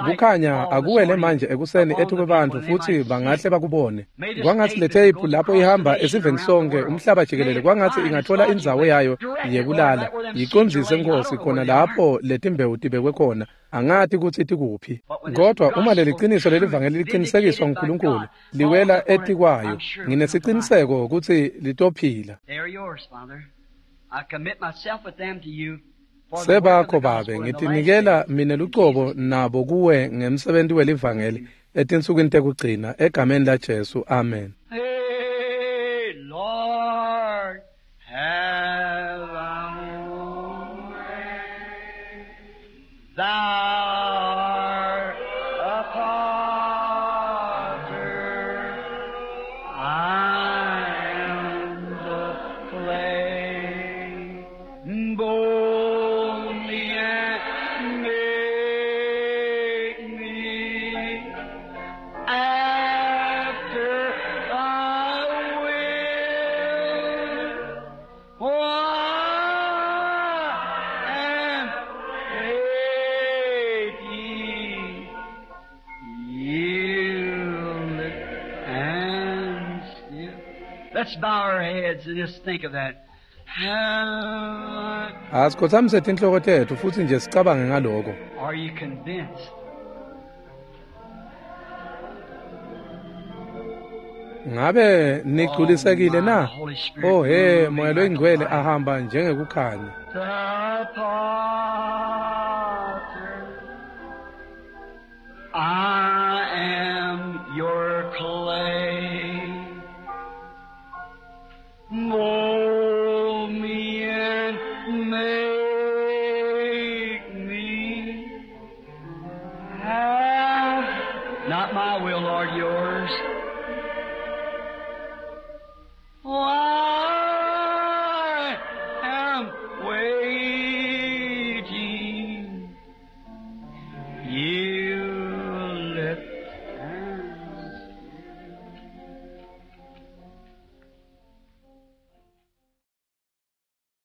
A: kukhanya akuwele manje ekuseni ethuke bantfu futsi bangahle bakubone. Kwangatsi le tape lapho ihamba esiveni sonke umhlaba jikelele, kwangatsi ingathola indzawo yayo yekulala. Yicondzise, Nkosi, khona lapho letimbewu tibekwe khona. Angati kutsi tikuphi. Kodwa uma leliciniso lelivangeli liqinisekiswa nguNkulunkulu, liwela etikwayo, nginesiciniseko kutsi litophila. Sebakho, Babe, ngitinikela mine lucobo nabo kuwe ngemsebenti welivangeli etinsukwini tekugcina, egameni laJesu. Amen.
B: Hey, Lord, have thy own way. Thou art a potter, I am the clay. Mold me and make me after thy will. Oh, I am waiting, yielded and still. Let's bow our heads and just think of that. Have
A: Asikhotsamise tinhloko tetfu futsi nje sicabange ngaloko.
B: Are you convinced?
A: Ngabe nigculisekile na? Oh he, Moya loyiNgcwele ahamba njengekukhanya.
B: The potter, I am your clay. Mold me and make me have not my will, Lord, yours. Oh, I am waiting.